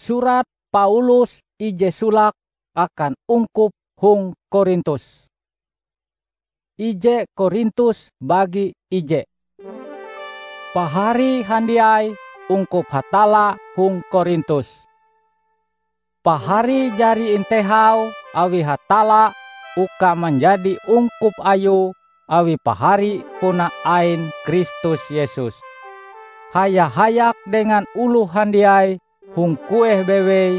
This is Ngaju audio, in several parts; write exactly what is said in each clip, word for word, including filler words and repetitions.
Surat Paulus ije solake akan ungkup hong Korintus. Ije Korintus bagi ije. Pahari handiai ungkup Hatalla hong Korintus. Pahari jari intehau awi Hatalla uka manjadi ungkup Ayue awi pahari puna ain Kristus Yesus. Haya-hayak dengan oloh handiai hong kueh bewei,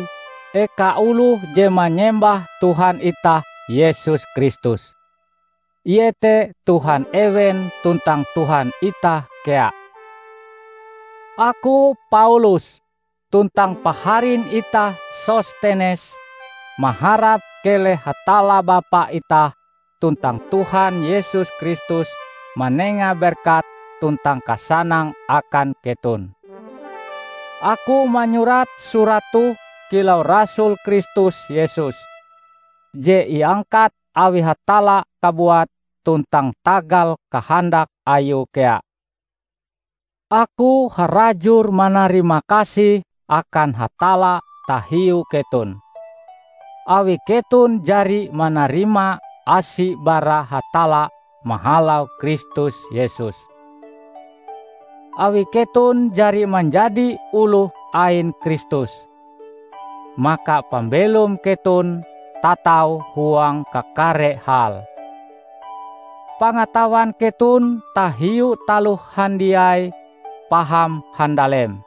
eka oloh je manyembah Tuhan itah Yesus Kristus. Ie te Tuhan ewen tuntang Tuhan itah kea. Aku, Paulus, tuntang paharin itah Sostenes maharap keleh Hatalla Bapa itah tuntang Tuhan Yesus Kristus manenga berkat tuntang kasanang akan keton. Aku manyurat surat toh kilau rasul Kristus Yesus, je iangkat awi Hatalla kabuat tuntang tagal kahandak Ayue kea. Aku harajur manarimakasih akan Hatalla tahiu keton, awi keton jari manarima asi bara Hatalla mahalau Kristus Yesus. Awi keton jari manjadi oloh ain Kristus, maka pambelom keton tatau huang kakare hal. Pangatawan keton tahiu taloh handiai paham handalem,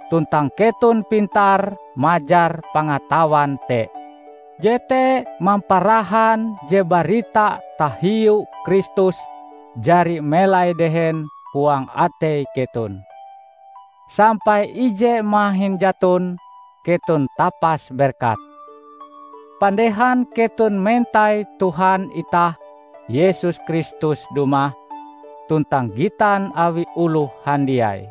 tuntang keton pintar majar pangatawan te. Jete mamparahan je barita tahiu Kristus jari melai dehen huang atei keton. Sampai ije mahin jaton keton tapas berkat. Pandehan keton mentai Tuhan itah Yesus Kristus dumah tuntang gitan awi oloh handiai.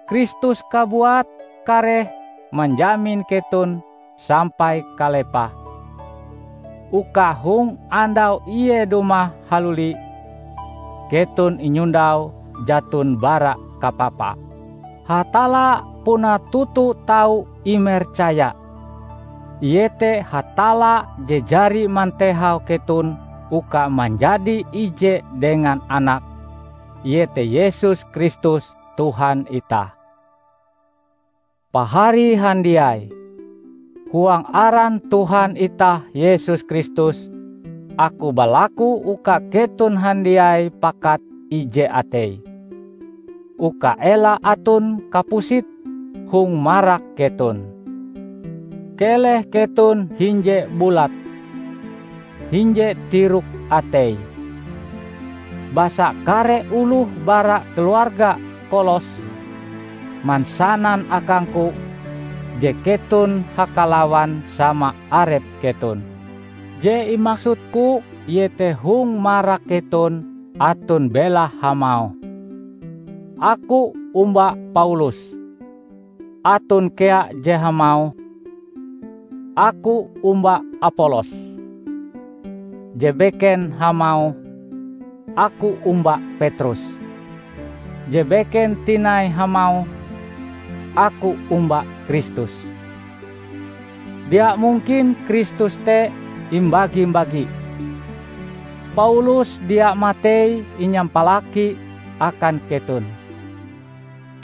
Kristus kabuat kareh manjamin keton sampai kalepah, uka hong andau Ie dumah haluli, keton inyondau jaton bara kapapa. Hatalla puna toto tau imercaya, iete Hatalla je jari mantehau keton uka manjadi ije dengan Anak, iete Yesus Kristus Tuhan itah. Pahari handiai, huang aran Tuhan itah Yesus Kristus, aku balaku uka keton handiai pakat ije atei, uka ela aton kapusit hong marak keton. Keleh keton hinje bulat, hinje tirok atei. Basa kare oloh bara keluarga Kolos mansanan akangku je keton hakalawan sama arep keton. Je imaksudku iete hong marak keton aton belahe hamauh, "Aku omba Paulus." Aton kea je hamauh, "Aku omba Apolos." Je beken hamauh, "Aku omba Petrus." Je beken tinai hamauh, "Aku omba Kristus." Dia mungkin Kristus te imbagi-bagi. Paulus dia matei inyampalaki akan keton.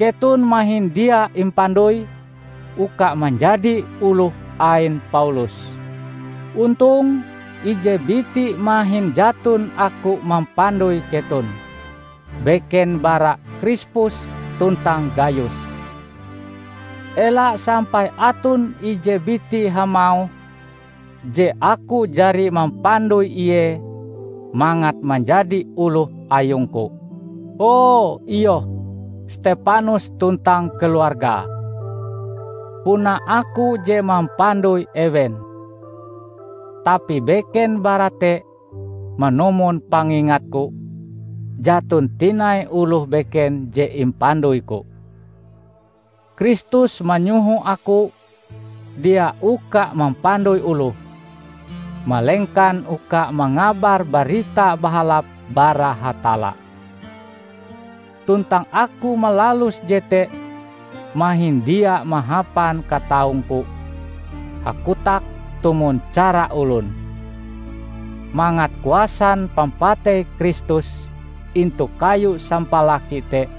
Keton mahin dia impandoi uka manjadi oloh ain Paulus. Ontong ije biti mahin jaton aku mampandoi keton, beken bara Krispus tuntang Gayus. Ela sampai aton ije biti hamauh je aku jari mampandoi ie mangat manjadi oloh ayungku. Oh, iyoh, Stepanus tuntang keluargae. Puna aku je mampandoi ewen. Tapi beken bara te manumon pangingatku, jaton tinai oloh beken je impandoiku. Kristus manyoho aku dia uka mampandoi oloh, malengkan uka mangabar Barita Bahalap bara Hatalla. Tuntang aku malalus jete mahin dia mahapan kataungku hakotak tumon cara olon, mangat kuasan pampatei Kristus intu kayu sampalaki te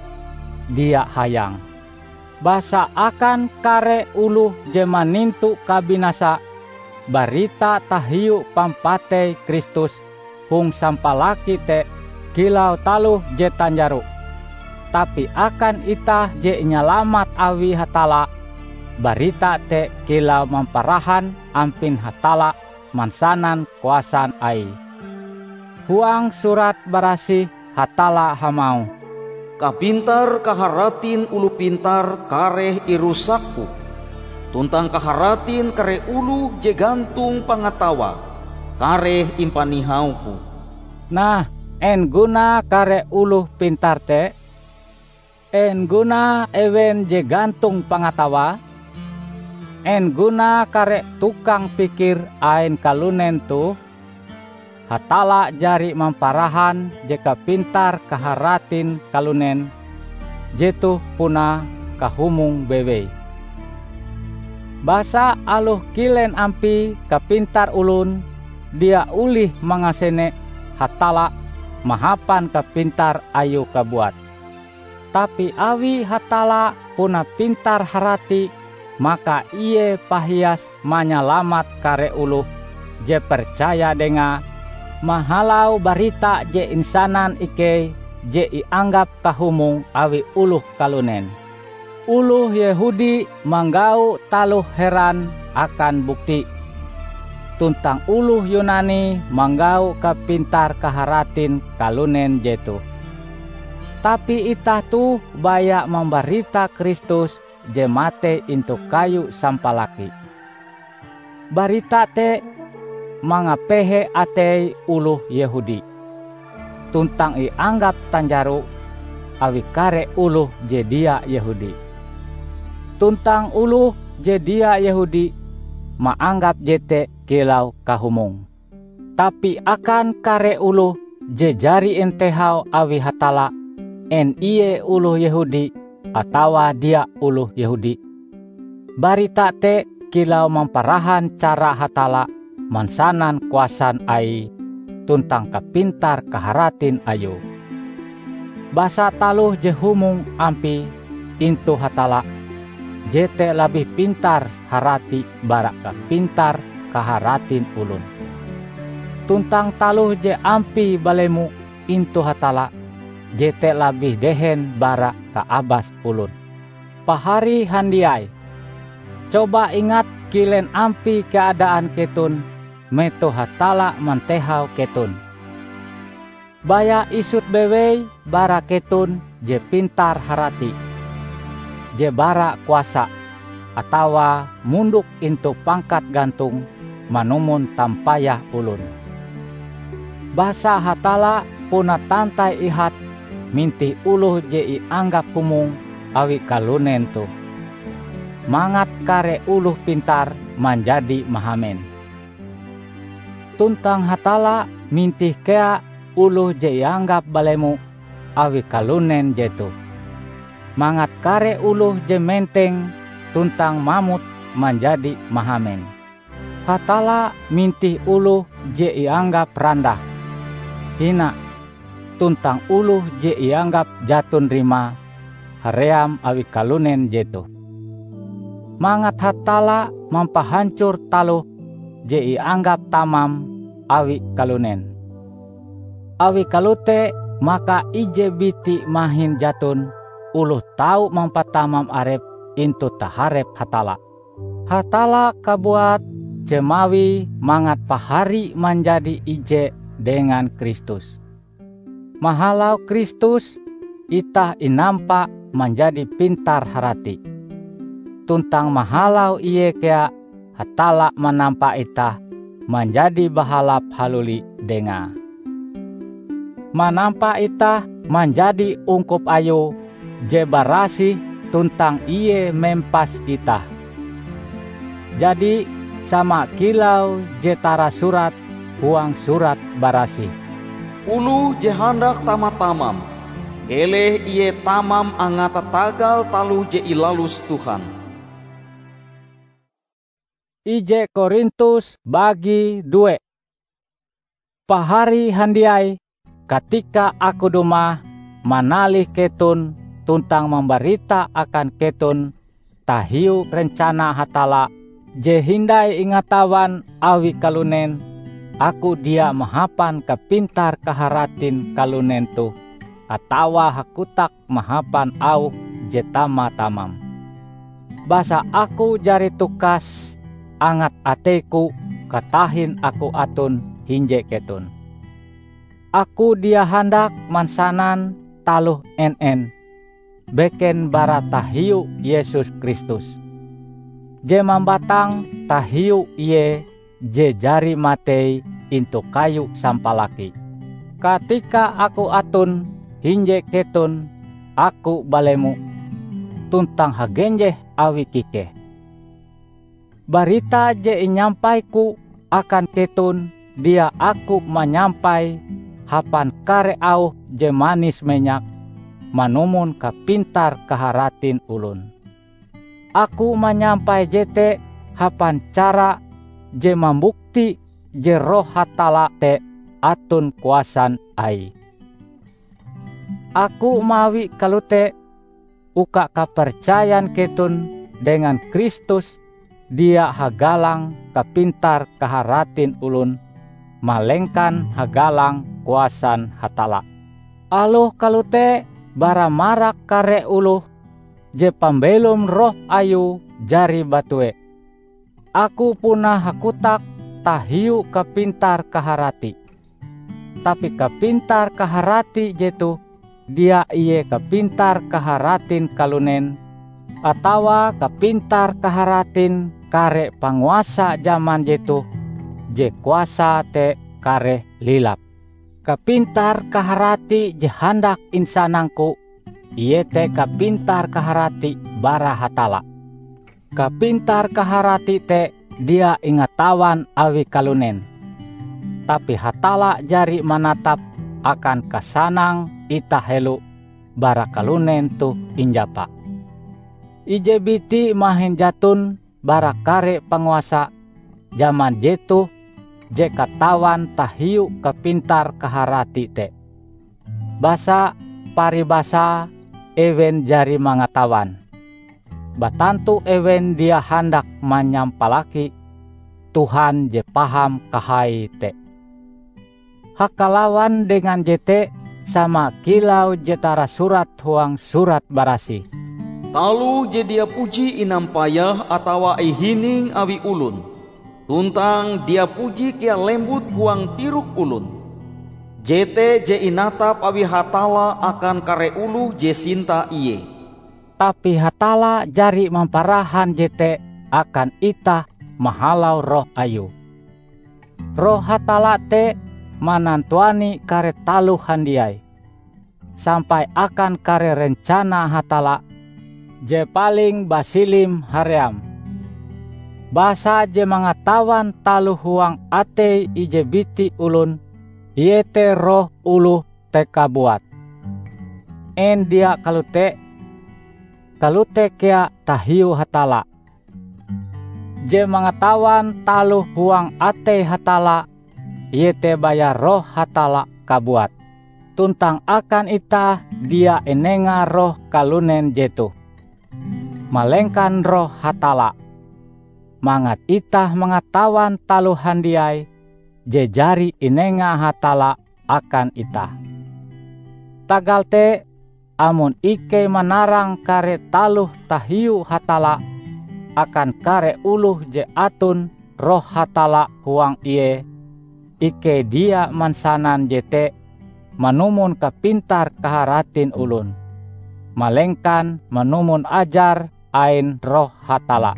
dia hayang. Basa akan kare oloh je manintu kabinasa barita tahiu pampatei Kristus hong sampalaki te kilau taloh je tanjaro. Tapi akan itah je inyalamat awi Hatalla, barita te kilau mamparahan ampin Hatalla mansanan kuasan Aie. Huang Surat Barasih Hatalla hamauh, "Kapintar-kaharatin oloh pintar kareh irusak-Ku, tuntang kaharatin kare oloh je gantong pangatawae kareh impanihau-Ku." Nah, en gunae kare oloh pintar te? En gunae ewen je gantong pangatawae? En gunae kare tukang pikir ain kalunen toh? Hatalla jari mamparahan je kapintar-kaharatin kalunen jetoh puna kahumong bewei. Basa aloh kilen ampie kapintar olon, dia olih mangasene Hatalla mahapan kapintar Ayue kabuat. Tapi awi Hatalla puna pintar-harati, maka Ie pahias manyalamat kare oloh je percaya Dengae mahalau barita je insanan ikei je ianggap kahumong awi oloh kalunen. Oloh Yehudi manggau taloh heran akan bukti, tuntang oloh Yunani manggau kapintar-kaharatin kalunen jetoh. Tapi itah toh baya mambarita Kristus je matei intu kayu sampalaki. Barita te mangapehe atei oloh Yehudi, tuntang ianggap tanjaro awi kare oloh je dia Yehudi. Tuntang oloh je dia Yehudi maanggap jete kilau kahumong. Tapi akan kare oloh je jari intehau awi Hatalla, en ie oloh Yehudi atawa dia oloh Yehudi, barita te kilau mamparahan cara Hatalla mansanan kuasan Aie tuntang kapintar-kaharatin Ayue. Basa taloh je humong ampie intu Hatalla, jete labih pintar-harati bara kapintar-kaharatin olon. Tuntang taloh je ampie balemo intu Hatalla, jete labih dehen bara kaabas olon. Pahari handiai, coba ingat kilen ampie keadaan keton metoh Hatalla mantehau keton. Baya isut bewei bara keton je pintar-harati, je bara kuasa, atawa mondok intu pangkat gantong manumon tampayah olon. Basa Hatalla puna tantai ihat mintih oloh je ianggap humong awi kalunen toh, mangat kare oloh oloh pintar manjadi mahamen. Tuntang Hatalla mintih kea oloh je ianggap balemo awi kalunen jetoh, mangat kare oloh je menteng tuntang mamot manjadi mahamen. Hatalla mintih oloh je ianggap randah, hina, tuntang oloh je ianggap jaton rimae haream awi kalunen jetoh, mangat Hatalla mampahancor taloh je ianggap tamam awi kalunen. Awi kalote, maka ije biti mahin jaton oloh tau mampatamam arepe intu taharep Hatalla. Hatalla kabuat je mawie mangat pahari manjadi ije dengan Kristus. Mahalau Kristus, itah inampa manjadi pintar-harati. Tuntang mahalau Ie kea, Hatalla manampa itah manjadi bahalap haluli Dengae. Manampa itah manjadi ungkup Ayue je barasih tuntang Ie mempas itah. Jadi, sama kilau je tarasurat huang Surat Barasih, "Oloh je handak tama-tamam, Keleh ie tamam angate tagal taloh je ilalus Tuhan. Ije Korintus bagi due. Pahari handiai, katika aku dumah manalih keton tuntang mambarita akan keton tahiu rencana Hatalla je hindai ingatawan awi kalunen, aku dia mahapan kapintar-kaharatin kalunen toh atawa hakotak mahapan auh je tama-tamam. Basa aku jari tukas angat ateiku katahin aku aton hinje keton. Aku dia handak mansanan taloh en-en beken bara tahiu Yesus Kristus, je mambatang tahiu Ie je jari matei intu kayu sampalaki. Katika aku aton hinje keton, aku balemo tuntang hagenjeh awi kikeh. Barita je inyampaiku akan keton dia aku manyampai hapan kare auh je manis menyak manumon kapintar-kaharatin olon. Aku manyampai jete hapan cara je mambukti je Roh Hatalla te aton kuasan Aie. Aku mawi kalote uka kapercayan keton dengan Kristus dia hagalang kapintar-kaharatin olon, malengkan hagalang kuasan Hatalla. Aloh kalote, bara marak kare oloh je pambelom Roh Ayue jari batue. Aku puna hakotak tahiu kapintar-kaharati. Tapi kapintar-kaharati jetoh dia ie kapintar-kaharatin kalunen, atawa kapintar-kaharatin kare panguasa jaman jetoh je kuasae te kareh lilap. Kapintar-kaharati je handak insanangku, iete kapintar-kaharati bara Hatalla. Kapintar-kaharati te dia ingatawan awi kalunen, tapi Hatalla jari manatap akan kasanang itah helo bara kalunen toh injapa. Ije biti mahin jaton bara kare panguasa jaman jetoh je katawan tahiu kapintar-kaharati te. Basa paribasae ewen jari mangatawan. Batantu ewen dia handak manyampalaki Tuhan je paham kahai te. Hakalawan dengan jete, sama kilau je tarasurat huang Surat Barasih, "Taloh je dia puji inampayah atawa ihining awi olon, tuntang dia puji kea lembut huang tirok olon. Jete je inatap awi Hatalla akan kare oloh je sinta Ie." Tapi Hatalla jari mamparahan jete akan itah mahalau Roh Ayue. Roh Hatalla te manantuani kare taloh handiai, sampai akan kare rencana Hatalla je paling basilim haream. Basa je mangatawan taloh huang atei ije biti olon, iete roh oloh te kabuat. En dia kalote? Kalote kea tahiu Hatalla. Je mangatawan taloh huang atei Hatalla, iete baya Roh Hatalla kabuat. Tuntang akan itah dia inenga roh kalunen jetoh, malengkan Roh Hatalla, mangat itah mangatawan taloh handiai je jari inenga Hatalla akan itah. Tagal te, amon ikei manarang kare taloh tahiu Hatalla akan kare oloh je aton Roh Hatalla huang ie, ikei dia mansanan jete manumon kapintar-kaharatin olon, malengkan manumon ajar ain Roh Hatalla.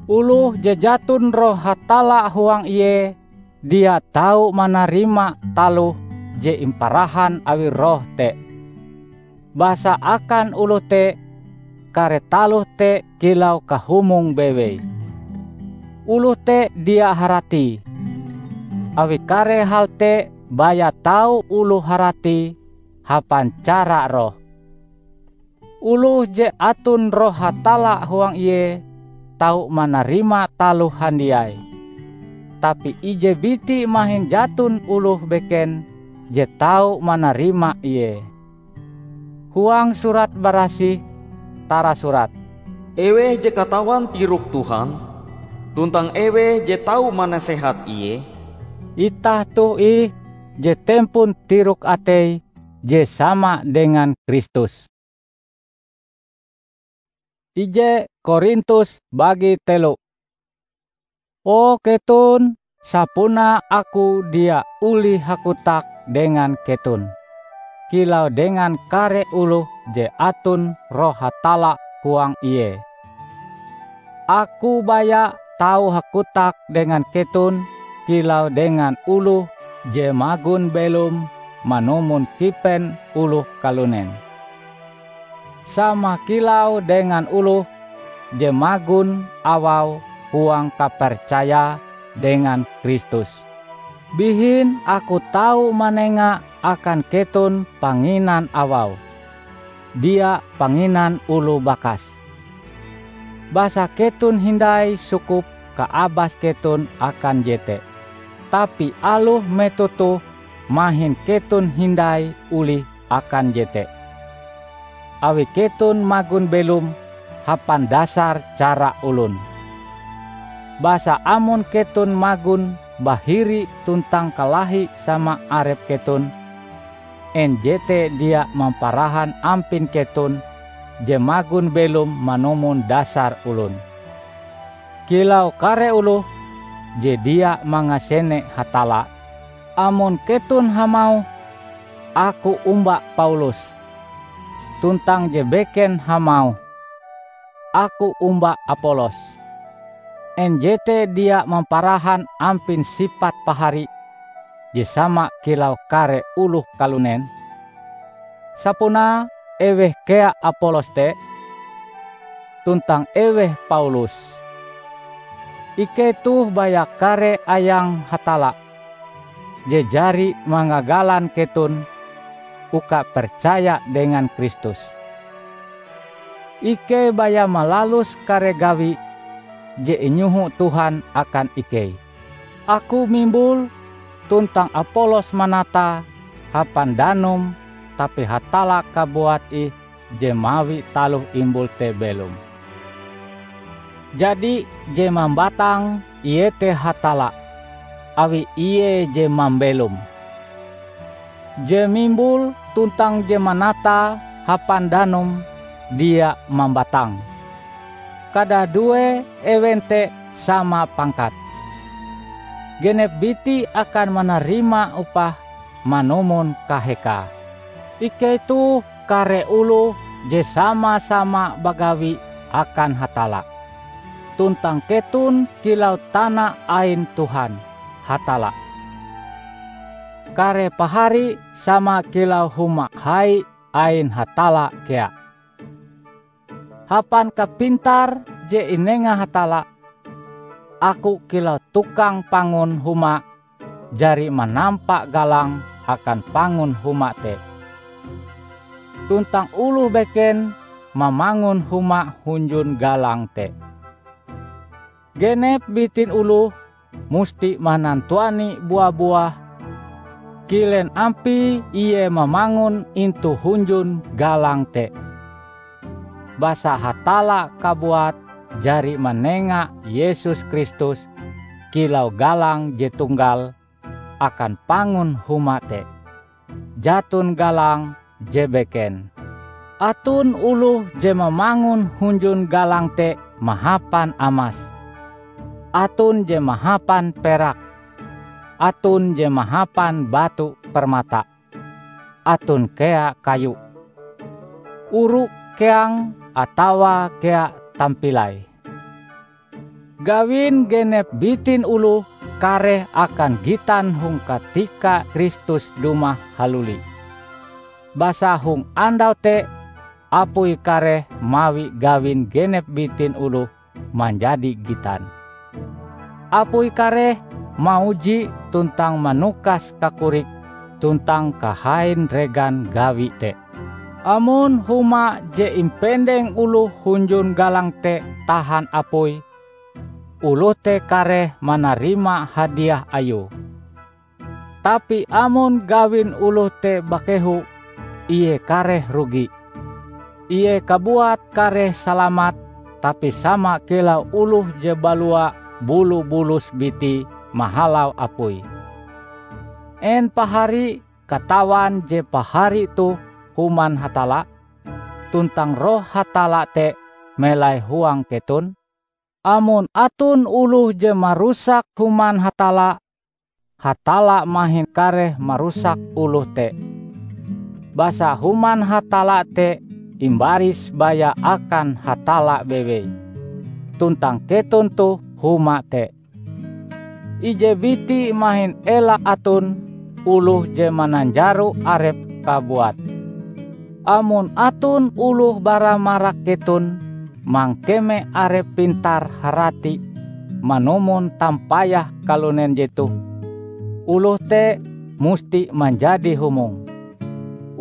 Oloh je jaton Roh Hatalla huang ie dia tau manarima taloh je imparahan awi Roh te. Basa akan oloh te, kare taloh te kilau kahumong bewei. Oloh te dia haratie, awi kare hal te baya tau oloh haratie hapan cara roh. Oloh je aton Roh Hatalla huang ie tau manarima taloh handiai, tapi ije biti mahin jaton oloh beken je tau manarima ie. Huang Surat Barasih tarasurat, "Eweh je katawan tirok Tuhan, tuntang eweh je tau manasehat Ie?" Itah toh ih je tempon tirok atei je sama dengan Kristus. Ije Korintus bagi telo. O keton, sapunae aku dia olih hakotak dengan keton, kilau dengan kare oloh je aton Roh Hatalla huang ie. Aku baya tau hakotak dengan keton kilau dengan oloh je magon belom manumon kipen oloh kalunen, sama kilau dengan oloh je magon awau huang kapercayae dengan Kristus. Bihin aku tau manenga akan keton panginan awau, dia panginan oloh bakas. Basa keton hindai sukup kaabas keton akan jete, tapi aloh metoh toh mahin keton hindai olih akan jete, awi keton magon belom hapan dasar cara olon. Basa amon keton magon bahiri tuntang kalahi sama arep keton, en jete dia mamparahan ampin keton je magon belom manumon dasar olon, kilau kare oloh je dia mangasene Hatalla? Amon keton hamauh, "Aku omba Paulus," tuntang je beken hamauh, "Aku omba Apolos," en jete dia mamparahan ampin sipat pahari je sama kilau kare oloh kalunen? Sapunae eweh kea Apolos te? Tuntang eweh Paulus? Ikei toh baya kare ayang Hatalla je jari mangagalan keton uka percaya dengan Kristus. Ikei baya malalus kare gawi je inyoho Tuhan akan ikei. Aku mimbul, tuntang Apolos manatae hapan danum, tapi Hatalla kabuat ih je mawi taloh imbul te belom. Jadi, je mambatang iete Hatalla, awi Ie je mambelom. Je mimbul tuntang je manatae hapan danum dia mambatang. Kadadue ewen te sama pangkat. Genep biti akan manarima upah manumon kahekae. Ikei toh kare oloh je sama-sama bagawi akan Hatalla, tuntang keton kilau tana ain Tuhan Hatalla. Kare pahari sama kilau huma hai ain Hatalla kea. Hapan kapintar je inenga Hatalla, aku kilau tukang pangun huma jari manampa galang akan pangun huma te, tuntang oloh beken mamangun huma hunjun galang te. Genep bitin oloh musti manantuani bua-buah kilen ampie ie mamangun intu hunjun galang te. Basa Hatalla kabuat jari manenga Yesus Kristus kilau galang je tunggal akan pangun huma te. Jaton galang je beken. Aton oloh je mamangun hunjun galang te mahapan amas, aton je mahapan perak, aton je mahapan batu permata, aton kea kayu, oru keang atawa kea tampilai. Gawin genep bitin oloh kareh akan gitan hong katika Kristus dumah haluli. Basa hong andau te apui kareh mawi gawin genep bitin oloh manjadi gitan. Apui kareh mauji tuntang manukas kakorik tuntang kahain regan gawi te. Amon huma je impendeng oloh hunjun galang te tahan apui, oloh te kareh manarima hadiah ayue. Tapi amon gawin oloh te bakehu, ie kareh rugi. Ie kabuat kareh salamat, tapi sama kilau oloh je balua bulu-bulus bitie mahalau apui. En pahari katawan je pahari toh human Hatalla, tuntang Roh Hatalla te melai huang keton? Amon aton oloh je marusak human Hatalla, Hatalla mahin kareh marusak oloh te. Basa human Hatalla te imbaris baya akan Hatalla bewei, tuntang keton toh huma te. Ije biti mahin ela aton oloh je mananjaro arepe kabuat. Amon aton oloh bara marak keton mangkeme arepe pintar-harati manumon tampayah kalunen jetoh, oloh te musti manjadi humong,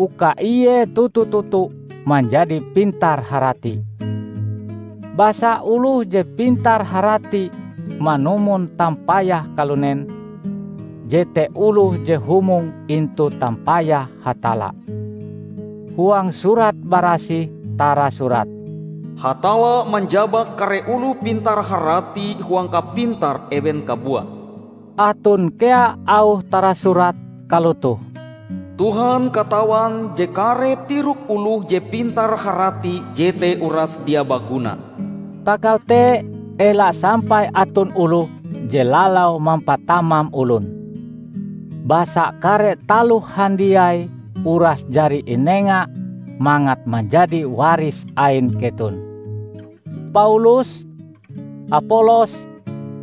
uka ie toto-toto manjadi pintar-harati. Basa oloh je pintar-harati manumon tampayah kalunen, jete oloh je humong intu tampayah Hatalla. Huang Surat Barasih tarasurat, "Hatalla manjabak kare oloh pintar-harati huang kapintar ewen kabuat." Aton kea auh tarasurat kalotoh, "Tuhan katawan je kare tirok oloh je pintar-harati jete uras dia baguna." Tagal te, ela sampai aton oloh je lalau mampatamam olon. Basa kare taloh handiai uras jari inenga mangat manjadi waris ain keton. Paulus, Apolos,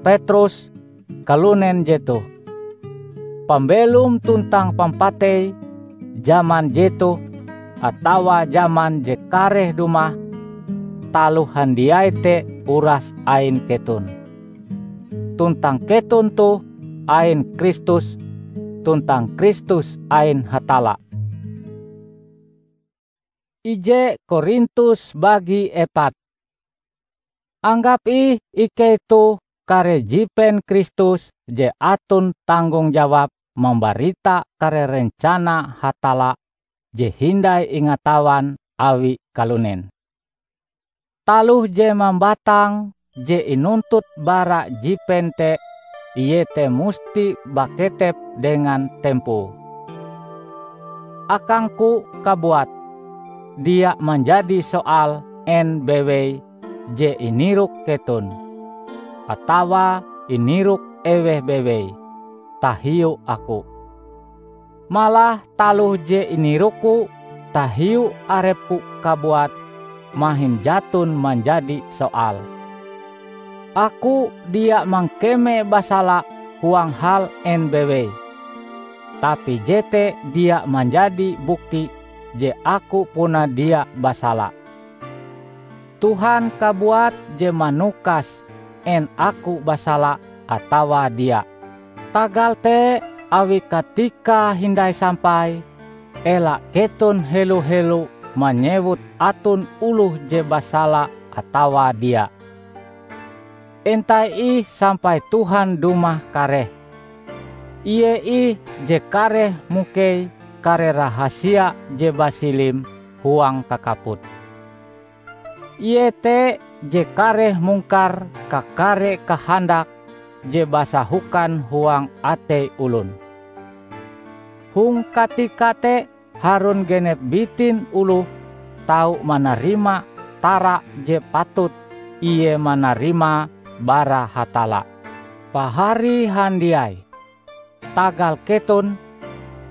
Petrus, kalunen jetoh. Pambelom tuntang pampatei, jaman jetoh atawa jaman je kareh dumah, taloh handiai te uras ain keton. Tuntang keton toh ain Kristus, tuntang Kristus ain Hatalla. Ije Korintus bagi epat. Anggap ih ikei toh kare jipen Kristus je aton tanggong jawab mambarita kare rencana Hatalla je hindai ingatawan awi kalunen. Taloh je mambatang je inuntut bara jipen te, iete musti baketep dengan tempoe. Akangku kabuat, dia manjadi soal en bewei je inirok keton, atawa inirok eweh bewei tahiu aku. Malah taloh je inirokku tahiu arepku kabuat mahin jaton manjadi soal. Aku dia mangkeme basala huang hal en bewei, tapi jete dia manjadi bukti je aku puna dia basala. Tuhan kabuat je manukas en aku basala atawa dia. Tagal te, awi katika hindai sampai, ela keton helo-helo manyewut aton oloh je basala atawa dia. Entai ih sampai Tuhan dumah kareh. Ie ih je kareh mukei kare rahasia je basilim huang kakaput. Ie te je kareh mungkar kakare kahandak je basahokan huang atei olon. Hong katika te harun genep bitin oloh tau manarima tara je patut ie manarima bara Hatalla. Pahari handiai, tagal keton,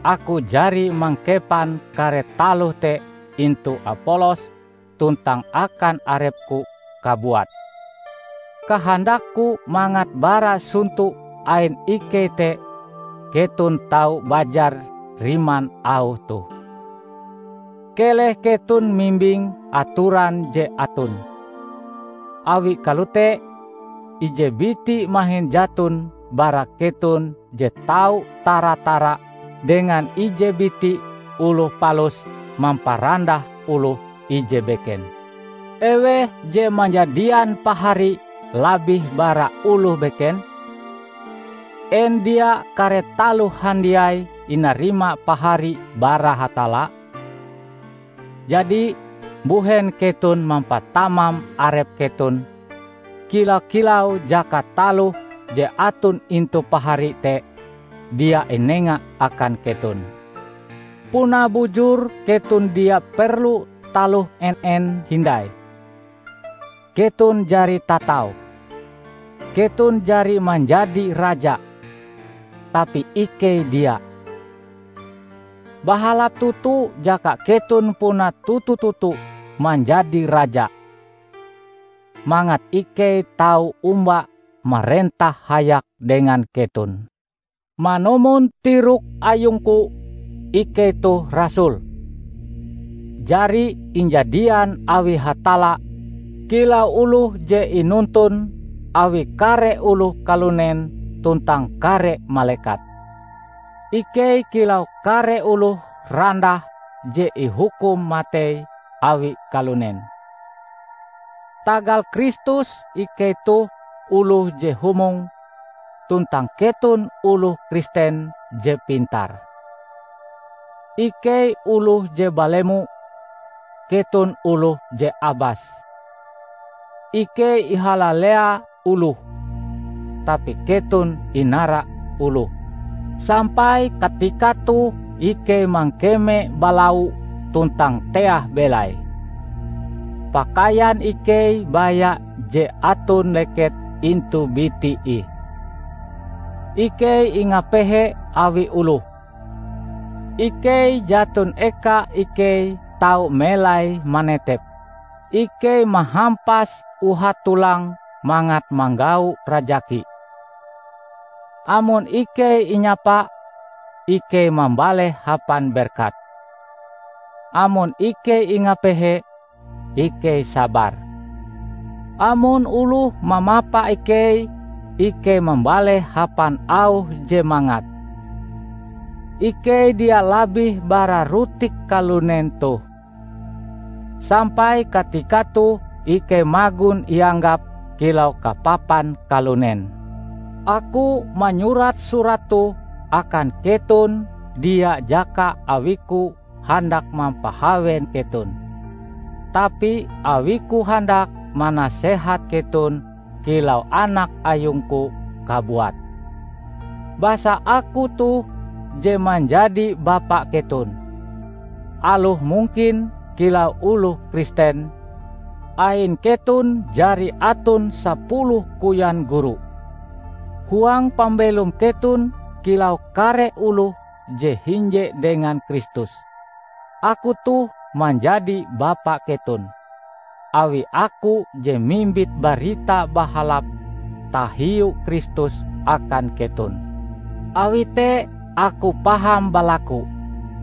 aku jari mangkepan kare taloh te intu Apolos tuntang akan arepku kabuat. Kahandakku mangat bara sonto ain ikei te keton tau bajar riman auh toh. Keleh keton mimbing atoran je aton. Awi kalote, ije biti mahin jaton bara keton je tau tara-tara dengan ije biti oloh palus mamparandah oloh ije beken. Eweh je manjadian pahari labih bara oloh beken? En dia kare taloh handiai inarima pahari bara Hatalla? Jadi, mbuhen keton mampatamam arep keton, kila-kilau jaka taloh je aton intu pahari te dia inenga akan keton? Puna bujur keton dia perlu taloh en-en hindai. Keton jari tatau. Keton jari manjadi raja, tapi ikei dia. Bahalap toto jaka keton puna toto-toto manjadi raja, mangat ikei tau omba marentah hayak dengan keton. Manumon tirok ayungku, ikei toh rasul, jari injadian awi Hatalla kilau oloh je inuntun awi kare oloh kalunen tuntang kare malekat. Ikei kilau kare oloh randah je ihukum matei awi kalunen. Tagal Kristus ikei toh oloh je humong, tuntang keton oloh Kristen je pintar. Ikei oloh je balemo, keton oloh je abas. Ikei ihalalea oloh, tapi keton inara oloh. Sampai katika toh ikei mangkeme balau tuntang teah belai. Pakaian ikei baya je aton leket intu biti ih. Ikei ingapehe awi oloh. Ikei jaton eka ikei tau melai manetep. Ikei mahampas uhat tulang mangat manggau rajaki. Amon ikei inyapa, ikei mambaleh hapan berkat. Amon ikei ingapehe, ikei sabar. Amon oloh mamapa ikei, ikei mambaleh hapan auh je mangat. Ikei dia labih bara rutik kalunen toh, sampai katika toh ikei magon ianggap kilau kapapan kalunen. Aku manyurat surat toh akan keton dia jaka awiku handak mampahawen keton, tapi awiku handak manasehat keton kilau anak ayungku kabuat. Basa aku toh je manjadi bapa keton. Aloh mungkin kilau oloh Kristen, ain keton jari aton sapuluh koyan guru. Huang pambelom keton kilau kare oloh je hinje dengan Kristus. Aku toh manjadi bapa keton, awi aku je mimbit Barita Bahalap tahiu Kristus akan keton. Awi te aku paham balaku,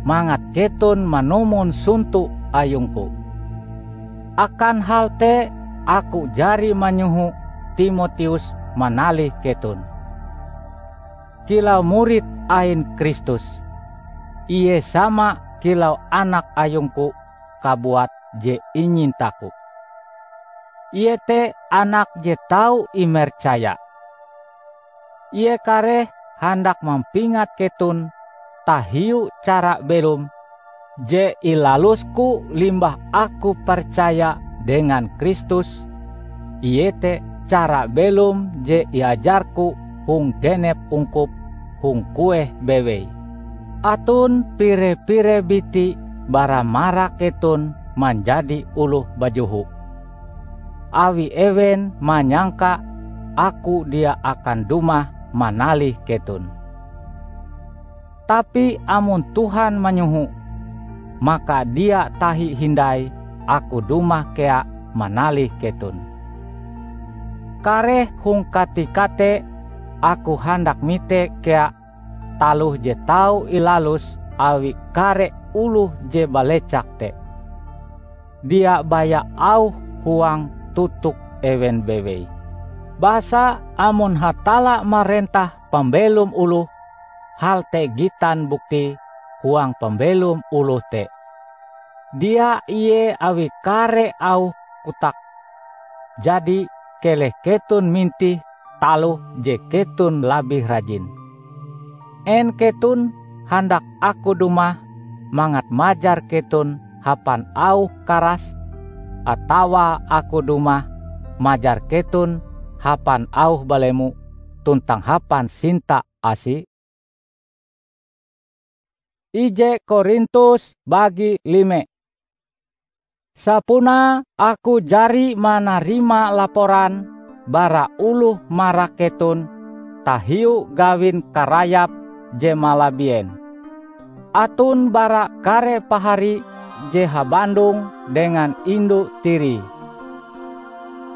mangat keton manumon sonto ayungku. Akan hal te aku jari manyoho Timoteus manalih keton. Kilau murid ain Kristus, ie sama kilau anak ayungku kabuat je inyintaku. Ie te anak je tau imercaya. Ie kareh handak mampingat keton tahiu cara belom je ilalusku limbah aku percaya dengan Kristus, iete cara belom je iajarku hong genep ungkup hong kueh bewei. Aton pire-pire biti bara marak keton manjadi oloh bajoho, awi ewen manyangka aku dia akan dumah manalih keton. Tapi amon Tuhan manyoho, maka dia tahi hindai aku dumah kea manalih keton. Kareh hong katika te aku handak mite kea taloh je tau ilalus awi kare oloh je balecak te. Dia baya auh huang totok ewen bewei. Basa amon Hatalla marentah pambelom oloh, hal te gitan bukti huang pambelom oloh te. Dia ie awi kare auh kotak. Jadi, keleh keton mintih taloh je keton labih rajin. En keton handak aku dumah mangat majar keton hapan auh karas, atawa aku dumah majar keton hapan auh balemo tuntang hapan sinta asi? Ije Korintus bagi lime. Sapunae aku jari manarima laporan bara oloh marak keton tahiu gawin karayap je malabien. Aton bara kare pahari je habandong dengan indu tirie.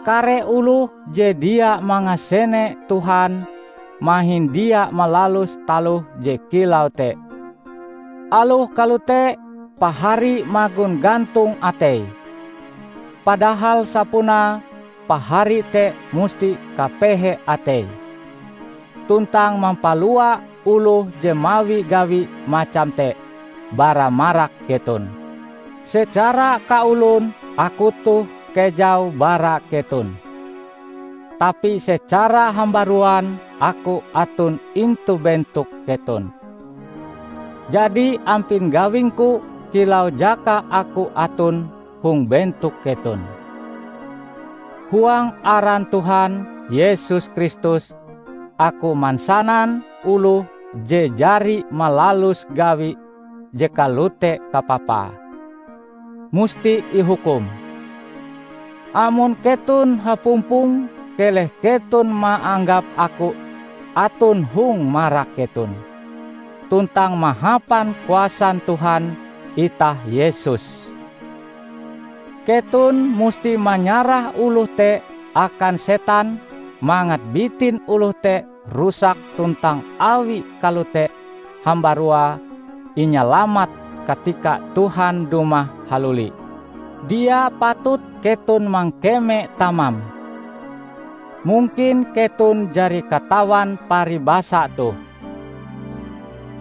Kare oloh je dia mangasene Tuhan mahin dia malalus taloh je kilau te. Aloh kalote, pahari magon gantong ateie. Padahal sapunae pahari te musti kapehe ateie, tuntang mampalua oloh je mawi gawi macam te bara marak keton. Secara kaolon aku toh kejau bara keton, tapi secara hambaruan aku aton intu bentok keton. Jadi ampin gawingku kilau jaka aku aton hong bentok keton. Huang aran Tuhan Yesus Kristus, aku mansanan oloh je jari malalus gawi je kalote kapapae, musti ihukum. Amon keton hapumpong, keleh keton maanggap aku aton hong marak keton, tuntang mahapan kuasan Tuhan itah Yesus. Keton musti manyarah oloh te akan setan mangat bitin oloh te rusak tuntang awi kalote hambaruae inyalamat katika Tuhan dumah haluli. Dia patut keton mangkeme tamam. Mungkin keton jari katawan paribasa toh.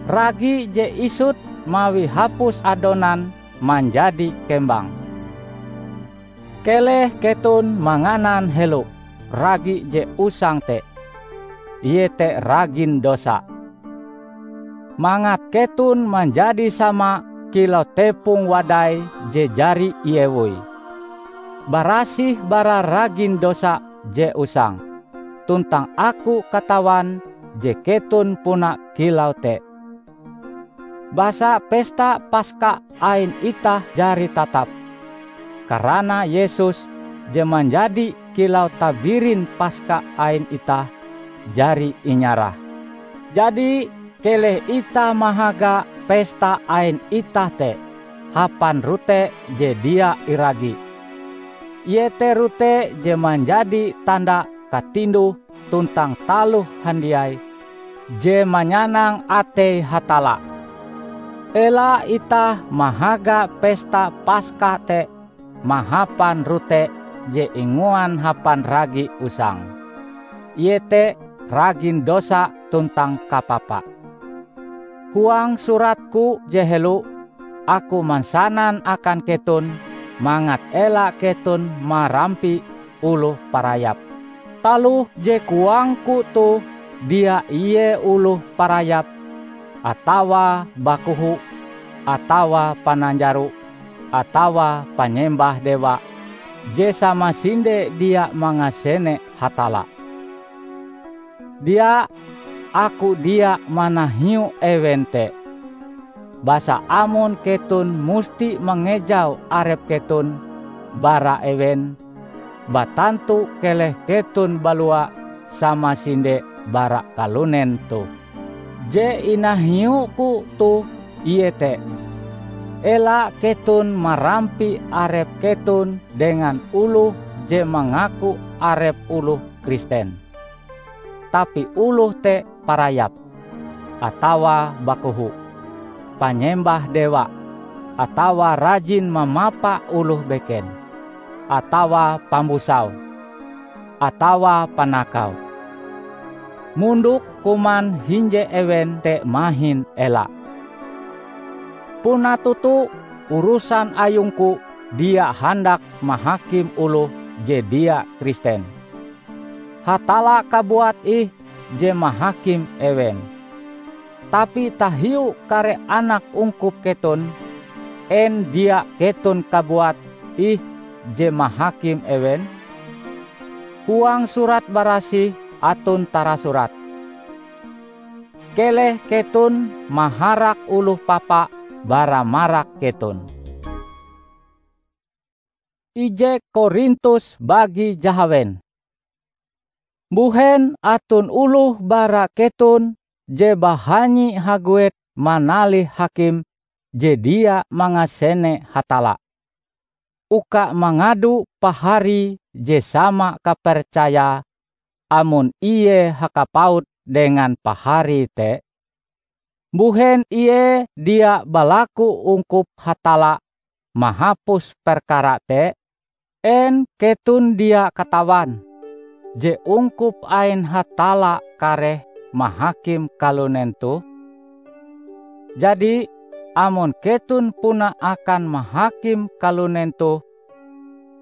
Ragi je isut mawi hapus adonan manjadi kembang. Keleh keton manganan helo ragi je usang te, iete ragin dosa, mangat keton manjadi sama kilau tepong wadai je jari iewoi, barasih bara ragin dosa je usang. Tuntang aku katawan je keton puna kilau te. Basa pesta Paska ain itah jari tatap, karana Yesus je manjadi kilau tabirin Paska ain itah jari inyarah. Jadi, keleh itah mahaga pesta ain itah te hapan rote je dia iragi, iete rote je manjadi tanda katinduh tuntang taloh handiai je manyanang atei Hatalla. Ela itah mahaga pesta Paska te mahapan rote je inguan hapan ragi usang, iete ragin dosa tuntang kapapa. Huang suratku je helo, aku mansanan akan keton mangat ela keton marampi oloh parayap. Taloh je koangku toh dia ie oloh parayap, atawa bakoho, atawa pananjaro, atawa panyembah dewa, je samasinde dia mangasene Hatalla. Dia, aku dia manahiu ewen te. Basa amon keton musti mangejau arep keton bara ewen, batantu keleh keton balua samasinde bara kalunen toh. Je inahiuku toh iete: ela keton marampi arep keton dengan oloh je mangaku arep oloh Kristen, tapi oloh te parayap, atawa bakoho, panyembah dewa, atawa rajin mamapa oloh beken, atawa pambusau, atawa panakau. Mondok kuman hinje ewen te mahin ela. Puna toto, urusan ayungku dia handak mahakim oloh je dia Kristen. Hatalla kabuat ih je mahakim ewen. Tapi tahiu kare anak ungkup keton, en dia keton kabuat ih je mahakim ewen? Huang Surat Barasih aton tarasurat, "Keleh keton maharak oloh papa bara marak keton." Ije Korintus bagi jahawen. Mbuhen aton oloh bara keton je bahanyi haguet manalih hakim je dia mangasene Hatalla, uka mangado pahari je sama kapercayae amon ie hakapaut dengan pahari te? Mbuhen ie dia balaku ungkup Hatalla mahapus perkara te? En keton dia katawan je ungkup ain Hatalla kareh mahakim kalunen toh? Jadi, amon keton puna akan mahakim kalunen toh,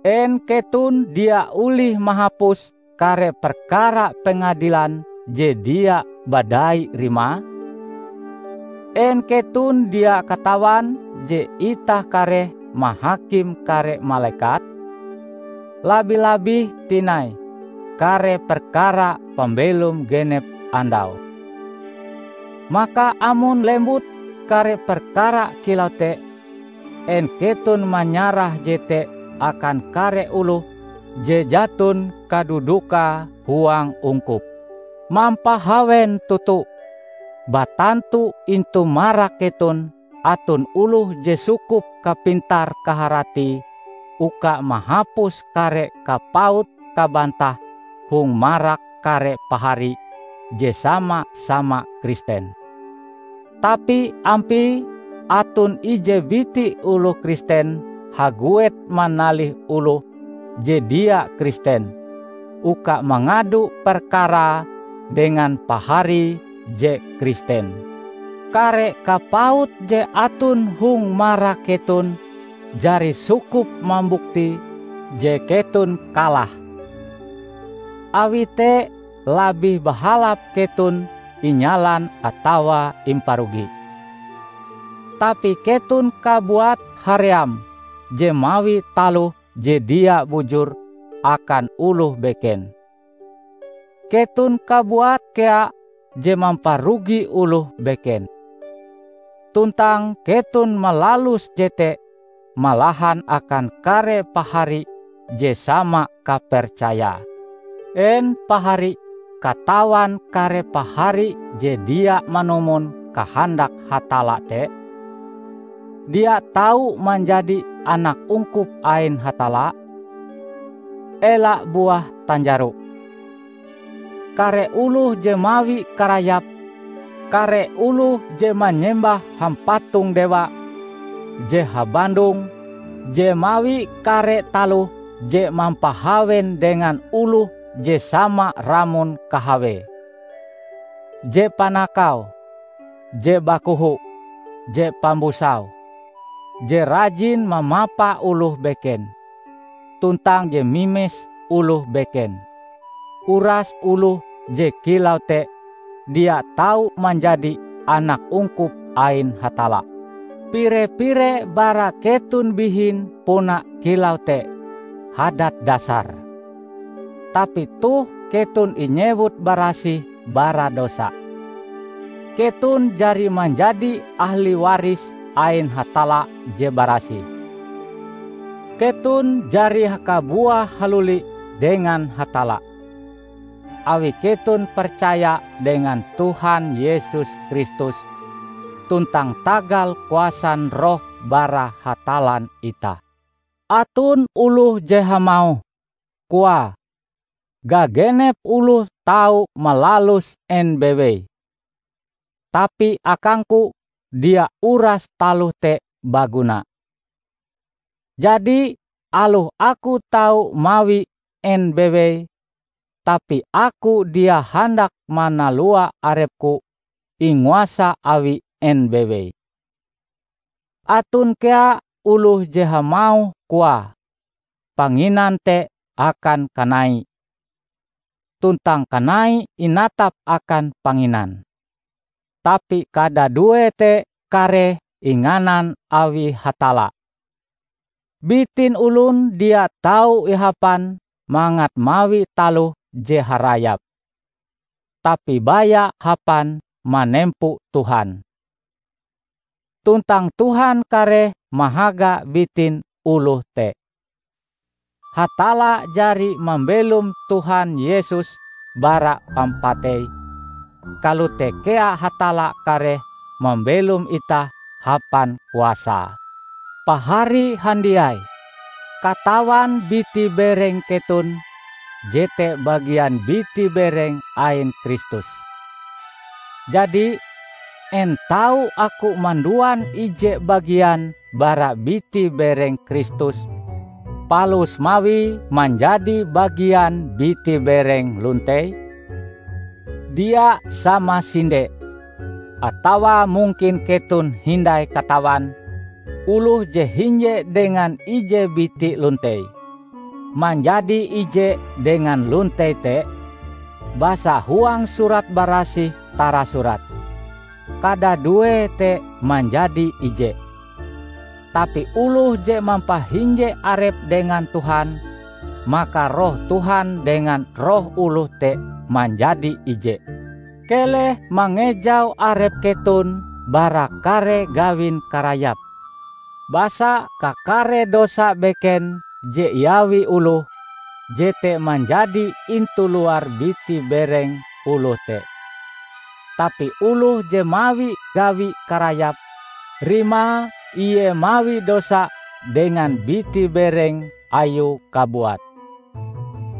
en keton dia olih mahapus kare perkara pengadilan je dia badai rimae? En keton dia katawan je itah kareh mahakim kare malekat? Labih-labih tinai kare perkara pambelom genep andau. Maka amon lembut kare perkara kilau te, en keton manyarah jete akan kare oloh je jaton kadudukae huang ungkup? Mampahawen toto, batantu intu marak keton aton oloh je sukup kapintar-kaharatie uka mahapus kare kapaut kabantah hong marak kare pahari je sama-sama Kristen. Tapi ampie aton ije biti oloh Kristen haguet manalih oloh je dia Kristen uka mangado perkarae dengan pahari je Kristen. Kare kapaut je aton hong marak keton jari sukup mambukti je keton kalah. Awi te, labih bahalap keton inyalan atawa imparugi. Tapi keton kabuat haream je mawi taloh je dia bujur akan oloh beken. Keton kabuat kea je mamparugi oloh beken. Tuntang keton malalus jete malahan akan kare pahari je sama kapercayae. En pahari katawan kare pahari je dia manumon kahandak Hatalla te? Dia tau manjadi anak ungkup ain Hatalla? Ela buah tanjaro! Kare oloh je mawi karayap, kare oloh je manyembah hampatong dewa je habandong, je mawi kare taloh je mampahawen dengan oloh je sama ramon kahawee, je panakau, je bakoho, je pambusau, je rajin mamapa oloh beken, tuntang je mimes oloh beken. Uras oloh je kilau te dia tau manjadi anak ungkup ain Hatalla. Pire-pire bara keton bihin puna kilau te hadat dasare. Tapi toh keton inyewut barasih bara dosa. Keton jari manjadi ahli waris ain Hatalla je barasih. Keton jari kabuah haluli dengan Hatalla, awi keton percaya dengan Tuhan Yesus Kristus tuntang tagal kuasan Roh bara Hatallan itah. Aton oloh je hamauh, koae, "Gagenep oloh tau malalus en bewei, tapi akangku dia uras taloh te baguna. Jadi, aloh aku tau mawi en bewei, tapi aku dia handak manalua arepku inguasa awi en bewei." Aton kea oloh je hamauh koae, "Panginan te akan kanai," tuntang kanai inatap akan panginan. Tapi kadadue te kareh inganan awi Hatalla. Bitin olon dia tau ihapan mangat mawi taloh je harayap, tapi baya hapan manempo Tuhan. Tuntang Tuhan kareh mahaga bitin oloh te. Hatalla jari mambelom Tuhan Yesus bara pampatei, kalote kea Hatalla kareh mambelom itah hapan kuasae. Pahari handiai, katawan biti bereng keton jete bagian biti bereng ain Kristus. Jadi, en tau aku manduan ije bagian bara biti bereng Kristus, palus mawie manjadi bagian biti bereng lontei? Dia samasinde! Atawa mungkin keton hindai katawan, oloh je hinje dengan ije biti lontei, manjadi ije dengan lontei te? Basa huang Surat Barasih tarasurat, "Kadadue te manjadi ije." Tapi oloh je mampahinje arepe dengan Tuhan, maka roh Tuhan dengan roh oloh te manjadi ije. Keleh mangejau arep keton bara kare gawin karayap. Basa kakare dosa beken je iawi oloh, jete manjadi intu luar biti bereng oloh te. Tapi oloh je mawi gawi karayap, rimae ie mawi dosa dengan biti bereng ayue kabuat.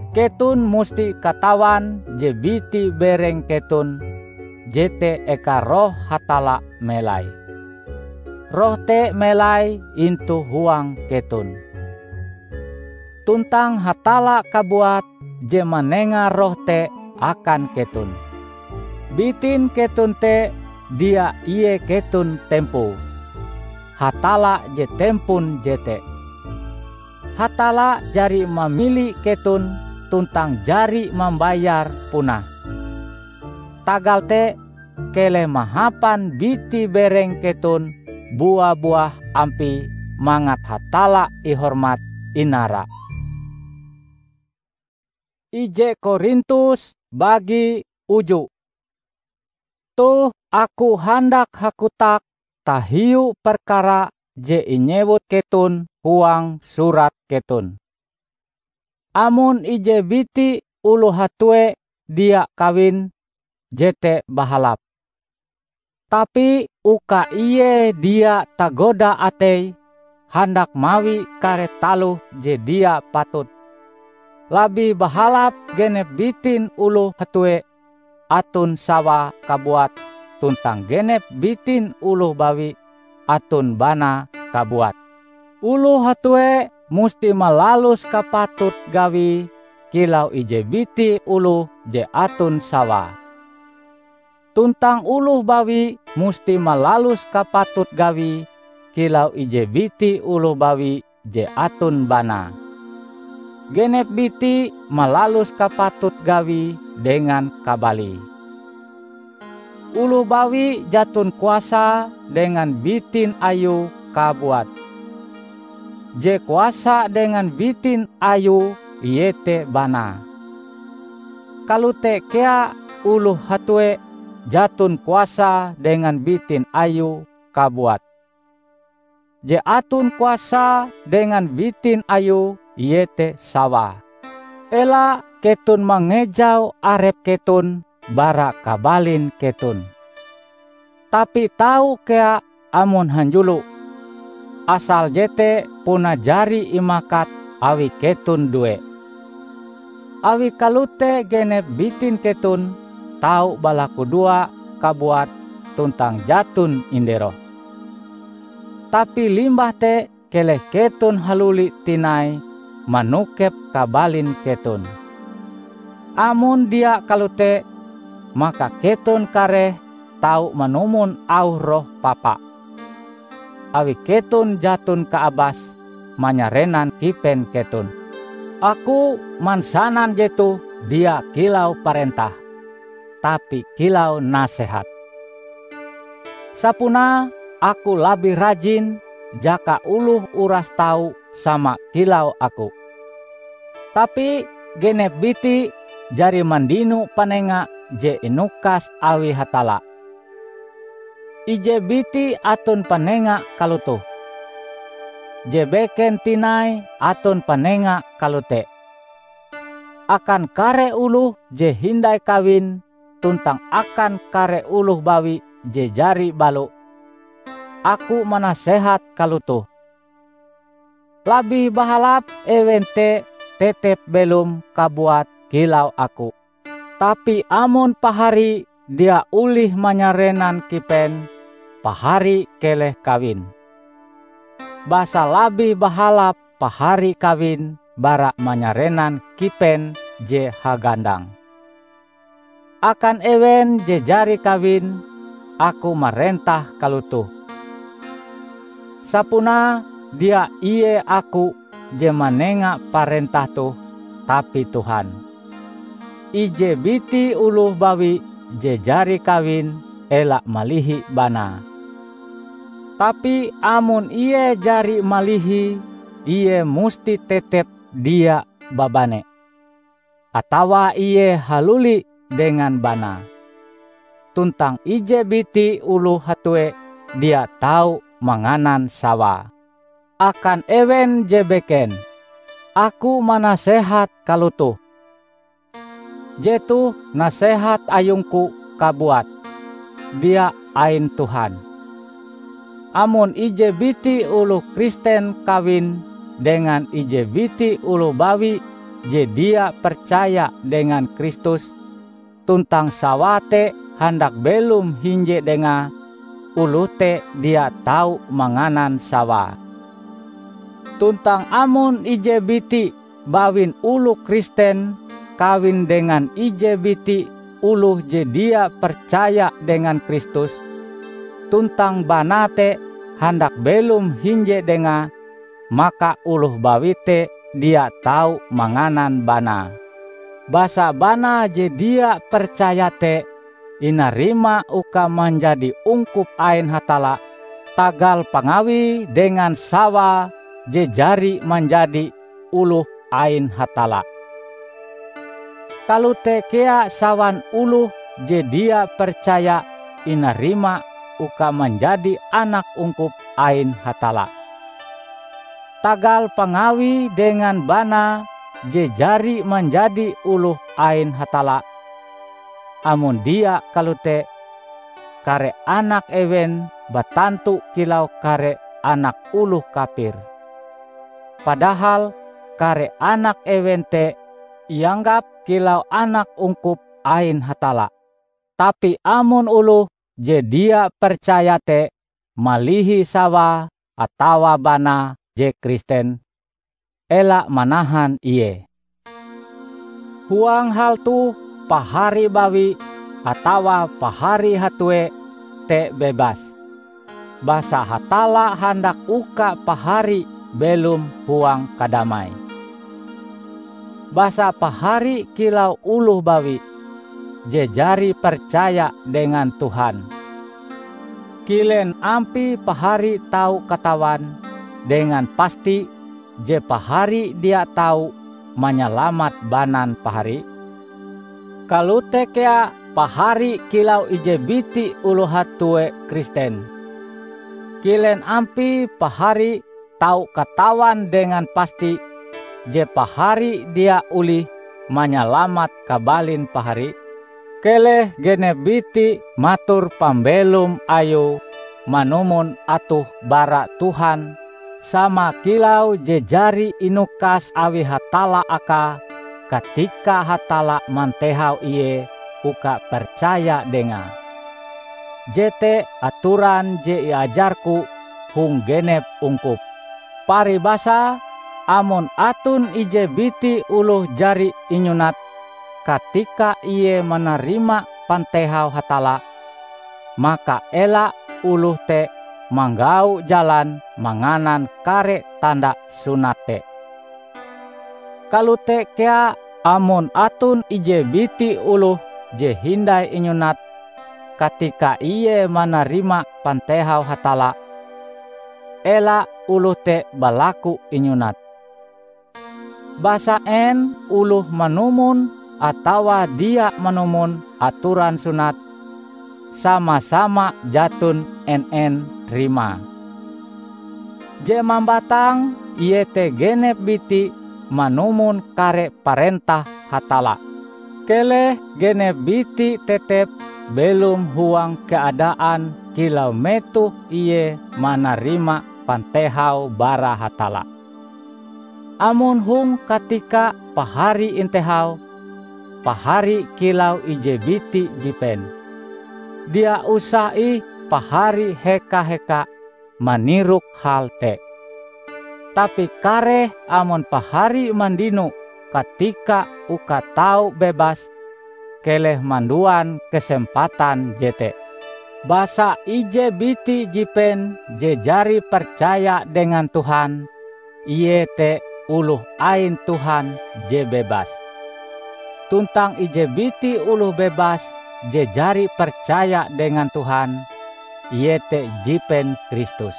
Keton musti katawan je biti bereng keton jete eka Roh Hatalla melai. Roh te melai intu huang keton. Tuntang Hatalla kabuat je manenga Roh te akan keton. Bitin keton te dia ie keton tempoe. Hatalla je tempon jete. Hatalla jari mamili keton tuntang jari mambayar punae. Tagal te, keleh mahapan biti bereng keton bua-buah ampie mangat Hatalla ihormat inara. Ije Korintus bagi uju. Toh aku handak hakotak tahiu perkara je inyewut keton huang surat keton. Amon ije biti oloh hatue dia kawin, jete bahalap. Tapi uka ie dia tagoda ateie handak mawi kare taloh je dia patut, labih bahalap genep bitin oloh hatue aton sawae kabuat tuntang genep bitin oloh bawi aton banae kabuat. Oloh hatue musti malalus kapatut gawie kilau ije biti oloh je aton sawae. Tuntang oloh bawi musti malalus kapatut gawie kilau ije biti oloh bawi je aton banae. Genep biti malalus kapatut gawie dengan kabalie. Oloh bawi jaton kuasae dengan bitin ayue kabuat. Je kuasae dengan bitin ayue iete banae. Kalote kea oloh hatue jaton kuasae dengan bitin ayue kabuat. Je aton kuasae dengan bitin ayue iete sawae. Ela keton mangejau arep keton bara kabalin keton. Tapi tau kea amon hanjulo, asal jete puna jari imakat awi keton due. Awi kalote genep bitin keton tau balakudoa kabuat tuntang jaton inderoh. Tapi limbah te keleh keton haluli tinai manokep kabalin keton. Amon dia kalote, maka keton kareh tau manumon auh roh papa. awi keton jaton kaabas manyarenan kipen keton. Aku mansanan jetoh dia kilau parentah, tapi kilau nasehat. Sapunae aku labih rajin jaka oloh uras tau sama kilau aku. Tapi genep biti jari mandino panenga je inukas awi Hatalla. Ije biti aton panenga kalotoh, je beken tinai aton panenga kalote. Akan kare oloh je hindai kawin tuntang akan kare oloh bawi je jari balo, aku manasehat kalotoh: Labih bahalap ewen te tetep belom kabuat kilau aku. Tapi amon pahari dia olih manyarenan kipen, pahari keleh kawin. Basa labih bahalap pahari kawin bara manyarenan kipen je hagandang. Akan ewen je jari kawin, aku marentah kalotoh: Sapunae dia ie aku je manenga parentah toh, tapi Tuhan. Ije biti oloh bawi je jari kawin ela malihi banae. Tapi amon ie jari malihi, ie musti tetep dia babane, atawa ie haluli dengan banae. Tuntang ije biti oloh hatue dia tau manganan sawae. Akan ewen je beken, aku manasehat kalotoh: Jetoh nasehat ayungku kabuat, dia ain Tuhan. Amon ije biti oloh Kristen kawin dengan ije biti oloh bawi je dia percaya dengan Kristus, tuntang sawae te handak belom hinje dengae, oloh te dia tau manganan sawae. Tuntang amon ije biti bawin oloh Kristen kawin dengan ije biti oloh je dia percaya dengan Kristus, tuntang banae te handak belom hinje dengae, maka oloh bawi te dia tau manganan banae. Basa banae je dia percaya te inarima uka manjadi ungkup ain Hatalla, tagal pangawie dengan sawae je jari manjadi oloh ain Hatalla. Kalote kea sawan oloh je dia percaya inarima uka manjadi anak ungkup ain Hatalla, tagal pangawie dengan banae je jari manjadi oloh ain Hatalla. Amon dia kalote, kare anak ewen batantu kilau kare anak oloh kafir. Padahal kare anak ewen te ianggap kilau anak ungkup ain Hatalla. Tapi amon oloh je dia percaya te malihi sawae atawa banae je Kristen, ela manahan ie. Huang hal toh, pahari bawi atawa pahari hatue te bebas, basa Hatalla handak uka pahari belom huang kadamai. Basa pahari kilau oloh bawi je jari percaya dengan Tuhan. Kilen ampie pahari tau katawan dengan pasti je pahari dia tau manyalamat banan pahari? Kalote kea pahari kilau ije biti oloh hatue Kristen. Kilen ampie pahari tau katawan dengan pasti je pahari dia olih manyalamat kabalin pahari? Keleh genep biti mator pambelom ayue manumon atoh bara Tuhan, sama kilau je jari inukas awi Hatalla akae katika Hatalla mantehau ie uka percaya Dengae. Jete atoran je iajarku hong genep ungkup. Paribasae, amon aton ije biti oloh jari inyunat katika ie manarima pantehau Hatalla, maka ela oloh te manggau jalan manganan kare tanda sunat te. Kalote kea amon aton ije biti oloh je hindai inyunat katika ie manarima pantehau Hatalla, ela oloh te balaku inyunat. Basa en oloh manumon atawa dia manumon atoran sunat, sama-sama jaton en-en rimae. Je mambatang iete genep biti manumon kare parentah Hatalla. Keleh genep biti tetep belom huang keadaan kilau metoh ie manarima pantehau bara Hatalla. Amon hong katika pahari intehau, pahari kilau ije biti jipen. Dia usah ih pahari heka-heka manirok hal te. Tapi kareh amon pahari mandino katika uka tau bebas, keleh manduan kesempatan jete. Basa ije biti jipen je jari percaya dengan Tuhan, ie te oloh ain Tuhan je bebas. Tuntang ije biti oloh bebas je jari percaya dengan Tuhan, ie te jipen Kristus.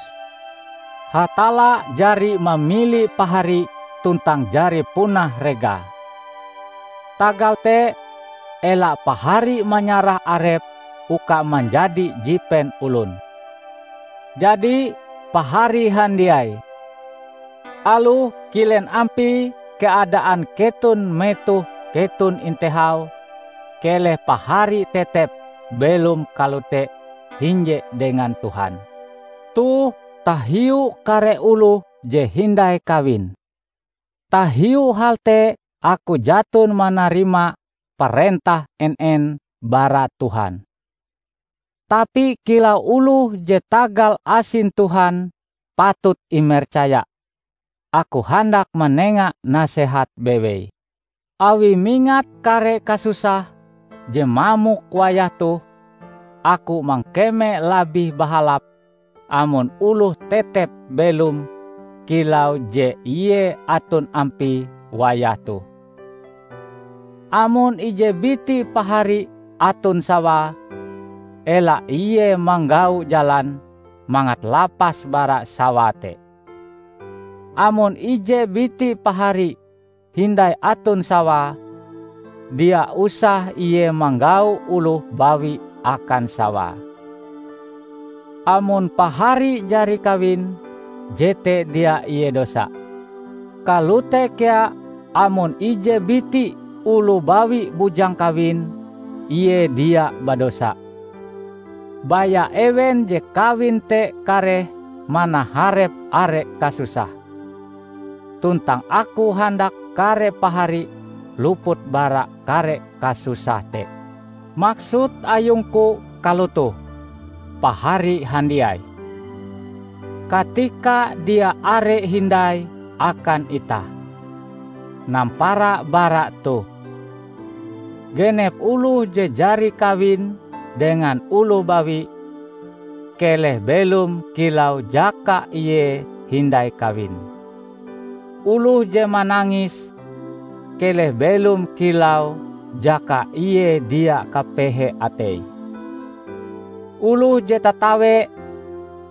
Hatalla jari mamili pahari tuntang jari puna regae. Tagal te, ela pahari manyarah arepe uka manjadi jipen olon. Jadi, pahari handiai, aloh kilen ampie keadaan keton metoh keton intehau, keleh pahari tetep belom kalote hinje dengan Tuhan. Toh tahiu kare oloh je hindai kawin. Tahiu hal te aku jaton manarima parentah en-en bara Tuhan. Tapi kilau oloh je tagal asin Tuhan patut imercaya, aku handak manenga nasehat bewei. Awi mingat kare kasusah je mamok wayah toh, aku mangkeme labih bahalap amon oloh tetep belom kilau je ie aton ampie wayah toh. Amon ije biti pahari aton sawae, ela ie manggau jalan mangat lapas bara sawae te. Amon ije biti pahari hindai aton sawae, dia usah ie manggau oloh bawi akan sawae. Amon pahari jari kawin, jete dia ie dosa. Kalote kea amon ije biti oloh bawi bujang kawin, ie dia badosa. Baya ewen je kawin te kareh manaharep are kasusah. Tuntang aku handak kare pahari luput bara kare kasusah te. Maksud ayungku kalotoh, pahari handiai. Katika dia are hindai akan itah, nampara bara toh, genep oloh je jari kawin dengan oloh bawi, keleh belom kilau jaka ie hindai kawin. Oloh je manangis, keleh belom kilau jaka ie dia kapehe ateie. Oloh je tatawe,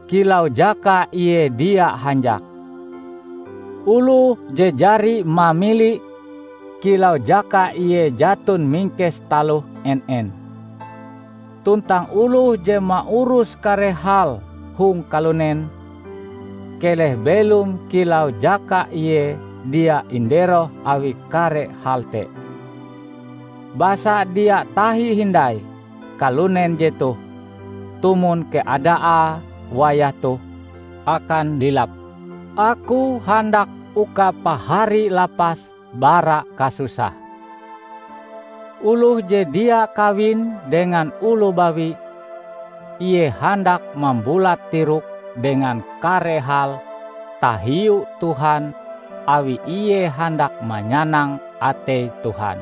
kilau jaka ie dia hanjak. Oloh je jari mamili, kilau jaka ie jaton mingkes taloh en-en. Tuntang oloh je maurus kare hal hong kalunen, keleh belom kilau jaka ie dia inderoh awi kare hal te. Basa dia tahi hindai kalunen jetoh, tumon keadaae wayah toh akan lilap. Aku handak uka pahari lapas bara kasusah. Oloh je dia kawin dengan oloh bawi, ie handak mambulat tirok dengan kare hal tahiu Tuhan awi ie handak manyanang atei Tuhan.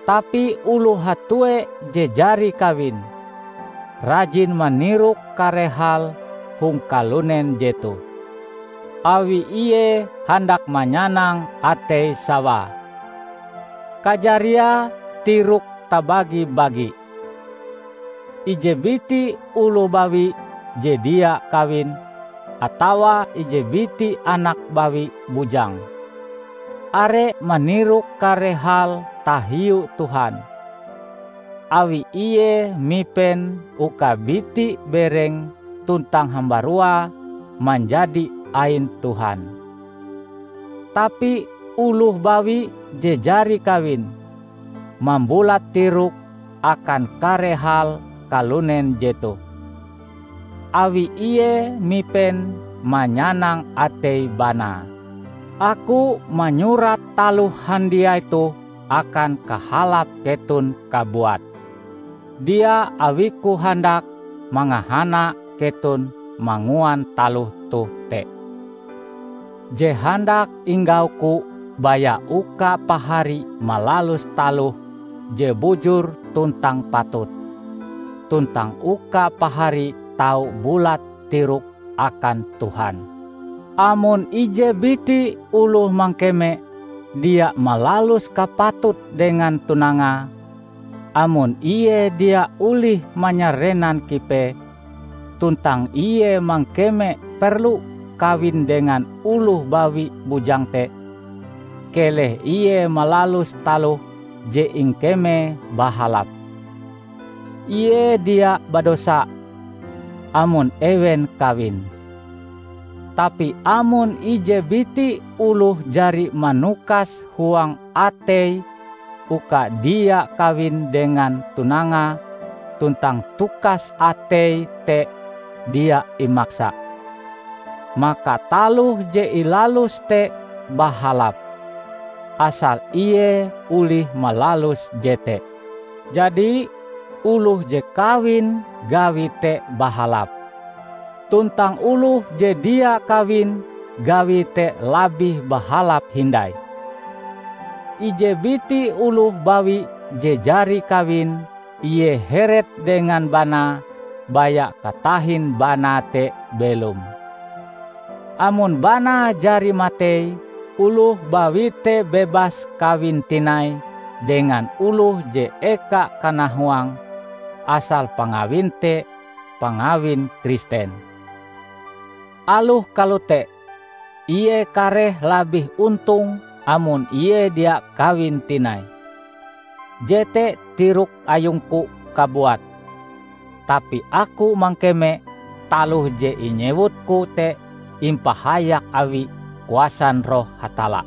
Tapi oloh hatue je jari kawin, rajin manirok kare hal hong kalunen jetoh, awi ie handak manyanang atei sawae. Kajariae tirok tabagi-bagi. Ije biti oloh bawi je dia kawin, atawa ije biti anak bawi bujang, are manirok kare hal tahiu Tuhan, awi ie mipen uka biti bereng tuntang hambaruae manjadi ain Tuhan. Tapi oloh bawi je jari kawin, mambulat tirok akan kare hal kalunen jetoh, awi ie mipen manyanang atei banae. Aku manyurat taloh handiai toh akan kahalap keton kabuat. Dia awiku handak mangahana keton manguan taloh toh te. Je handak inggauku baya uka pahari malalus taloh je bujur tuntang patut, tuntang uka pahari tau bulat tirok akan Tuhan. Amon ije biti oloh mangkeme dia malalus kapatut dengan tunangae, amon ie dia olih manyarenan kipee, tuntang ie mangkeme perlu kawin dengan oloh bawi bujang te, keleh ie malalus taloh je ingkemee bahalap. Ie dia badosa amon ewen kawin. Tapi amon ije biti oloh jari manukas huang ateie uka dia kawin dengan tunangae tuntang tukas ateie te dia imaksa, maka taloh je ilaluse te bahalap, asal ie olih malalus jete. Jadi, oloh je kawin gawie te bahalap, tuntang oloh je dia kawin gawie te labih bahalap hindai. Ije biti oloh bawi je jari kawin, ie heret dengan banae baya katahin banae te belom. Amon banae jari matei, oloh bawi te bebas kawin tinai dengan oloh je eka kanahuang, asal pangawin te pangawin Kristen. Aloh kalote, ie kareh labih ontong amon ie dia kawin tinai. Jete tirok ayungku kabuat, tapi aku mangkeme taloh je inyewutku te impahayak awi kuasan Roh Hatalla.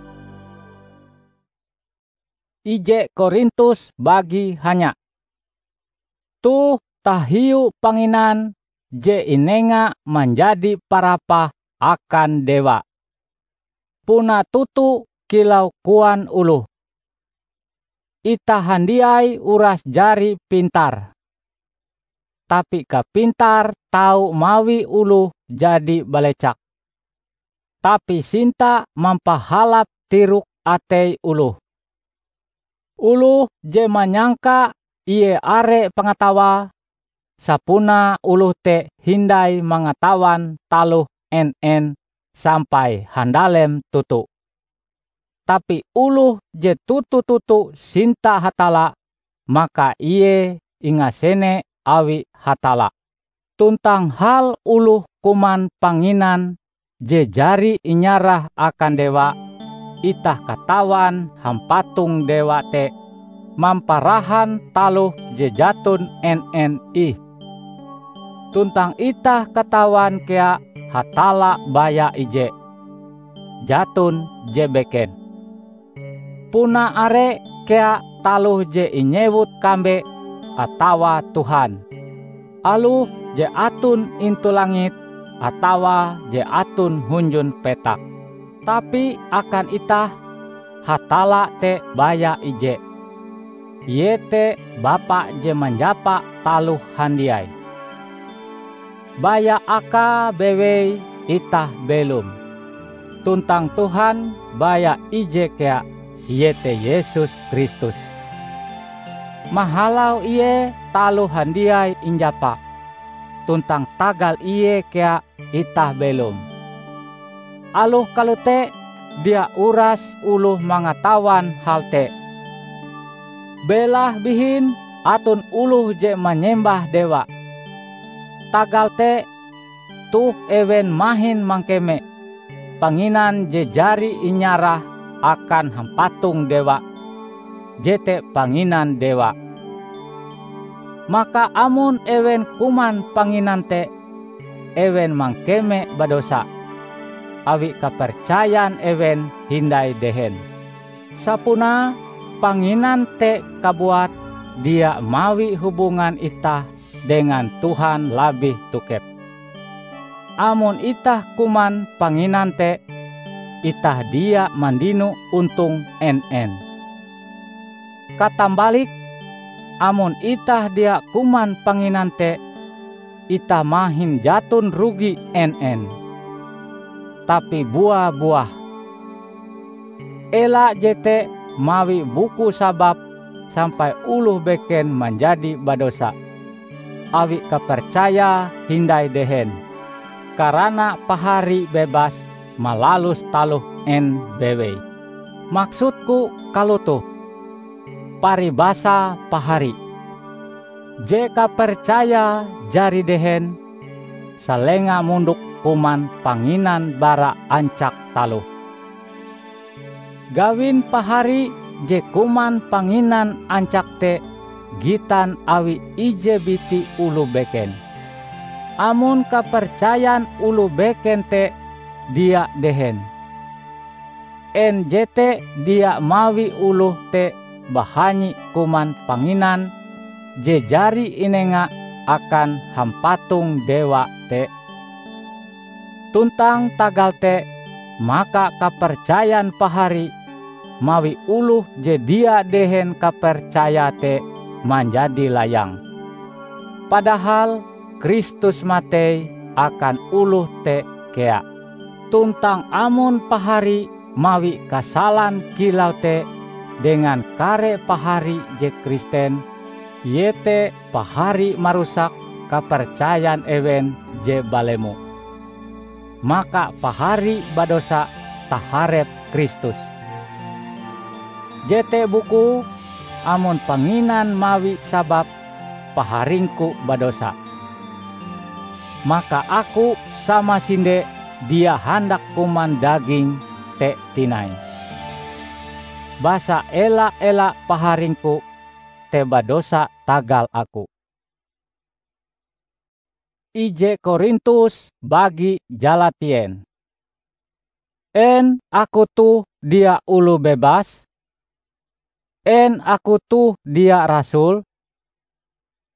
Ije Korintus bagi hanya. Toh tahiu panginan je inenga manjadi parapah akan dewa. Puna toto kilau koan oloh, "Itah handiai uras jari pintar, tapi kapintar tau mawi oloh jadi balecak." Tapi sinta mampahalap tirok atei oloh. Oloh je manyangka ie are pangatawae, sapunae oloh te hindai mangatawan taloh en-en sampai handalem toto. Tapi oloh je toto-toto sinta Hatalla, maka ie ingasene awi Hatalla. Tuntang hal oloh kuman panginan je jari inyarah akan dewa, itah katawan hampatong dewa te mamparahan taloh je jaton en-en ih. Tuntang itah katawan kea Hatalla baya ije, jaton je beken. Puna are kea taloh je inyewut kambe atawa Tuhan, aloh je aton intu langit atawa je aton hunjun petak. Tapi akan itah, Hatalla te baya ije, iete Bapa je manjapa taloh handiai. Baya akae bewei itah belom, tuntang Tuhan baya ije kea, iete Yesus Kristus. Mahalau Ie taloh handiai injapa, tuntang tagal ie kea itah belom. Aloh kalote, dia uras oloh mangatawan hal te. Belahe bihin aton oloh je manyembah dewa. Tagal te, toh ewen mahin mangkeme panginan je jari inyarah akan hampatong dewa, jete panginan dewa. Maka amon ewen kuman panginan te, ewen mangkeme badosa, awi kapercayan ewen hindai dehen. Sapunae panginan te kabuat, dia mawi hubungan itah dengan Tuhan labih tokep. Amon itah kuman panginan te, itah dia mandino ontong en-en. Katambalike, amon itah dia kuman panginan te, itah mahin jaton rugi en-en, tapi bua-buah. Ela jete mawi buku sabab sampai oloh beken manjadi badosa, awi kapercayae hindai dehen, karana pahari bebas malalus taloh en bewei. Maksudku kalotoh, paribasa pahari. Je kapercayae jari dehen, salenga mondok kuman panginan bara ancak taloh. Gawin pahari je kuman panginan ancak te gitan awi ije biti oloh beken. Amon kapercayan oloh beken te dia dehen, en jete dia mawi oloh te bahanyi kuman panginan je jari inenga akan hampatong dewa te? Tuntang tagal te, maka kapercayan pahari mawi oloh je dia dehen kapercayae te manjadi layang. Padahal Kristus matei akan oloh te kea. Tuntang amon pahari mawi kasalan kilau te dengan kare pahari je Kristen, iete pahari marusak kapercayan ewen je balemo, maka pahari badosa taharep Kristus. Jete bukue, amon panginan mawi sabab paharingku badosa, maka aku samasinde dia handak kuman daging te tinai. Basa ela-ela paharingku te badosa tagal aku. Ije Korintus bagi jalatien. En aku toh dia oloh bebas? En aku toh dia rasul?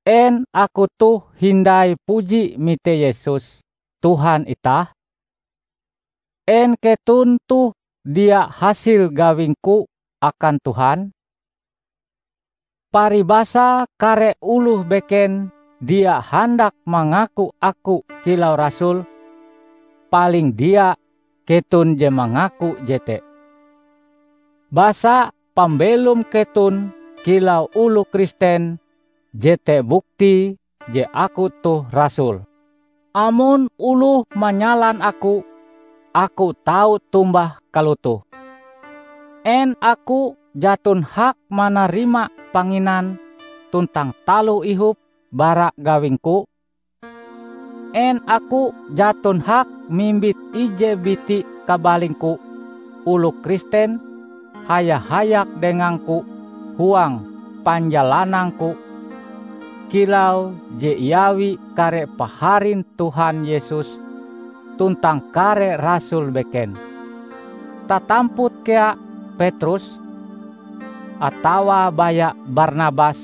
En aku toh hindai puji mite Yesus, Tuhan itah? En keton toh dia hasil gawingku akan Tuhan? Paribasa kare oloh beken dia handak mangaku aku kilau rasul, paling dia keton je mangaku jete. Basa pambelom keton kilau oloh Kristen jete bukti je aku toh rasul. Amon oloh manyalan aku, aku tau tombah kalotoh, en aku jaton hak manarima panginan tuntang taloh ihop bara gawingku? En aku jaton hak mimbit ije biti kabalingku oloh Kristen haya-hayak dengangku huang panjalanangku, kilau je iawi kare paharin Tuhan Yesus tuntang kare rasul beken? Tatamput kea Petrus, atawa baya Barnabas,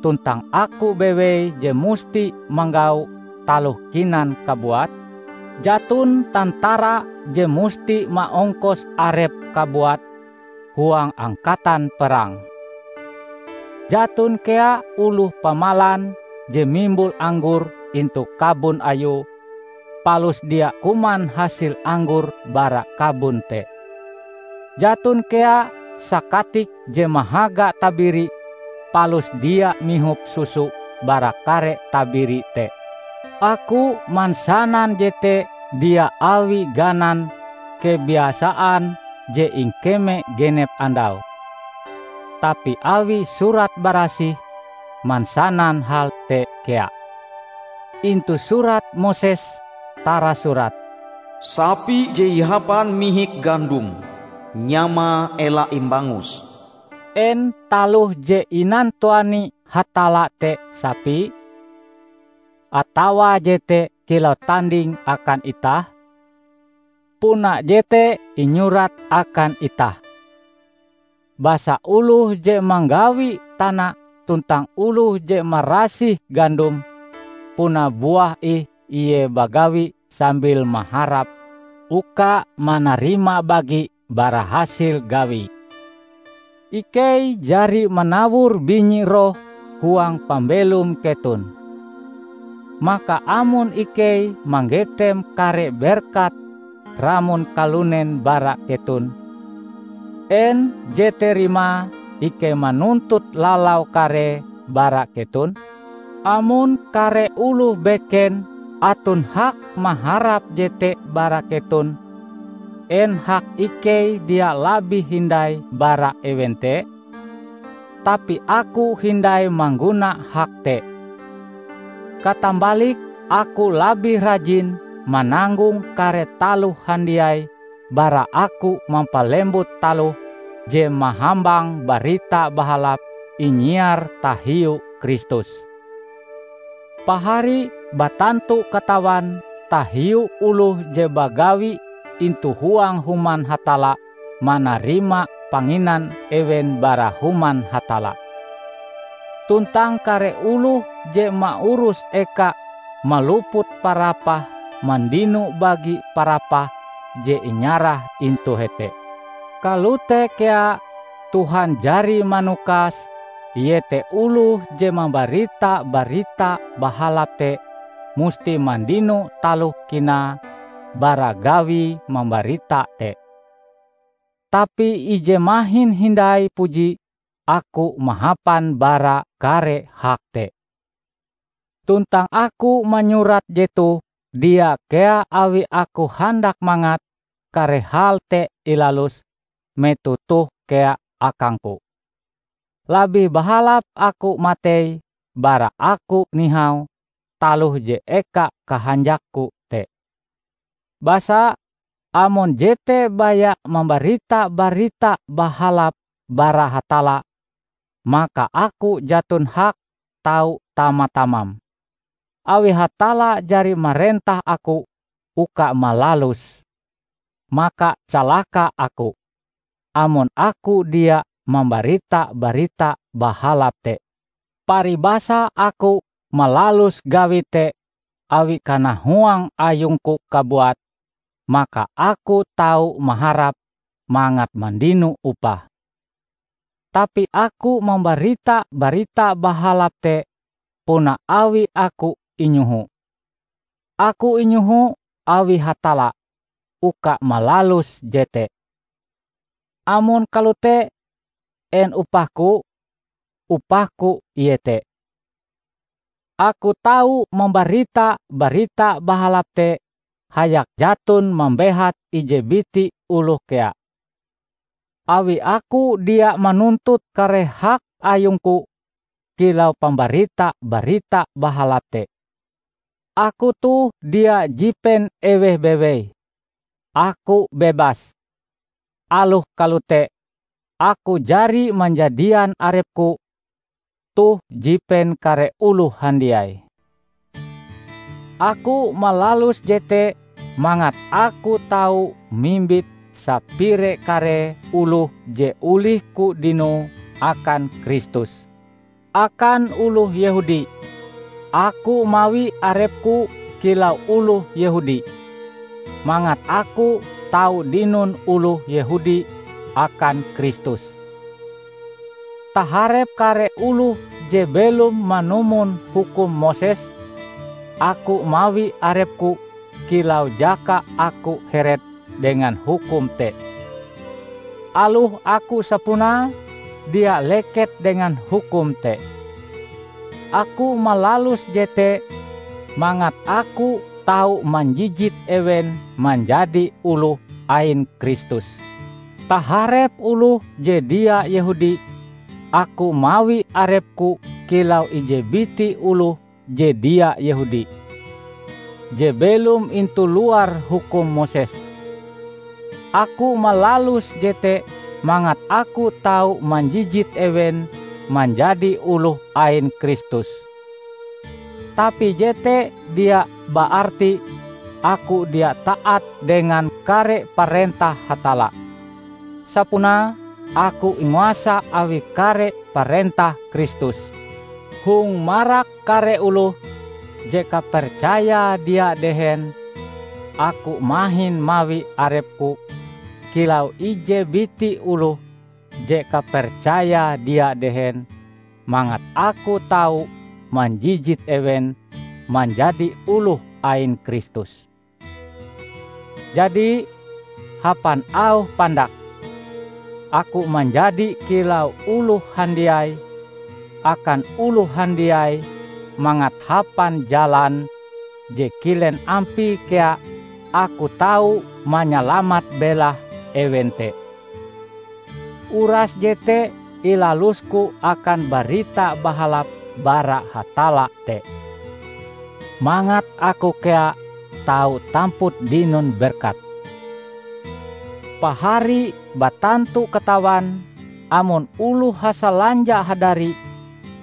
tuntang aku bewei je musti manggau taloh kinan kabuat? Jaton tantara je musti maongkos arep kabuat huang angkatan perang. Jaton kea oloh pamalan je mimbul anggor intu kabon ayue, palus dia kuman hasil anggor bara kabon te. Jaton kea sakatik je mahaga tabiri, palus dia mihop susu bara kare tabiri te. Aku mansanan jete dia awi ganan kebiasaan je ingkeme genep andau, tapi awi Surat Barasih mansanan hal te kea. Intu Surat Moses tarasurat, "Sapi je ihapan mihik gandum, nyamae ela imbangus." En taloh je inantuani Hatalla te sapi, atawa jete kilau tanding akan itah? Puna jete inyurat akan itah. Basa oloh je manggawi tana tuntang oloh je marasih gandum, puna buah ih ie bagawi sambil maharap uka manarima bagi bara hasil gawie. Ikei jari manawor binyi roh huang pambelom keton. Maka amon ikei manggetem kare berkat ramon kalunen bara keton, en jete rimae ikei manuntut lalau karee bara keton? Amon kare oloh beken aton hak maharap jete bara keton, en hak ikei dia labih hindai bara ewen te? Tapi aku hindai mangguna hak te. Katambalike aku labih rajin mananggong kare taloh handiai bara aku mampalembut taloh je mahambang Barita Bahalap inyiar tahiu Kristus. Pahari batantu katawan tahiu oloh je bagawi intu huang Human Hatalla manarima panginan ewen bara Human Hatalla. Tuntang kare oloh je maurus eka maluput parapah mandino bagi parapah je inyarah intu hete. Kalote kea Tuhan jari manukas, iete oloh je mambarita Barita Bahalap te musti mandino taloh kinae bara gawie mambarita te. Tapi ije mahin hindai puji aku mahapan bara kare hak te. Tuntang aku manyurat jetoh dia kea awi aku handak mangat kare hal te ilalus metoh toh kea akangku. Labih bahalap aku matei bara aku nihau taloh je eka kahanjakku te. Basa, amon jete baya mambarita Barita Bahalap bara Hatalla, maka aku jaton hak tau tama-tamam. Awi Hatalla jari marentah aku uka malalus, maka calaka aku, amon aku dia mambarita Barita Bahalap te. Paribasa aku malalus gawi te awi kanahuang ayungku kabuat, maka aku tau maharap mangat mandino upah. Tapi aku mambarita Barita Bahalap te puna awi aku inyoho. Aku inyoho awi Hatalla uka malalus jete. Amon kalote, en upahku? Upahku iete: aku tau mambarita Barita Bahalap te hayak jaton mambehat ije biti oloh kea. Awi aku dia manuntut kare hak ayungku kilau pambarita Barita Bahalap te, aku toh dia jipen eweh bewei. Aku bebas. Aloh kalote, aku jari manjadian arepku toh jipen kare oloh handiai. Aku malalus jete mangat aku tau mimbit sapire kare oloh je olihku dinoe akan Kristus. Akan oloh Yehudi, aku mawi arepku kilau oloh Yehudi, mangat aku tau dinon oloh Yehudi akan Kristus. Taharep kare oloh je belom manumon hukum Moses, aku mawi arepku kilau jaka aku heret dengan hukum te. Aloh aku sapunae dia leket dengan hukum te. Aku malalus jete mangat aku tau manjijit ewen manjadi oloh ain Kristus. Taharep oloh je dia Yehudi, aku mawi arepku kilau ije biti oloh je dia Yehudi, je belom intu luar hukum Moses. Aku malalus jete mangat aku tau manjijit ewen manjadi oloh ain Kristus. Tapi jete dia baarti aku dia taat dengan kare parentah Hatalla. Sapunae aku inguasa awi kare parentah Kristus. Hong marak kare oloh je kapercaya dia dehen, aku mahin mawi arepku kilau ije biti oloh je kapercaya dia dehen, mangat aku tau manjijit ewen manjadi oloh ain Kristus. Jadi, hapan auh pandak, aku manjadi kilau oloh handiai akan oloh handiai, mangat hapan jalan je kilen ampie kea aku tau manyalamat belahe ewen te. Uras jete ilalusku akan Barita Bahalap bara Hatalla te, mangat aku kea tau tamput dinon berkat. Pahari batantu katawan amon oloh hasalanja hadari,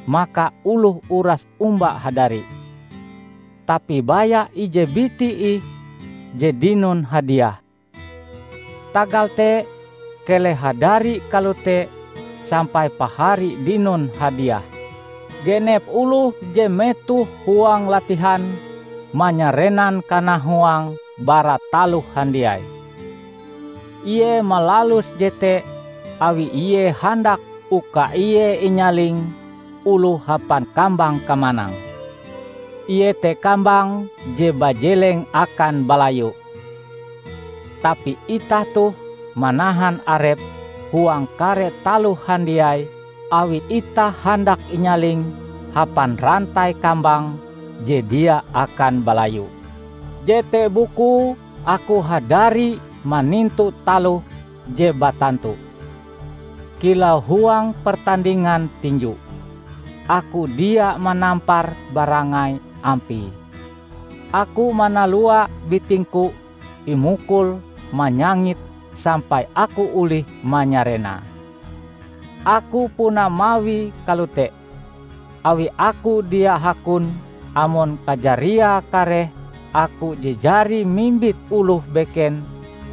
maka oloh uras omba hadari. Tapi baya ije biti ih je dinon hadiah. Tagal te, keleh hadari kalote sampai pahari dinon hadiah. Genep oloh je metoh huang latihan manyarenan kanahuang bara taloh handiai. Ie malalus jete awi ie handak uka ie inyaling oloh hapan kambang kamanang, iete kambang je bajeleng akan balayu. Tapi itah toh manahan arep huang kare taloh handiai awi itah handak inyaling hapan rantai kambang je dia akan balayu. Jete bukue aku hadari manintu taloh je batantu. Kilau huang pertandingan tinju, aku dia manampar barangai ampie. Aku manalua bitingku imukul manyangit sampai aku olih manyarenae. Aku puna mawie kalote, awi aku dia hakon amon kajariae kareh aku je jari mimbit oloh beken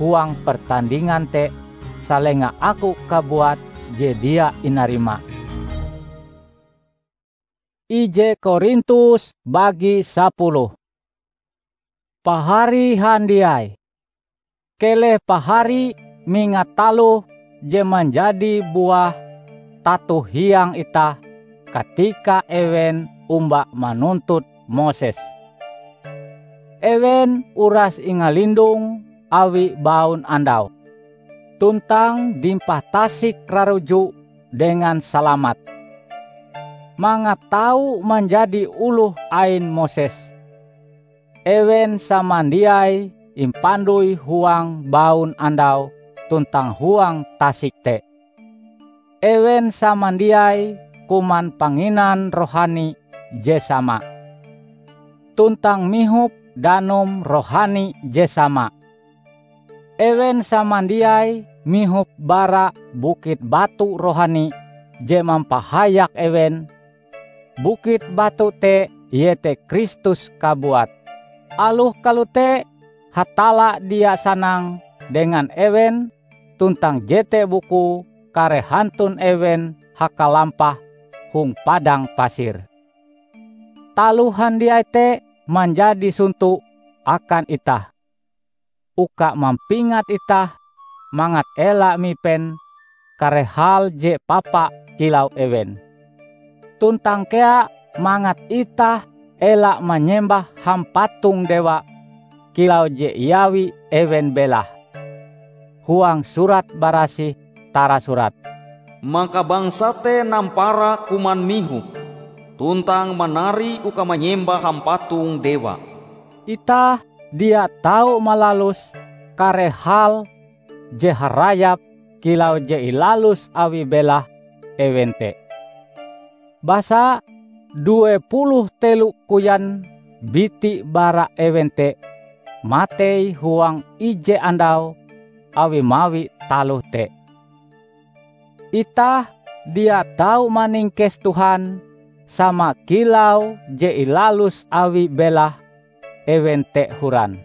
huang pertandingan te salenga aku kabuat je dia inarima. Ije Korintus bagi sapuluh. Pahari handiai, keleh pahari mingat taloh je manjadi buah tato hiang itah katika ewen omba manuntut Moses. Ewen uras ingalindong awi baun andau, tuntang dimpah tasik raruju dengan salamat. Mangat tau manjadi oloh ain Moses, ewen samandiai impandoi huang baun andau tuntang huang tasik te. Ewen samandiai kuman panginan rohani je sama, tuntang mihop danum rohani je sama. Ewen samandiai mihop bara bukit batu rohani je mampahayak ewen. Bukit batu te iete Kristus kabuat. Aloh kalote, Hatalla dia sanang dengan ewen, tuntang jete bukue kareh hantun ewen hakalampah hong padang pasir. Taloh handiai te manjadi sonto akan itah, uka mampingat itah mangat ela mipen kare hal je papa kilau ewen. Tuntang kea mangat itah ela manyembah hampatong dewa kilau je iawi ewen belahe. Huang Surat Barasih tarasurat, "Maka bangsa te nampara kuman mihop, tuntang manari uka manyembah hampatong dewa. Itah dia tau malalus kare hal je harayap kilau je ilalus awi belahe ewen te. Basa due puluh telo koyan biti bara ewen te matei huang ije andau awi mawi taloh te. Itah dia tau maningkes Tuhan sama kilau je ilalus awi belahe ewen te horan,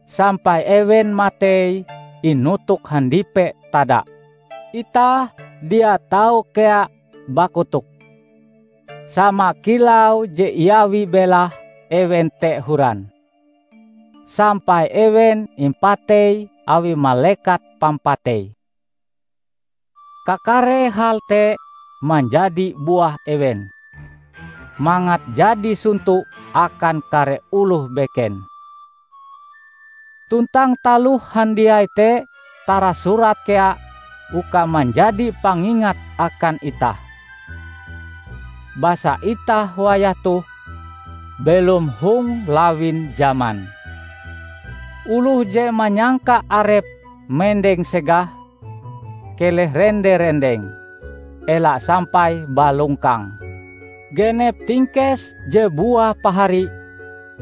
sampai ewen matei inutuk handipe tada. Itah dia tau kea bakotok, sama kilau je iawi belahe ewen te horan, sampai ewen impatei awi malekat pampatei. Kakare hal te manjadi buah ewen, mangat jadi sonto akan kare oloh beken. Tuntang taloh handiai te tarasurat kea uka manjadi pangingat akan itah. Basa itah wayah toh belom hong lawin jaman. Oloh je manyangka arepe mendeng segah, keleh rende-rendeng, ela sampai balongkang. Genep tingkes je buah pahari,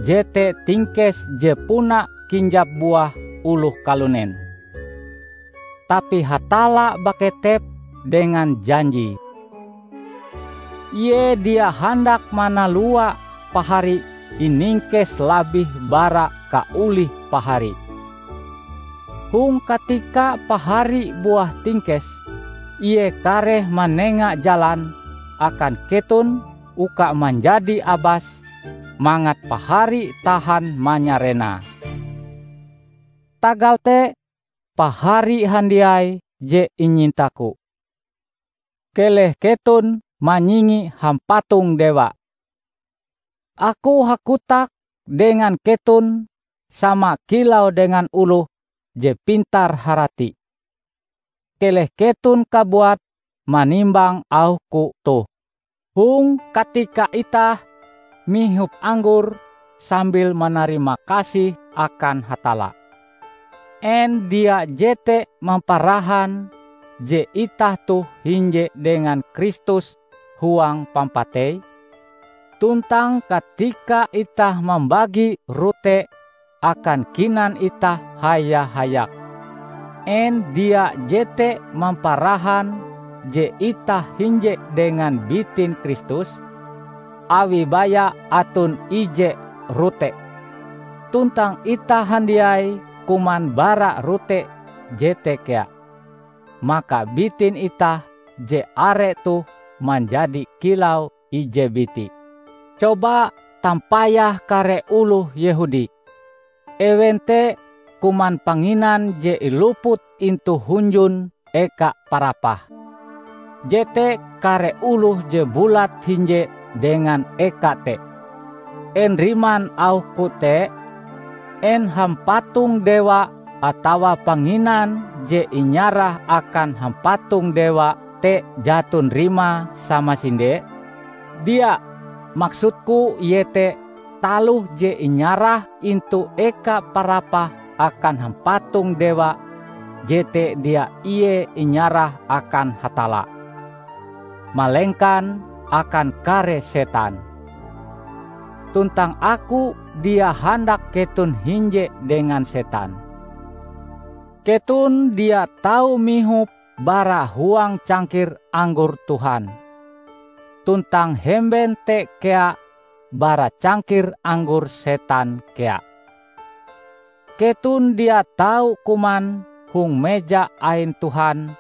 jete tingkes je puna kinjap buah oloh kalunen. Tapi Hatalla baketep dengan janji. Ie dia handak manalua pahari iningkes labih bara kaolih pahari. Hong katika pahari buah tingkes, Ie kareh manenga jalan akan keton uka manjadi abas, mangat pahari tahan manyarenae. Tagal te, pahari handiai je inyintaku, keleh keton manyingi hampatong dewa. Aku hakotak dengan keton sama kilau dengan oloh je pintar-harati. Keleh keton kabuat manimbang auhku toh. Hong katika itah mihop anggor sambil manarima kasih akan Hatalla, en dia jete mamparahan je itah toh hinje dengan Kristus huang pampatei? Tuntang katika itah mambagi rote akan kinan itah haya-hayak, en dia jete mamparahan je itah hinje dengan bitin Kristus, awi baya aton ije rote? Tuntang itah handiai kuman bara rote jete kea, maka bitin itah je are toh manjadi kilau ije biti. Coba tampayah kare oloh Yehudi. Ewen te kuman panginan je iluput intu hunjun eka parapah. Jete kare oloh je bulat hinje dengan eka te. En riman auhku te? En hampatong dewa atawa panginan je inyarah akan hampatong dewa te jaton rimae samasinde? Dia, maksudku iete taloh je inyarah intu eka parapah akan hampatong dewa, jete dia ie inyarah akan Hatalla, malengkan akan kare setan. Tuntang aku dia handak keton hinje dengan setan. Keton dia tau mihop bara huang cangkir anggor Tuhan, tuntang hemben te kea bara cangkir anggor setan kea. Keton dia tau kuman hong meja ain Tuhan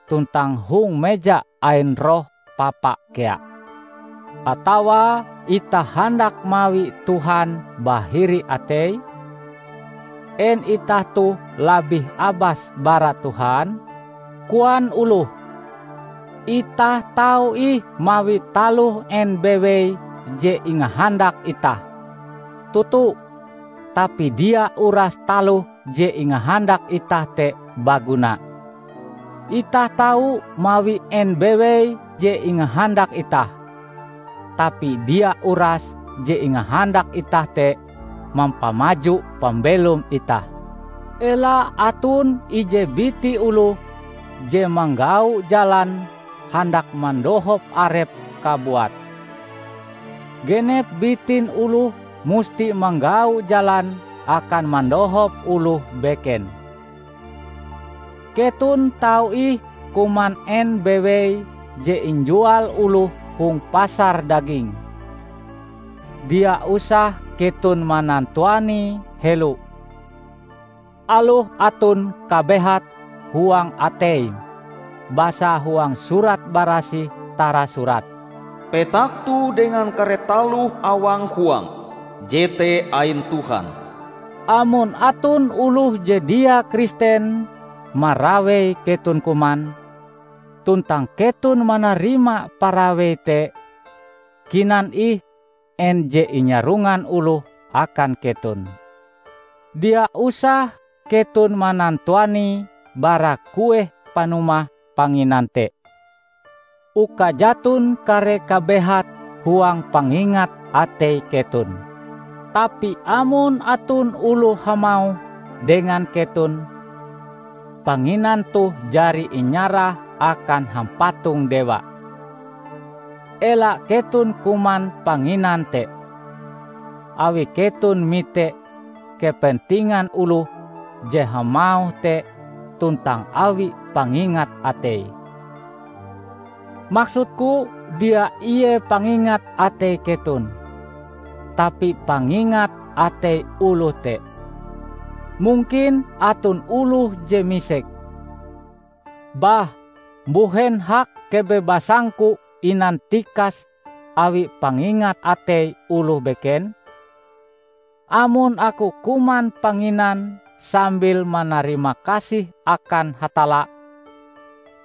tuntang hong meja ain roh papa kea. Atawa itah handak mawi Tuhan bahiri atei? En itah toh labih abas bara Tuhan? Koan oloh, itah tau ih mawi taloh en bewei je ingahandak itah. Toto, tapi dia uras taloh je ingahandak itah te baguna. Itah tau mawi en bewei je ingahandak itah. tapi dia uras je ingahandak itah te mampamaju pambelom itah. Ela aton ije biti oloh je manggau jalan handak mandohop arepe kabuat. Genep bitin oloh musti manggau jalan akan mandohop oloh beken. Keton tau ih kuman en bewei je injual oloh hong pasar daging. Dia usah keton manantuanie helo, aloh aton kabehat huang ateim, basa huang Surat Barasih tarasurat, "Petak toh dengan kare taloh awang huang, jete ain Tuhan." Amon aton oloh je dia Kristen marawei keton kuman, tuntang keton manarima parawei te, kinan ih en je inyarungan oloh akan keton. Dia usah keton manantuanie bara kueh panumah panginan te, uka jaton kare kabehat huang pangingat atei keton. Tapi amon aton oloh hamauh dengan keton, "Panginan toh jari inyarah akan hampatong dewa," ela keton kuman panginan te, awi keton mite kepentingan oloh je hamauh te tuntang awi pangingat ateie. Maksudku dia ie pangingat atei keton, tapi pangingat atei oloh te. Mungkin aton oloh je misek, "Bah, mbuhen hak kebebasangku inantikas awi pangingat atei oloh beken? Amon aku kuman panginan sambil manarima kasih akan Hatalla,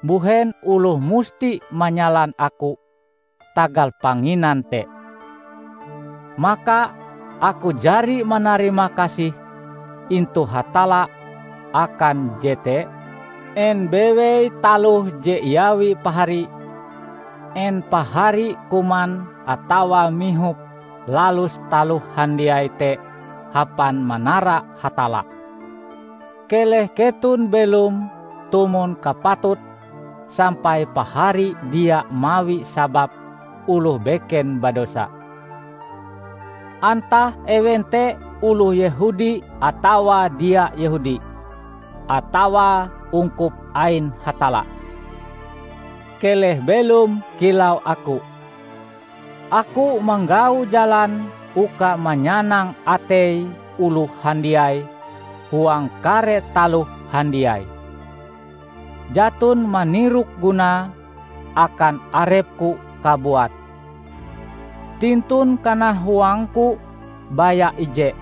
mbuhen oloh musti manyalan aku tagal panginan te?" Maka aku jari manarima kasih intu Hatalla akan jete? En bewei taloh je iawi pahari? En pahari kuman atawa mihop lalus taloh handiai te hapan manara Hatalla? Keleh keton belom tumon kapatut sampai pahari dia mawi sabab oloh beken badosa, antah ewen te oloh Yehudi atawa dia Yehudi, atawa ungkup ain Hatalla. Keleh belom kilau aku. Aku manggau jalan uka manyanang atei oloh handiai huang kare taloh handiai. Jaton manirok gunae akan arepku kabuat. Tintun kanahuangku baya ije,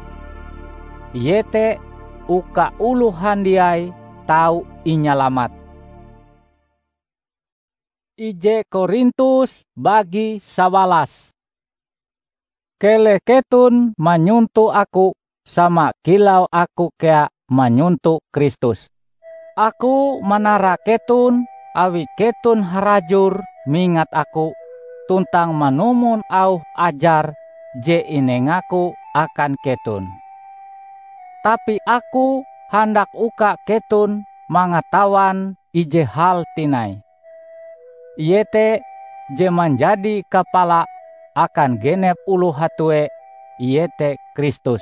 iete uka oloh handiai tau inyalamat. Ije Korintus bagi sawalas. Keleh keton manyonto aku sama kilau aku kea manyonto Kristus. Aku manara keton awi keton harajur mingat aku tuntang manumon auh ajar je inengaku akan keton. Tapi aku handak uka keton mangatawan ije hal tinai, iete je manjadi kapala akan genep oloh hatue, iete Kristus.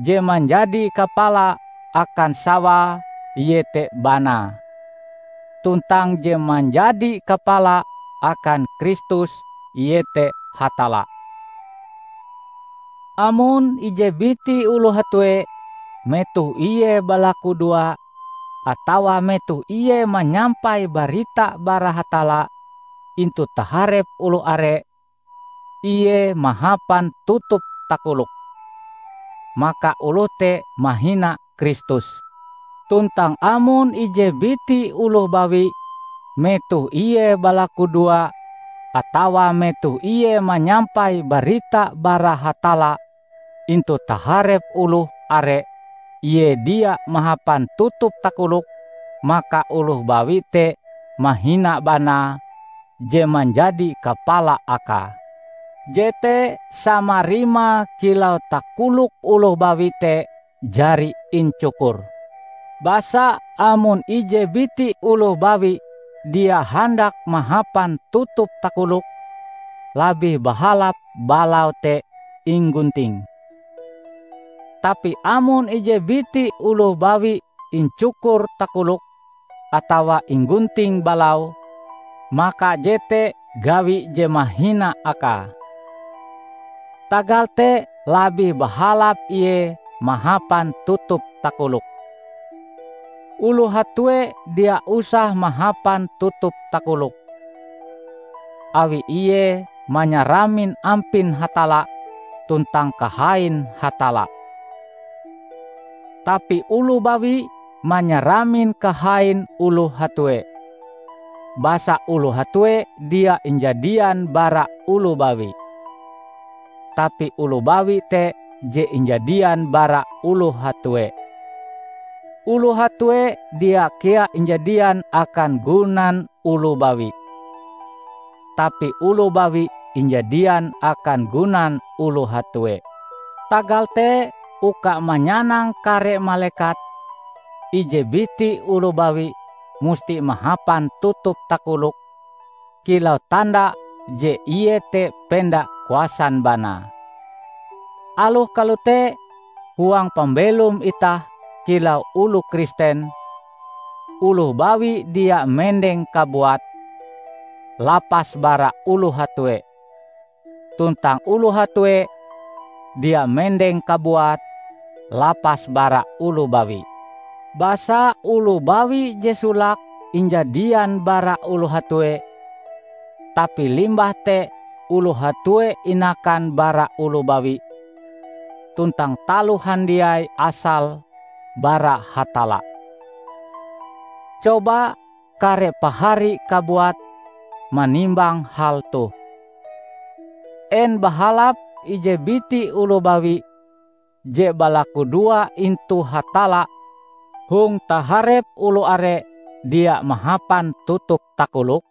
Je manjadi kapala akan sawae, iete banae, tuntang je manjadi kapala akan Kristus, iete Hatalla. Amon ije biti oloh hatue, metoh ie balakudoa, atawa metoh ie manyampai barita bara Hatalla intu taharep oloh are, ie mahapan tutup takolok, maka oloh te mahina Kristus. Tuntang amon ije biti oloh bawi, metoh ie balakudoa atawa metoh ie manyampai barita bara Hatalla intu taharep oloh are, ie dia mahapan tutup takolok, maka oloh bawi te mahina banae, je manjadi kapala akae. Jete sama rimae kilau takolok oloh bawi te jari incukur. Basa amon ije biti oloh bawi dia handak mahapan tutup takolok, labih bahalap balau te inggunting. Tapi amon ije biti oloh bawi incukur takolok atawa inggunting balau, maka jete gawi je mahina akae. Tagal te labih bahalap ie mahapan tutup takolok. Oloh hatue dia usah mahapan tutup takolok, awi ie manyaramin ampin Hatalla tuntang kahain Hatalla. Tapi oloh bawi manyaramin kahain oloh hatue. Basa oloh hatue dia injadian bara oloh bawi, tapi oloh bawi te je injadian bara oloh hatue. Oloh hatue dia kea injadian akan gunan oloh bawi, tapi oloh bawi injadian akan gunan oloh hatue. Tagal te, uka manyanang kare malekat, ije biti oloh bawi musti mahapan tutup takolok kilau tanda je ie te penda kuasan banae. Aloh kalote, huang pambelom itah kilau oloh Kristen, oloh bawi dia mendeng kabuat lapas bara oloh hatue, tuntang oloh hatue dia mendeng kabuat lapas bara oloh bawi. Basa oloh bawi je solake injadian bara oloh hatue, tapi limbah te oloh hatue inakan bara oloh bawi, tuntang taloh handiai asale bara Hatalla. Coba kare pahari kabuat manimbang hal toh. En bahalap ije biti oloh bawi je balakudoa intu Hatalla hong taharep oloh are dia mahapan tutup takolok?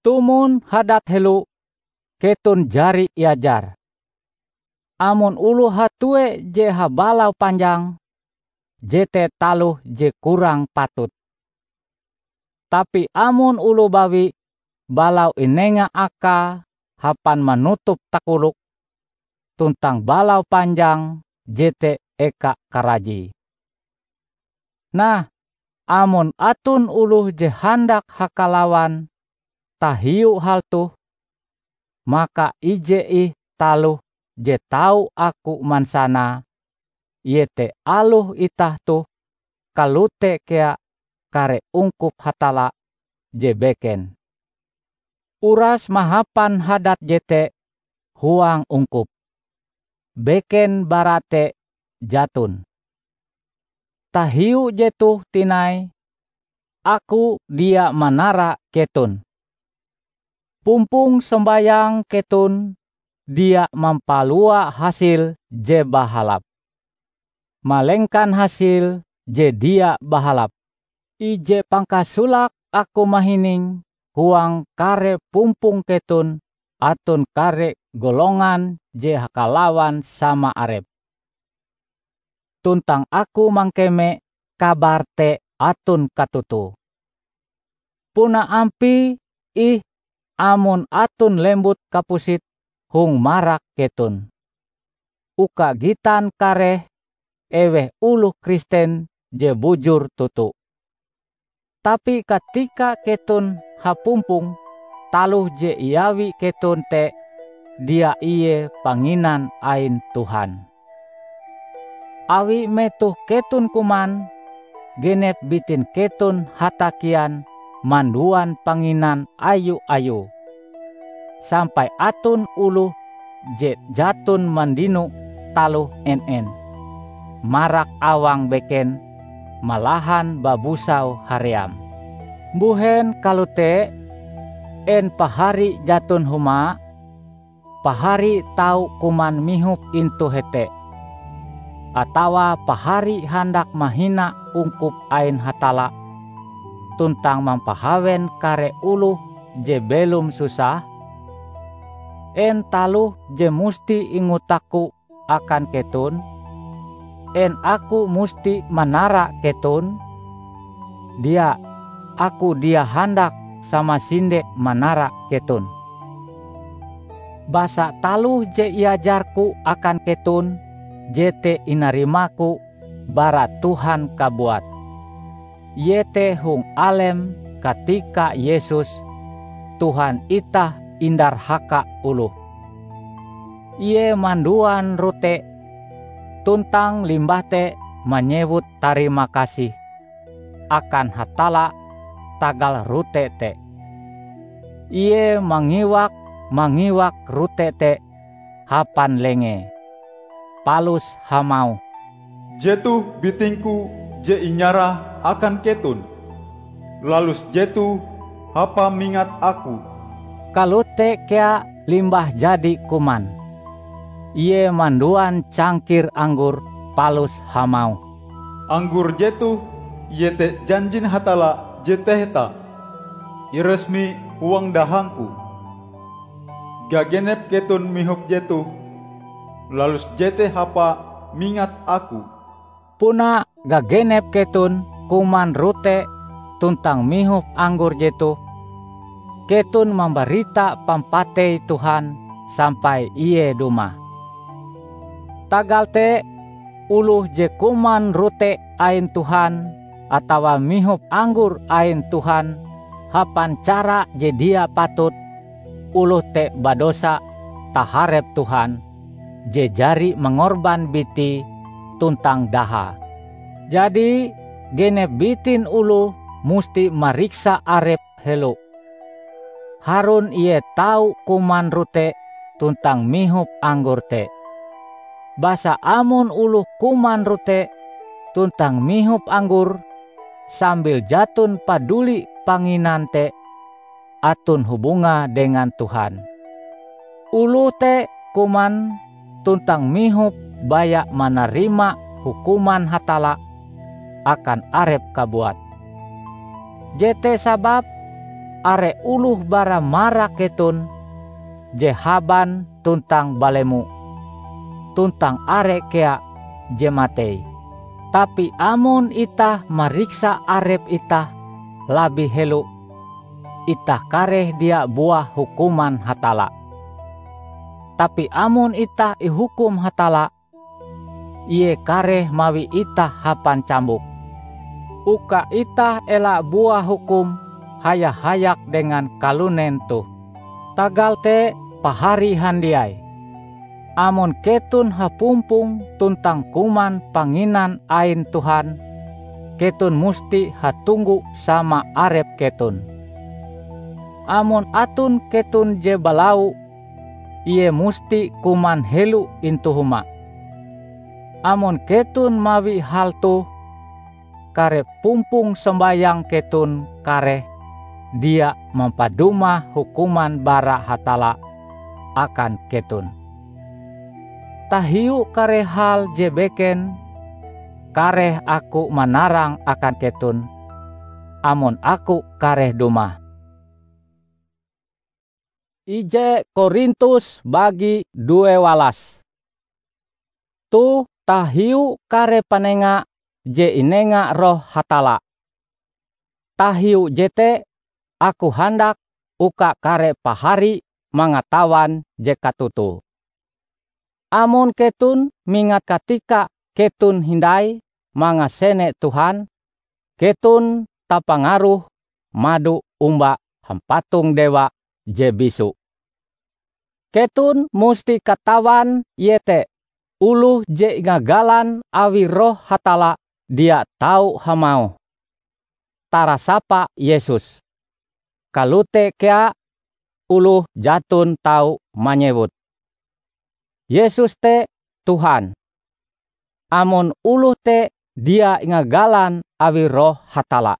Tumon hadat helo keton jari iajar. Amon oloh hatue je habalau panjang, jete taloh je kurang patut. Tapi amon oloh bawi balau inenga akae hapan manutup takolok, tuntang balau panjang jete eka karajie. Nah, amon aton oloh je handak hakalawan tahiu hal toh, maka ije ih taloh je tau aku mansanae, iete aloh itah toh kalote kea kare ungkup Hatalla je beken. Uras mahapan hadat jete huang ungkup. Beken bara te jaton. Tahiu jetoh tinai, aku dia manara keton. Pumpong sombayang keton dia mampalua hasil je bahalap, malengkan hasil je dia bahalap. Ije pangkasolake aku mahining huang kare pumpong keton aton kare golongan je hakalawan sama arep. Tuntang aku mangkeme kabar te aton katotoe. Puna ampie ih amon aton lembut kapusit hong marak keton, uka gitan kareh eweh oloh Kristen je bujur toto. Tapi katika keton hapumpong, taloh je iawi keton te dia ie panginan ain Tuhan. Awi metoh keton kuman, genep bitin keton hatakian manduan panginan ayu-ayue, sampai aton oloh je jaton mandino taloh en-en marak awang beken, malahan babusau haream. Mbuhen kalote? En pahari jaton huma? Pahari tau kuman mihop intu hete, atawa pahari handak mahina ungkup ain Hatalla tuntang mampahawen kare oloh je belom susah? En taloh je musti ingotakku akan keton? En aku musti manara keton? Dia, aku dia handak samasinde manara keton. Basa taloh je iajarku akan keton, jete inarimaku bara Tuhan kabuat, iete hong alem katika Yesus, Tuhan itah, indarhaka oloh. Ie manduan rote, tuntang limbah te manyewut tarima kasih akan Hatalla tagal rote te. Ie mangiwak-mangiwak rote te hapan lengee, palus hamauh, "Jetoh biting-Ku je inyarah akan keton. Lalus jetoh hapa mingat Aku." Kalote kea limbah jadi kuman, ie manduan cangkir anggor palus hamauh, "Anggor jetoh iete janjin Hatalla je taheta, iresmi huang dahang-Ku. Gagenep keton mihop jetoh, lalus jete hapa mingat Aku." Puna gagenep keton kuman rote tuntang mihop anggor jetoh, keton mambarita pampatei Tuhan sampai Ie dumah. Tagal te, oloh je kuman rote ain Tuhan atawa mihop anggor ain Tuhan hapan cara je dia patut, oloh te badosa taharep Tuhan je jari mangorban bitie tuntang dahae. Jadi, genep bitin oloh musti mariksa arepe helo. Harun ie tau kuman rote tuntang mihop anggor te. Basa amon oloh kuman rote tuntang mihop anggor sambil jaton paduli panginan te, aton hubungae dengan Tuhan. Oloh te kuman tuntang mihop baya manarima hukuman Hatalla akan arepe kabuat. Jete sababe are oloh bara marak keton je haban tuntang balemo, tuntang are kea je matei. Tapi amon itah mariksa arep itah labih helo, itah kareh dia buah hukuman Hatalla. Tapi amon itah ihukum Hatalla, Ie kareh mawi itah hapan cambuk, uka itah ela buah hukum haya-hayak dengan kalunen toh. Tagal te, pahari handiai, amon keton hapumpong tuntang kuman panginan ain Tuhan, keton musti hatunggu sama arep keton. Amon aton keton je balau, ie musti kuman helo intu huma. Amon keton mawi hal toh, kare pumpong sombayang keton kareh dia mampadumah hukuman bara Hatalla akan keton. Tahiu kare hal je beken, kareh aku manarang akan keton, amon aku kareh dumah. Ije Korintus bagi due walas. Toh tahiu kare panenga je inenga Roh Hatalla. Tahiu jete, aku handak uka kare pahari mangatawan je katotoe. Amon keton mingat katika keton hindai mangasene Tuhan, keton tapangaruh mado omba hampatong dewa je bisu. Keton musti katawan iete oloh je ingagalan awi Roh Hatalla dia tau hamauh, "Tarasapa Yesus." Kalote kea oloh jaton tau manyewut, "Yesus te Tuhan," amon oloh te dia ingagalan awi Roh Hatalla.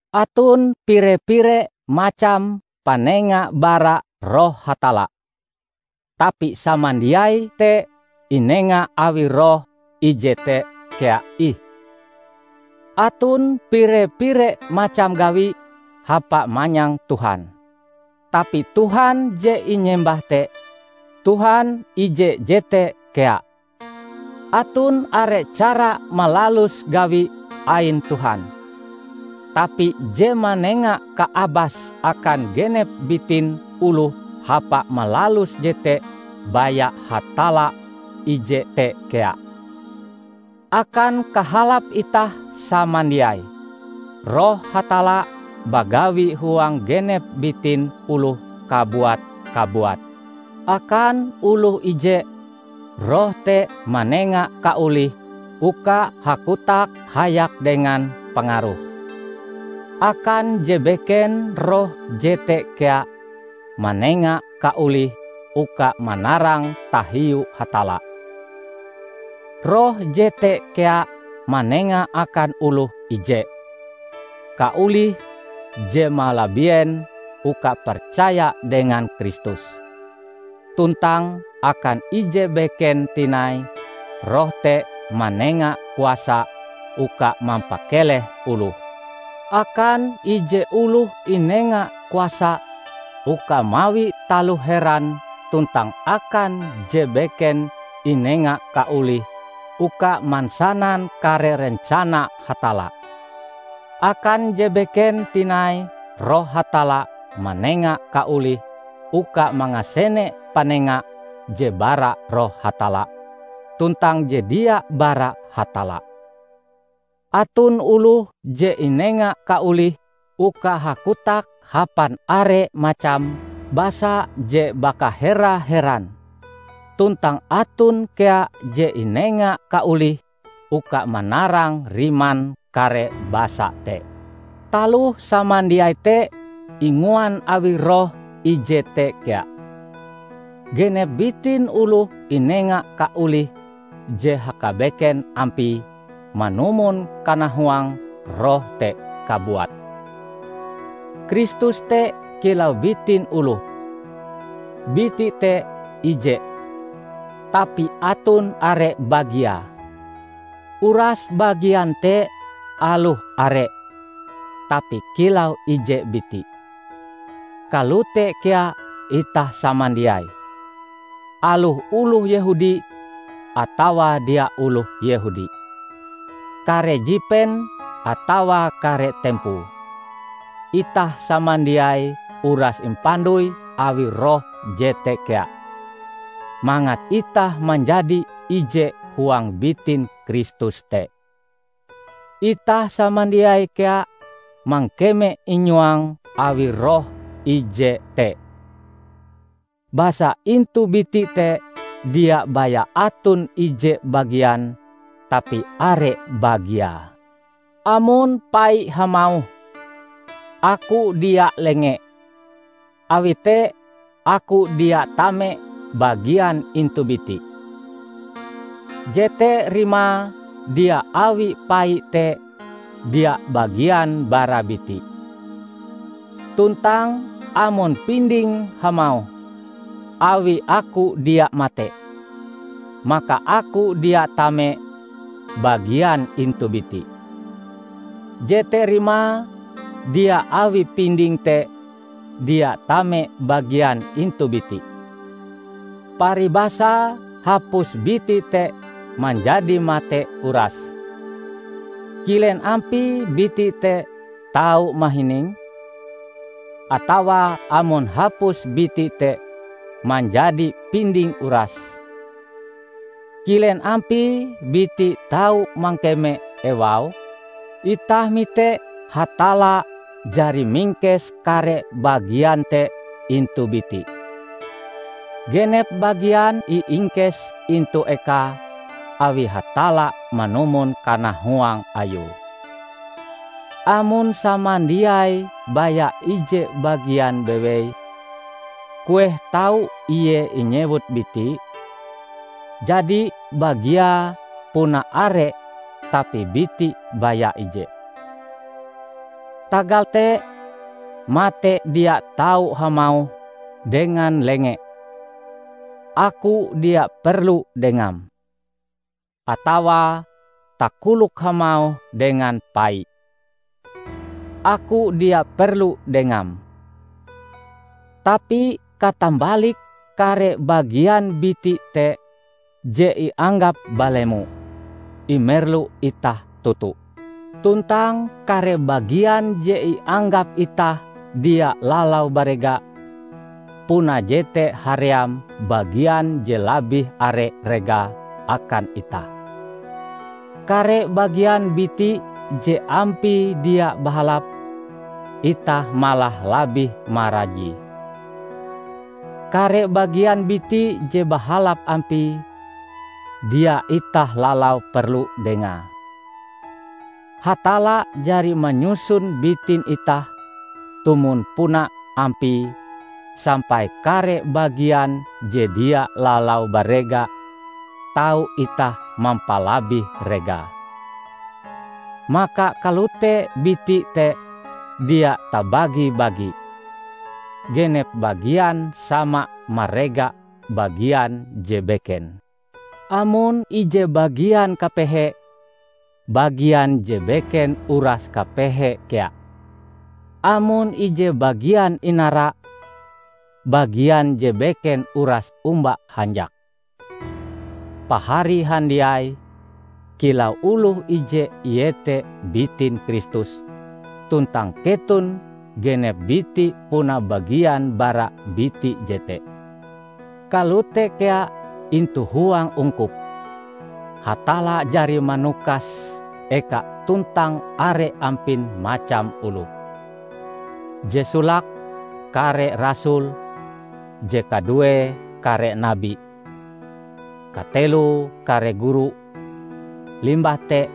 Aton pire-pire macam panenga bara Roh Hatalla, tapi samandiai te inenga awi Roh ije te kea ih. Aton pire-pire macam gawi hapa manyang Tuhan. Tapi Tuhan je inyembah te, Tuhan ije jete kea. Aton are cara malalus gawi ain Tuhan. Tapi je manenga kaabas akan genep bitin oloh hapa malalus jete baya Hatalla ije te kea. Akan kahalap itah samandiai, Roh Hatalla bagawi huang genep bitin oloh kabuat-kabuat. Akan oloh ije, Roh te manenga kaolih uka hakotak hayak dengan pangaruh. Akan je beken Roh jete kea manenga kaolih uka manarang tahiu Hatalla. Roh jete kea manenga akan oloh ije kaolih je malabien uka percaya dengan Kristus. Tuntang akan ije beken tinai, Roh te manenga kuasa uka mampakeleh oloh. Akan ije oloh inenga kuasa uka mawi taloh heran tuntang akan je beken inenga kaolih uka mansanan kare rencana Hatalla. Akan je beken tinai Roh Hatalla manenga kaolih uka mangasene panenga je bara Roh Hatalla, tuntang je dia bara Hatalla. Aton oloh je inenga kaolih uka hakotak hapan are macam basa je bakahera-heran. Tuntang aton kea je inenga kaolih uka manarang riman kare basa te. Taloh samandiai te inguan awi Roh ije te kea. Genep bitin oloh inenga kaolih je hakabeken ampie manumon kanahuang Roh te kabuat. Kristus te kilau bitin oloh. Biti te ije, tapi aton are bagie. Uras bagian te aloh are, tapi kilau ije biti. Kalote kea itah samandiai, aloh oloh Yehudi atawa dia oloh Yehudi, kare jipen atawa kare tempoe. Itah samandiai uras impandoi awi Roh jete kea, mangat itah manjadi ije huang bitin Kristus te. Itah samandiai kea mangkeme inyuang awi Roh ije te. Basa intu biti te dia baya aton ije bagian, tapi are bagie. Amon pai hamauh, "Aku dia lenge," awi te aku dia tame bagian intu biti, jete rimae dia awi pai te dia bagian bara biti. Tuntang amon pinding hamauh, "Awi aku dia mate," maka aku dia tame bagian intu biti, jete rimae dia awi pinding te dia tame bagian intu biti. Paribasa hapus biti te manjadi mate uras. Kilen ampie biti te tau mahining? Atawa amon hapus biti te manjadi pinding uras, kilen ampie biti tau mangkeme ewae? Itah mite Hatalla jari mingkes kare bagian te intu biti. Genep bagian iingkes intu ekae awi Hatalla manumon kanahuang Ayue. Amon samandiai baya ije bagian bewei, kueh tau ie inyewut biti? Jadi bagiae puna are, tapi biti baya ije. Tagal te, mate dia tau hamauh dengan lenge, "Aku dia perlu dengam," atawa takolok hamauh dengan pai, "Aku dia perlu dengam." Tapi katambalike kare bagian biti te je ianggap balemo, imerlu itah toto. Tuntang kare bagian je ianggap itah dia lalau barega, puna jete haream bagian je labih are regae akan itah. Kare bagian biti je ampie dia bahalap, itah malah labih marajie. Kare bagian biti je bahalap ampie, dia itah lalau perlu dengae. Hatalla jari manyusun bitin itah tumon puna ampie sampai kare bagian je dia lalau barega tau itah mampalabih regae. Maka kalote biti te dia tabagi-bagi. Genep bagian sama marega bagian je beken. Amon ije bagian kapehe, bagian je beken uras kapehe kea. Amon ije bagian inara, bagian je beken uras omba hanjak. Pahari handiai, kilau oloh ije iete bitin Kristus, tuntang keton genep biti puna bagian bara biti jete. Kalote kea intu huang ungkup, Hatalla jari manukas eka tuntang are ampin macam oloh. Je solake kare rasul, je kaduee kare nabi, kateloe kare guru, limbah te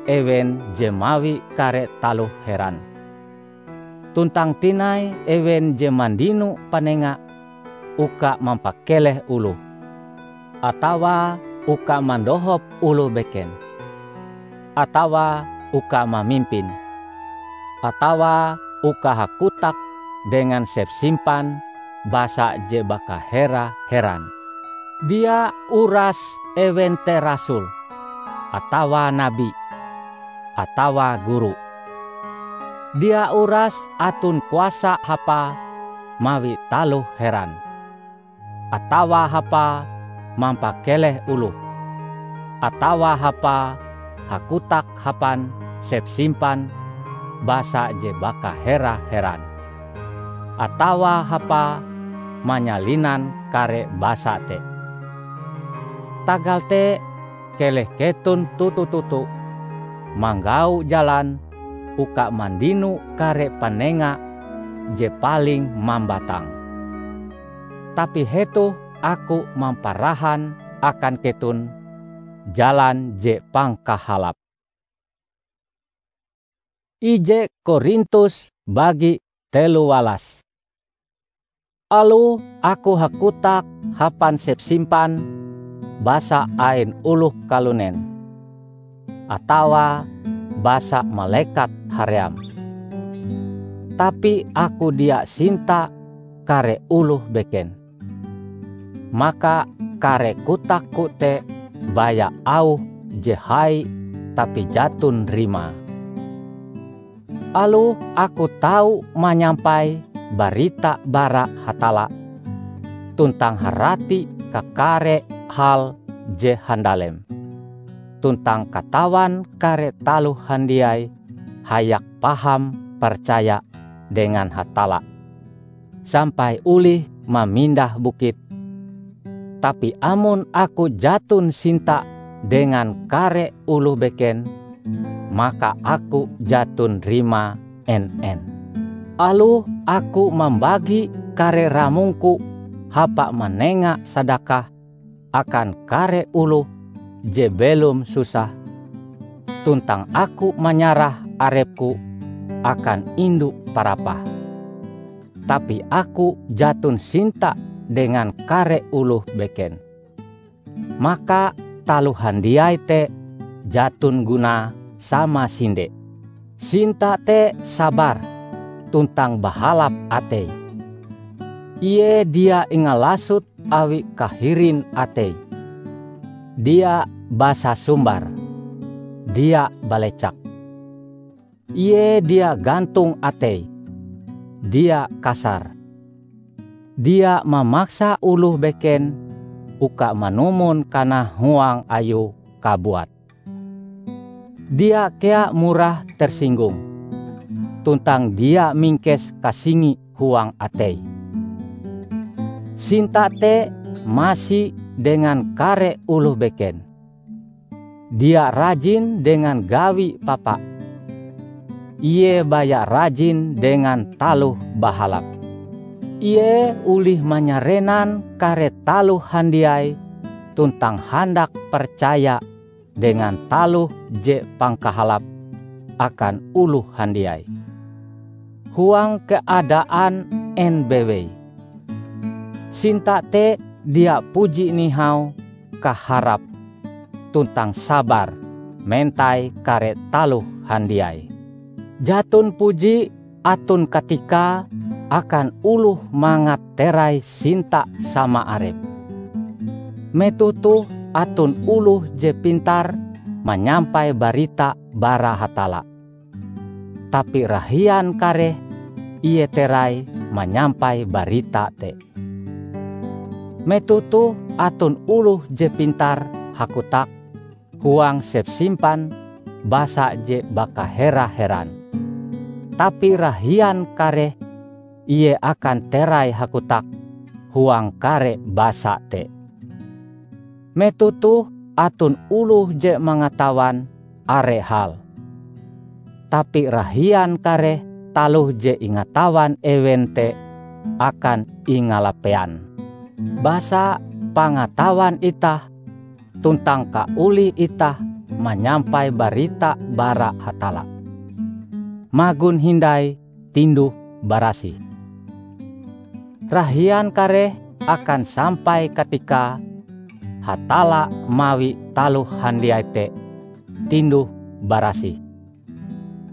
ewen je mawi kare taloh heran. Tuntang tinai ewen je mandino panenga uka mampakeleh oloh, atawa uka mandohop oloh beken, atawa uka mamimpin, atawa uka hakotak dengan sepsimpan basa je bakahera-heran. Dia uras ewen te rasul, atawa nabi, atawa guru. Dia uras aton kuasa hapae mawi taloh heran, atawa hapae mampakeleh oloh, atawa hapae hakotak hapan sepsimpan basa je bakahera-heran, atawa hapae manyalinan kare basa te. Tagal te, keleh keton toto-toto manggau jalan uka mandino kare panenga je paling mambatang. Tapi hetoh aku mamparahan akan keton jalan je pangkahalap. Ije Korintus bagi teluwalas. Aloh aku hakotak hapan sepsimpan basa ain oloh kalunen, atawa basa malekat haream, tapi aku dia sinta kare oloh beken, maka kare kotakku te baya auh je hai tapi jaton rimae. Aloh aku tau manyampai barita bara Hatalla, tuntang harati kakare hal je handalem, tuntang katawan kare taloh handiai hayak paham percaya dengan Hatalla, sampai olih mamindah bukit. Tapi amon aku jaton sinta dengan kare oloh beken, maka aku jaton rimae en-en. Aloh aku mambagi kare ramongku hapa manenga sadakah akan kare oloh je belom susah, tuntang aku manyarah arepku akan indu parapah, tapi aku jaton sinta dengan kare oloh beken, maka taloh handiai te jaton gunae samasinde. Sinta te sabar tuntang bahalap atei. Ie dia ingalasot awi kahirin atei, dia basasumbar, dia balecak. Ie dia gantong atei, dia kasar. dia mamaksa oloh beken uka manumon kanah huang ayue kabuat. Dia kea murah tersinggung, tuntang dia mingkes kasingi huang ateie. Sinta te masi dengan kare oloh beken. Dia rajin dengan gawi papa. Ie baya rajin dengan taloh bahalap. Ie olih manyarenan kare taloh handiai tuntang handak percaya dengan taloh je pangkahalap akan oloh handiai. Huang keadaan en bewei, sinta te dia puji nihau kaharap tuntang sabar mentai kare taloh handiai. Jaton puji aton katikae akan oloh mangat terai sinta sama arepe. Metoh toh aton oloh je pintar manyampai barita bara Hatalla, tapi rahian kareh ie terai manyampai barita te. Metoh toh aton oloh je pintar hakotak huang sepsimpan basa je bakahera-heran, tapi rahian kareh ie akan terai hakotak huang kare basa te. Metoh toh aton oloh je mangatawan are hal, tapi rahian kareh taloh je ingatawan ewen te akan ingalapean. Basa pangatawan itah tuntang kaolih itah manyampai barita bara Hatalla, magon hindai tinduh-barasih. Rahian kareh akan sampai katikae Hatalla mawi taloh handiai te tinduh-barasih,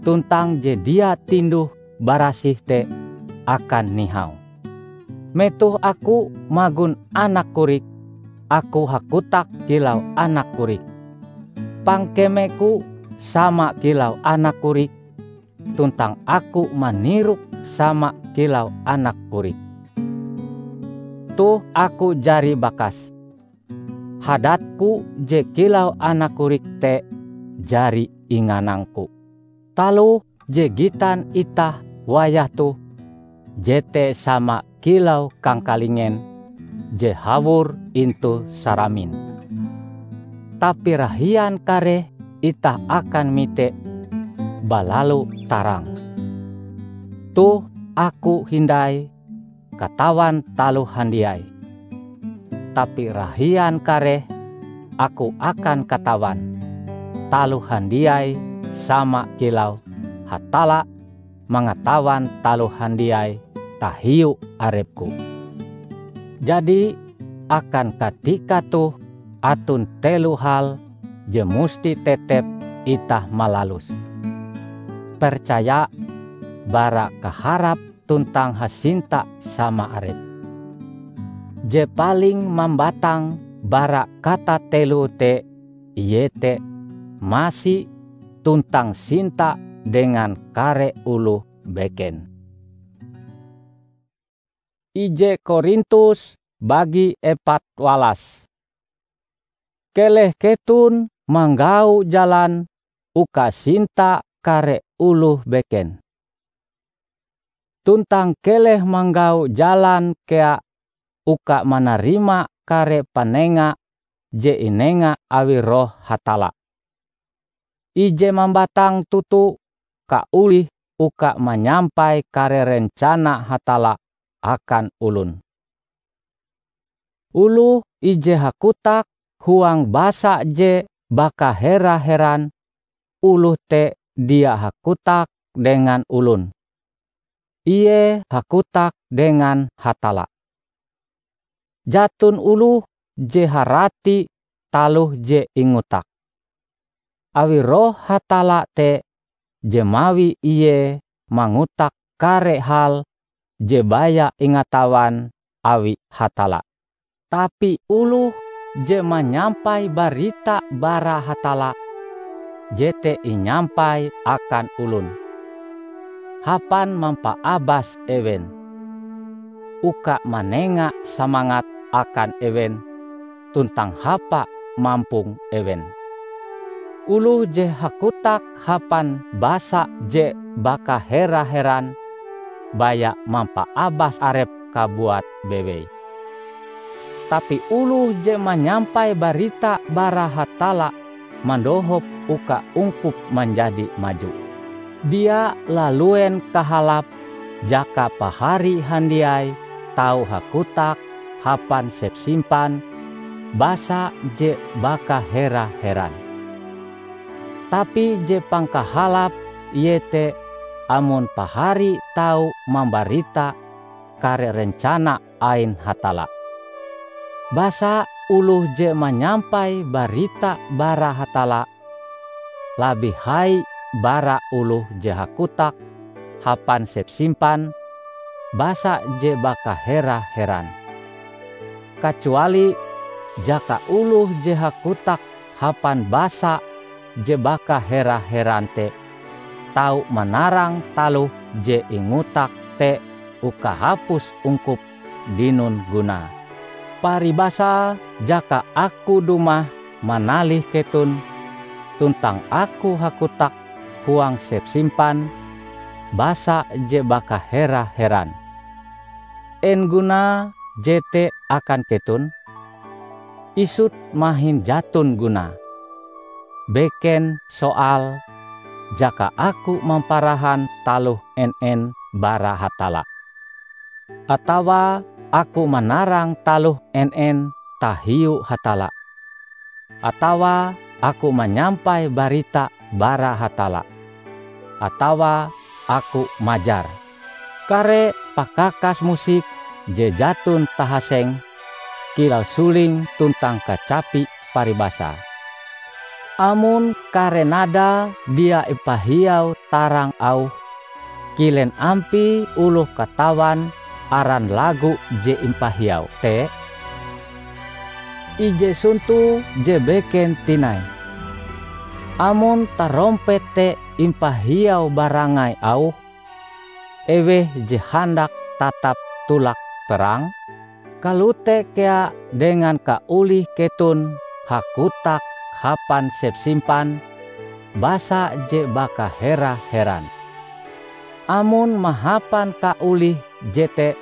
tuntang je dia tinduh-barasih te akan nihau. Metoh aku magon anak korik, aku hakotak kilau anak korik. Pangkemeku sama kilau anak korik, tuntang aku manirok sama kilau anak korik. Toh aku jari bakas. Hadatku je kilau anak korik te jari inganangku. Taloh je gitan itah wayah toh, jete sama kilau kangkalingen je hawor intu saramin. Tapi rahian kareh itah akan mite balalu tarang. Toh aku hindai katawan taloh handiai, tapi rahian kareh aku akan katawan taloh handiai sama kilau Hatalla mangatawan taloh handiai tahiu arepku. Jadi, akan katika toh aton telo hal je musti tetep itah malaluse: percaya, bara kaharap tuntang hasinta sama arep. Je paling mambatang bara katateloe te iete masi tuntang sinta dengan kare oloh beken. Ije Korintus bagi epat walas. Keleh keton manggau jalan uka sinta kare oloh beken. Tuntang keleh manggau jalan kea uka manarima kare panenga je inenga awi Roh Hatalla. Ije mambatang toto kaolih uka manyampai kare rencana Hatalla akan olon. Oloh ije hakotak huang basa je bakahera-heran, oloh te dia hakotak dengan olon. Ie hakotak dengan Hatalla. Jaton oloh je harati taloh je ingotak. Awi Roh Hatalla te je mawi ie mangotak kare hal je baya ingatawan awi Hatalla. Tapi oloh je manyampai barita bara Hatalla, jete inyampai akan olon, hapan mampaabas ewen. uka manenga samangat akan ewen tuntang hapa mampong ewen. Oloh je hakotak hapan basa je bakahera-heran, baya mampaabas arepe kabuat bewei. Tapi oloh je manyampai barita bara Hatalla mandohop uka ungkup manjadi maju. Dia laluen kahalap jaka pahari handiai tau hakotak hapan sepsimpan basa je bakahera-heran. Tapi je pangkahalap iete amon pahari tau mambarita kare rencana ain Hatalla. Basa oloh je manyampai barita bara Hatalla labih hai bara oloh je hakotak hapan sepsimpan basa je bakahera-heran. Kacuali jaka oloh je hakotak hapan basa je bakahera-heran te tau manarang taloh je ingotak te uka hapus ungkup dinon gunae. Paribasae jaka aku dumah manalih keton tuntang aku hakotak huang sepsimpan basa je bakahera-heran. En gunae jete akan keton? Isut mahin jaton gunae. Beken soal jaka aku mamparahan taloh en-en bara Hatalla, atawa aku manarang taloh en-en tahiu Hatalla, atawa aku manyampai barita bara Hatalla, atawa aku majar. Kare pakakas musik je jaton tahaseng kilau suling tuntang kacapi paribasae. Amon kare nadae dia impahiau tarang auhe, kilen ampie oloh katawan aran lagu je impahiau te? Ije sonto je beken tinai. Amon tarompet te impahiau barangai auhe, eweh je handak tatap tolak perang? Kalote kea dengan kaolih keton hakotak hapan sepsimpan basa je bakahera-heran. Amon mahapan kaolih jete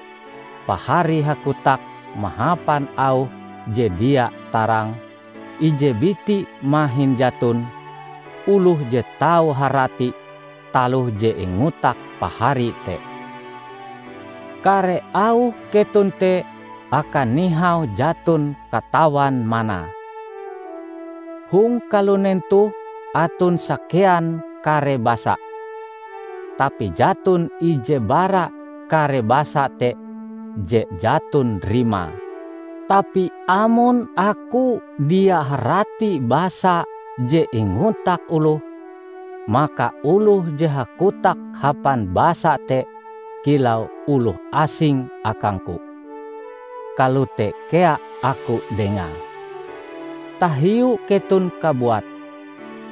pahari hakotak mahapan auh je dia tarang, ije biti mahin jaton oloh je tau harati taloh je ingotak pahari te. Kare auh keton te akan nihau jaton katawan manae. Hong kalunen toh aton sakean kare basa, tapi jaton ije bara kare basa te je jaton rimae. Tapi amon aku dia harati basa je ingotak oloh, maka oloh je hakotak hapan basa te kilau oloh asing akangku. Kalote kea aku dengae. Tahiu keton kabuat,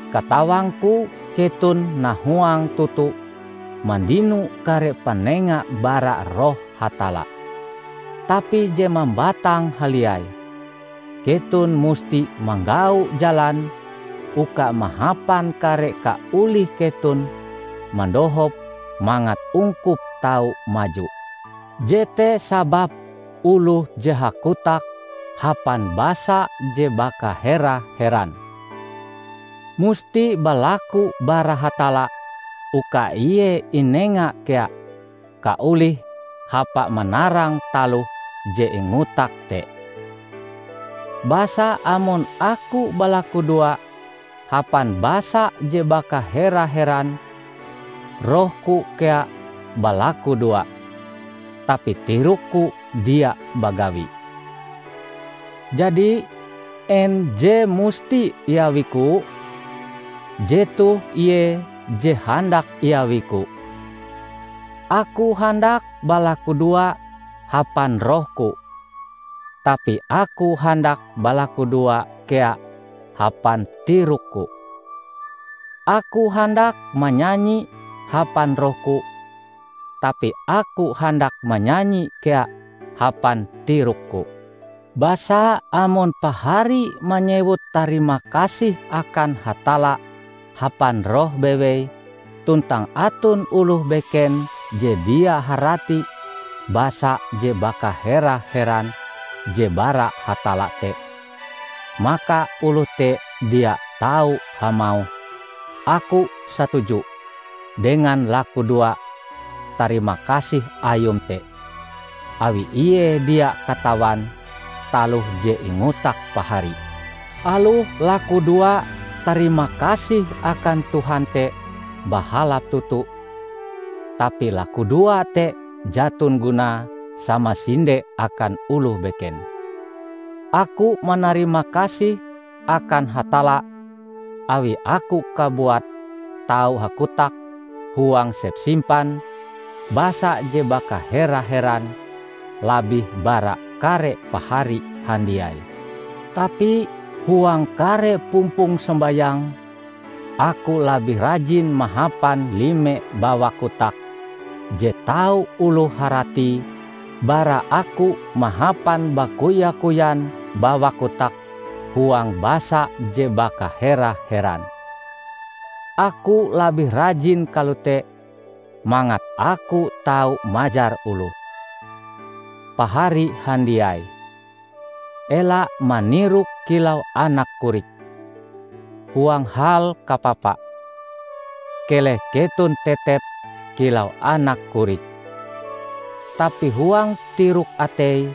katawangku keton nahuang toto mandino kare panenga bara Roh Hatalla. Tapi je mambatang haliai, keton musti manggau jalan uka mahapan kare kaolih keton mandohop mangat ungkup tau maju. Jete sababe oloh je hakotak hapan basa je bakahera-heran, musti balaku bara Hatalla uka ie inenga kea kaolih hapa manarang taloh je ingotak te. Basa amon aku balakudoa hapan basa je bakahera-heran, rohku kea balakudoa, tapi tirokku dia bagawi. Jadi, en je musti iawiku? Jetoh ie je handak iawiku. Aku handak balakudoa hapan rohku, tapi aku handak balakudoa kea hapan tirokku. Aku handak manyanyi hapan rohku, tapi aku handak manyanyi kea hapan tirokku. Basa amon pahari manyewut tarima kasih akan Hatalla hapan roh bewei, tuntang aton oloh beken je dia harati basa je bakahera-heran je bara Hatalla te, maka oloh te dia tau hamauh, "Aku satuju dengan lakudoa tarima kasih ayum te," awi ie dia katawan taloh je ingotak pahari. Aloh lakudoa tarima kasih akan Tuhan te bahalap toto, tapi lakudoa te jaton gunae samasinde akan oloh beken. Aku manarima kasih akan Hatalla awi aku kabuat tau hakotak huang sepsimpan basa je bakahera-heran labih bara kare pahari handiai. Tapi huang kare pumpong sombayang, aku labih rajin mahapan lime bawa kotak je tau oloh haratie bara aku mahapan bakuya-kuyan bawa kotak huang basa je bakahera-heran. Aku labih rajin kalote mangat aku tau majar oloh. Pahari handiai, ela manirok kilau anak korik. Huang hal kapapa, keleh keton tetep kilau anak korik. Tapi huang tirok atei,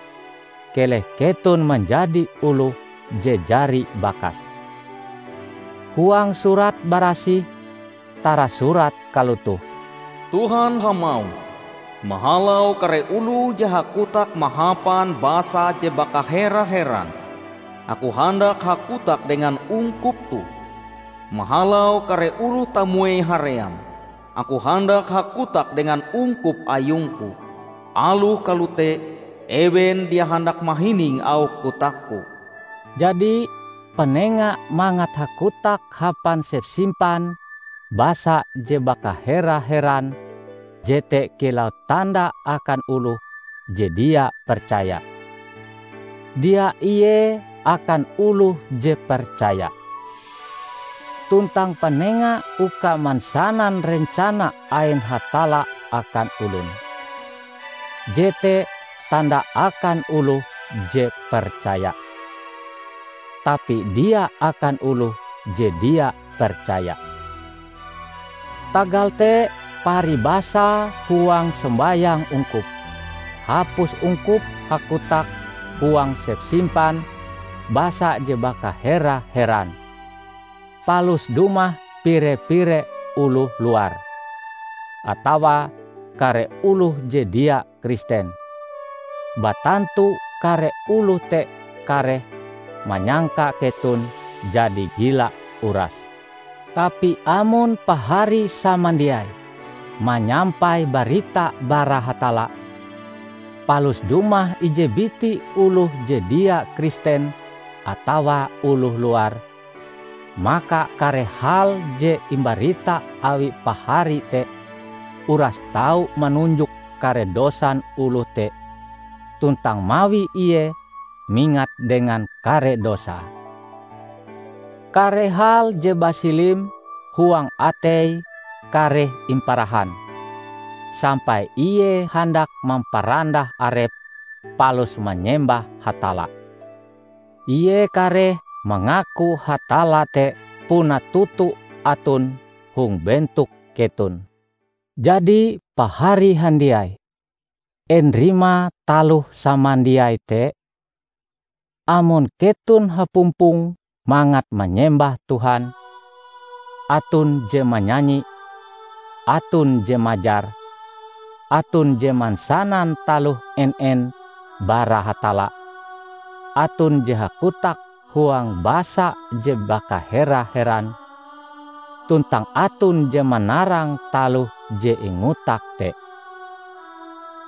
keleh keton manjadi oloh je jari bakas. Huang Surat Barasih tarasurat kalotoh, "Tuhan hamauh, 'Mahalau kare oloh je hakotak mahapan basa je bakahera-heran, Aku handak hakotak dengan ungkup toh. Mahalau kare oloh tamuei haream, Aku handak hakotak dengan ungkup ayungku. Aloh kalote, ewen dia handak mahining auh kotakku.'" Jadi, panenga mangat hakotak hapan sepsimpan basa je bakahera-heran jete kilau tanda akan oloh je dia percaya. Dia ie akan oloh je percaya. Tuntang panenga uka mansanan rencana ain Hatalla akan olon. Jete tanda akan oloh je percaya. Tapi dia akan oloh je dia percaya. Tagal te, paribasa huang sombayang ungkup, hapus ungkup hakotak huang sepsimpan basa je bakahera-heran, palus dumah pire-pire oloh luar, atawa kare oloh je dia Kristen. Batantu kare oloh te kareh manyangka keton jadi gila uras. Tapi amon pahari samandiai manyampai barita bara Hatalla, palus dumah ije biti oloh je dia Kristen atawa oloh luar, maka kare hal je imbarita awi pahari te uras tau manunjok kare dosan oloh te, tuntang mawi ie mingat dengan kare dosae. Kare hal je basilim huang ateie kareh imparahan, sampai ie handak mamparandah arepe palus manyembah Hatalla. Ie kareh mangaku Hatalla te puna toto aton hong bentok keton. Jadi, pahari handiai, en rimae taloh samandiai te? Amon keton hapumpong mangat manyembah Tuhan, aton je manyanyi, aton je majar, aton je mansanan taloh en-en bara Hatalla, aton je hakotak huang basa je bakahera-heran, tuntang aton je manarang taloh je ingotak te.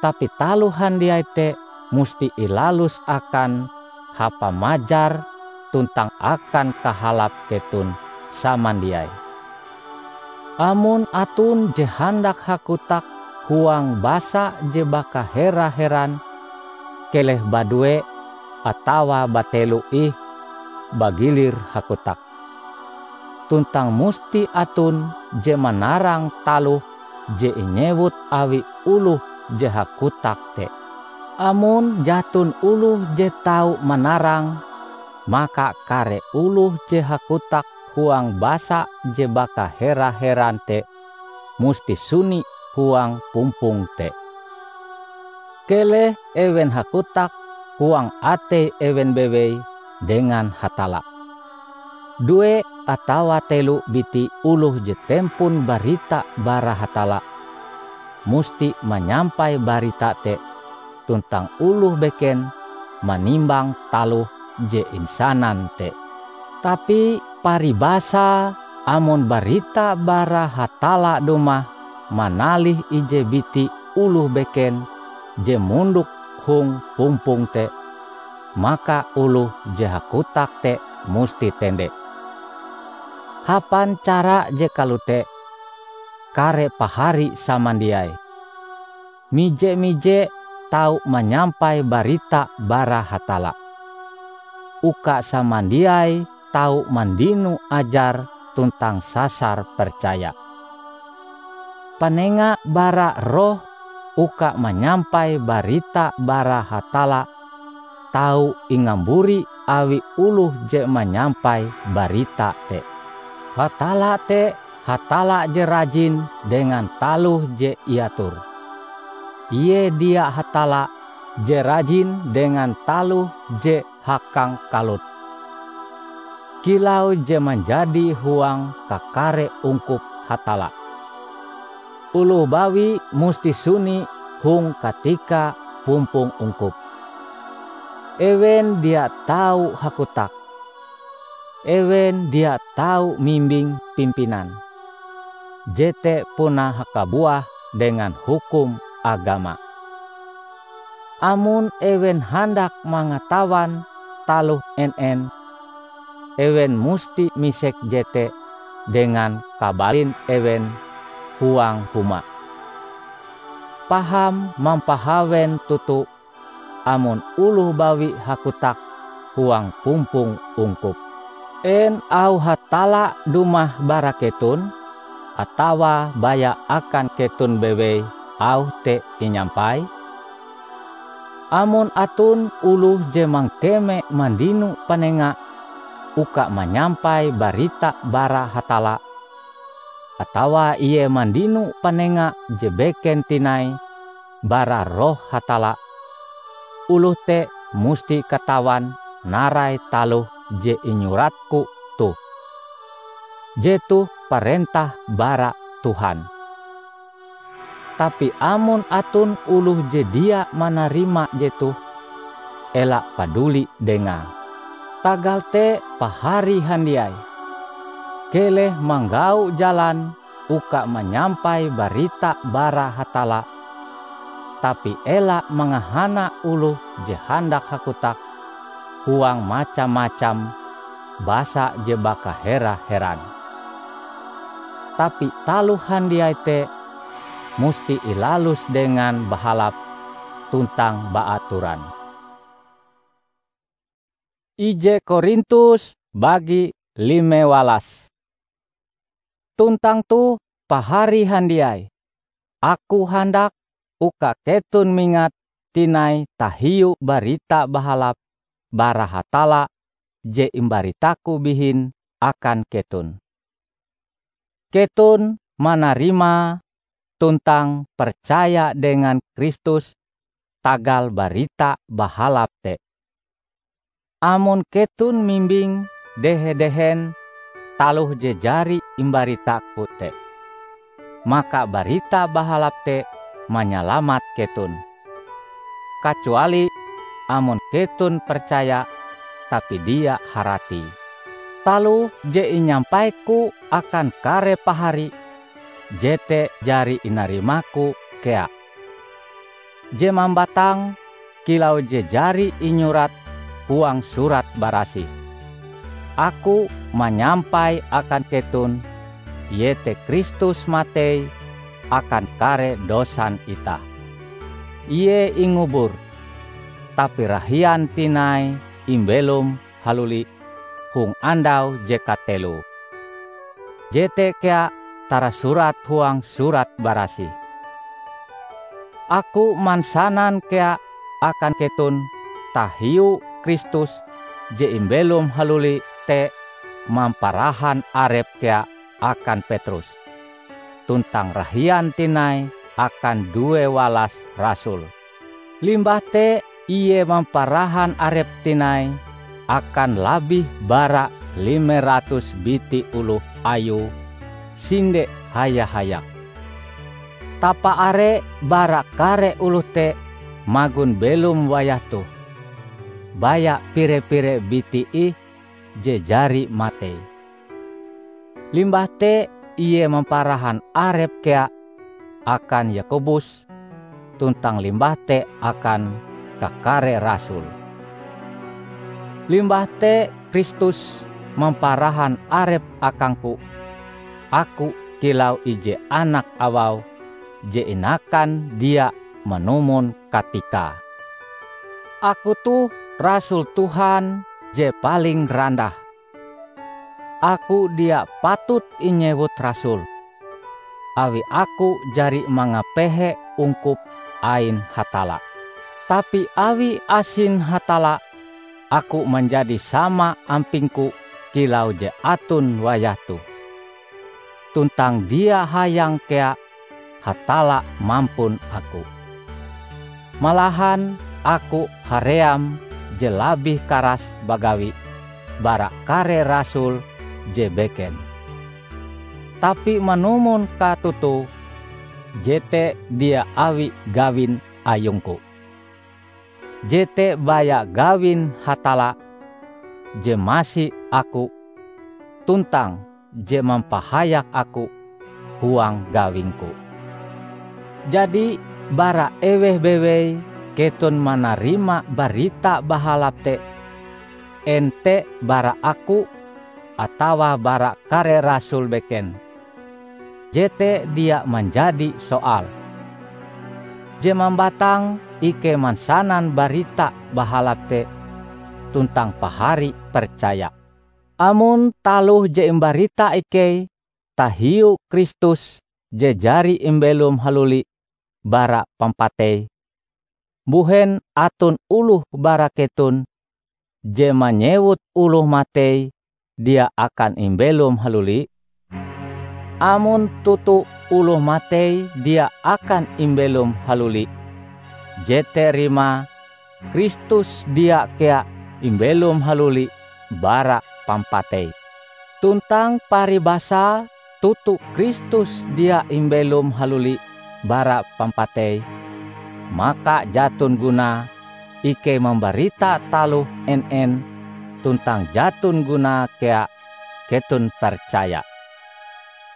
Tapi taloh handiai te musti ilalus akan hapa majar tuntang akan kahalap keton samandiai. Amon aton je handak hakotak huang basa je bakahera-heran, keleh badue atawa batelo ih bagilir hakotak. Tuntang musti aton je manarang taloh je inyewut awi oloh je hakotak te. Amon jaton oloh je tau manarang, maka kare oloh je hakotak huang basa je bakahera-heran te musti suni huang pumpong te. Keleh ewen hakotak huang atei ewen bewei dengan Hatalla. Due atawa telo biti oloh je tempon barita bara Hatalla, musti manyampai barita te, tuntang oloh beken manimbang taloh je insanan te. Tapi paribasae, amon barita bara Hatalla dumah manalih ije biti oloh beken je mondok hong pumpong te, maka oloh je hakotak te musti tende. Hapan cara je kalote, kare pahari samandiai, mije-mije tau manyampai barita bara Hatalla, uka samandiai tau mandino ajar tuntang sasar percaya. Panenga bara roh uka manyampai barita bara Hatalla tau ingamburi awi oloh je manyampai barita te. Hatalla te Hatalla je rajin dengan taloh je iator. Ie dia Hatalla je rajin dengan taloh je hakangkalut, kilau je manjadi huang kakare ungkup Hatalla. Oloh bawi musti suni hong katika pumpong ungkup. Ewen dia tau hakotak. Ewen dia tau mimbing pimpinan. Jete puna hakabuah dengan hukum agama. Amon ewen handak mangatawan taloh en-en, ewen musti misek jete dengan kabalin ewen huang huma. Paham mampahawen toto amon oloh bawi hakotak huang pumpong ungkup. En auh Hatalla dumah bara keton, atawa baya akan keton bewei auh te inyampai? Amon aton oloh je mangkeme mandino panenga uka manyampai barita bara Hatalla, atawa ie mandino panenga je beken tinai bara Roh Hatalla, oloh te musti katawan narai taloh je inyuratku toh. Jetoh parentah bara Tuhan. Tapi amon aton oloh je dia manarima jetoh, ela paduli dengae. Tagal te, pahari handiai, keleh manggau jalan uka manyampai barita bara Hatalla, tapi ela mangahana oloh je handak hakotak huang macam-macam basa je bakahera-heran. Tapi taloh handiai te musti ilalus dengan bahalap tuntang baatoran. Ije Korintus bagi lime walas. Tuntang toh, pahari handiai, aku handak uka keton mingat tinai tahiu Barita Bahalap bara Hatalla je imbaritaku bihin akan keton. Keton manarimae tuntang percaya dengan Kristus tagal Barita Bahalap te. Amon keton mimbing dehe-dehen taloh je jari imbaritaku te, maka Barita Bahalap te manyalamat keton, kacuali amon keton percaya tapi dia harati. Taloh je inyampaiku akan kare pahari, jete jari inarimaku kea, je mambatang kilau je jari inyurat huang Surat Barasih. Aku manyampai akan keton, iete Kristus matei akan kare dosan itah. Ie ingubur, tapi rahian tinai imbelom haluli hong andau je kateloe. Jete kea tarasurat huang Surat Barasih, "Aku mansanan kea akan keton tahiu Kristus je imbelom haluli te mamparahan arepe kea akan Petrus, tuntang rahian tinai akan due walas rasul. Limbah te ie mamparahan arepe tinai akan labih bara lime ratus biti oloh ayue sinde haya-hayak. Tapaare bara kare oloh te magon belom wayah toh, baya pire-pire biti ih je jari matei. Limbah te ie mamparahan arepe kea akan Yakobus, tuntang limbah te akan kakare rasul. Limbah te Kristus mamparahan arepe akangku, aku kilau ije anak awau je inakan dia manumon katikae. Aku toh rasul Tuhan je paling randah. Aku dia patut inyewut rasul, awi aku jari mangapehe ungkup ain Hatalla. Tapi awi asin Hatalla, aku manjadi sama ampingku kilau je aton wayah toh. Tuntang dia hayang kea Hatalla mampun aku. Malahan aku haream je labih karas bagawi bara kare rasul je beken. Tapi manumon katotoe, jete dia awi gawin ayungku. Jete baya gawin Hatalla je masi aku tuntang je mampahayak aku huang gawingku. Jadi, bara eweh bewei keton manarima Barita Bahalap te, en te bara aku atawa bara kare rasul beken, jete dia manjadi soal. Je mambatang ikei mansanan Barita Bahalap te tuntang pahari percaya. Amon taloh je imbarita ikei tahiu Kristus je jari imbelom haluli bara pampatei, mbuhen aton oloh bara keton je manyewut oloh matei dia akan imbelom haluli? Amon toto oloh matei dia akan imbelom haluli, jete rimae Kristus dia kea imbelom haluli bara pampatei. Tuntang paribasae toto Kristus dia imbelom haluli bara pampatei, maka jaton gunae ikei mambarita taloh en-en, tuntang jaton gunae kea keton percaya.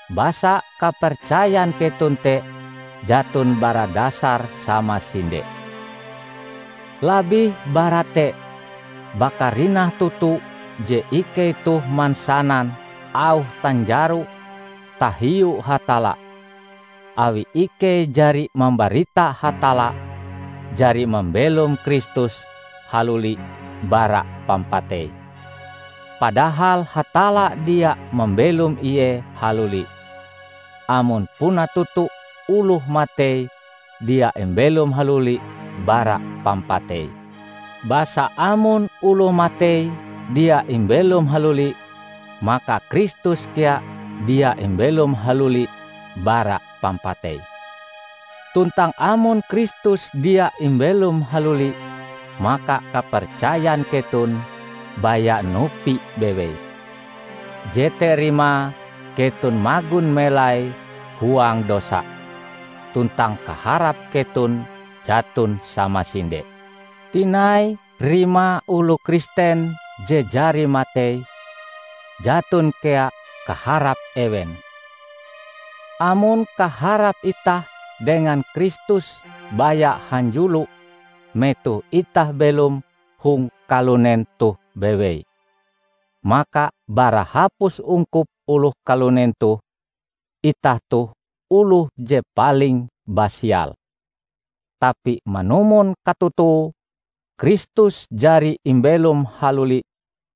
Basa kapercayan keton te jaton bara dasar samasinde. Labih bara te, bakarinah toto je ikei toh mansanan auh tanjaro tahiu Hatalla, awi ikei jari mambarita Hatalla jari mambelom Kristus haluli bara pampatei. Padahal Hatalla dia mambelom ie haluli, amon puna toto oloh matei dia imbelom haluli bara pampatei. Basa amon oloh matei dia imbelom haluli, maka Kristus kea dia imbelom haluli bara pampatei. Tuntang amon Kristus dia imbelom haluli, maka kapercayan keton baya nupi bewei. Jete rimae keton magon melai huang dosa, tuntang kaharap keton jaton samasinde. Tinai rimae oloh Kristen je jari matei, jaton kea kaharap ewen. Amon kaharap itah dengan Kristus baya hanjulo metoh itah belom hong kalunen toh bewei, maka bara hapus ungkup oloh kalunen toh, itah toh oloh je paling basial. Tapi manumon katotoe, Kristus jari imbelom haluli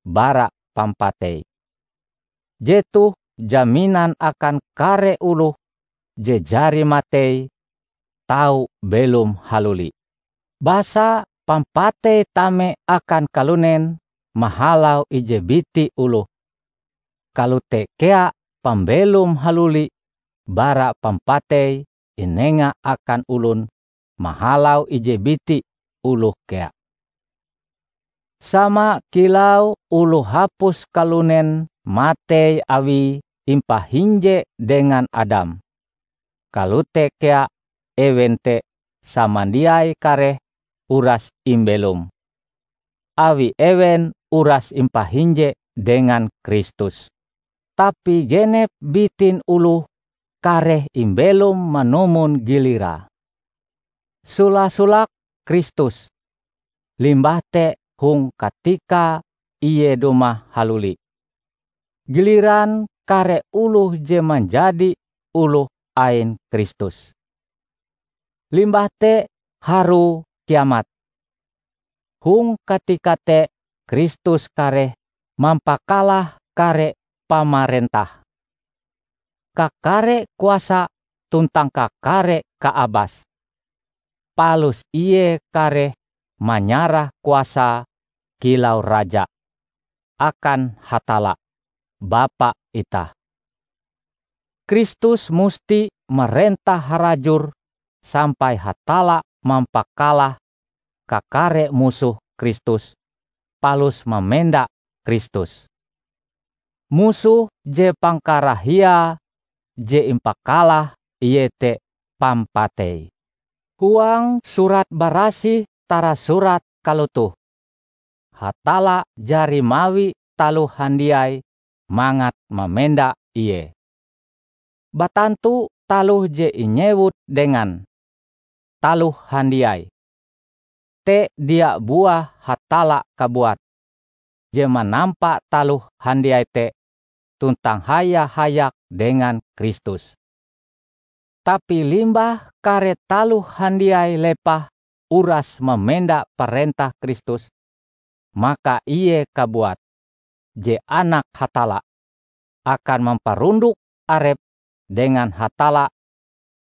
bara pampatei. Jetoh jaminan akan kare oloh je jari matei tau belom haluli. Basa pampatei tame akan kalunen mahalau ije biti oloh, kalote kea pambelom haluli bara pampatei inenga akan olon mahalau ije biti oloh kea. Sama kilau oloh hapus kalunen matei awie impahinje dengan Adam, kalote kea ewen te samandiai kareh uras imbelom, awi ewen uras impahinje dengan Kristus. Tapi genep bitin oloh kareh imbelom manumon gilirae. Sola-solake Kristus, limbah te hong katika Ie dumah haluli. Giliran kare oloh je manjadi oloh ain Kristus. Limbah te harue kiamat. Hong katika te Kristus kareh mampakalah kare pamarentah, kakare kuasa tuntang kakare kaabas. Palus Ie kareh manyarah kuasae kilau Raja akan Hatalla, Bapa itah. Kristus musti marentah harajur sampai Hatalla mampakalah kakare musoh Kristus, palus mamenda Kristus. Musoh je pangkarahiae je impakalah iete pampatei. Huang Surat Barasih tarasurat kalotoh, "Hatalla jari mawi taloh handiai mangat mamenda Ie." Batantu taloh je inyewut dengan "taloh handiai" te dia buah Hatalla kabuat, je manampa taloh handiai te tuntang haya-hayak dengan Kristus. Tapi limbah kare taloh handiai lepah uras mamenda parentah Kristus, maka Ie kabuat, je Anak Hatalla, akan mamparunduk arepe dengan Hatalla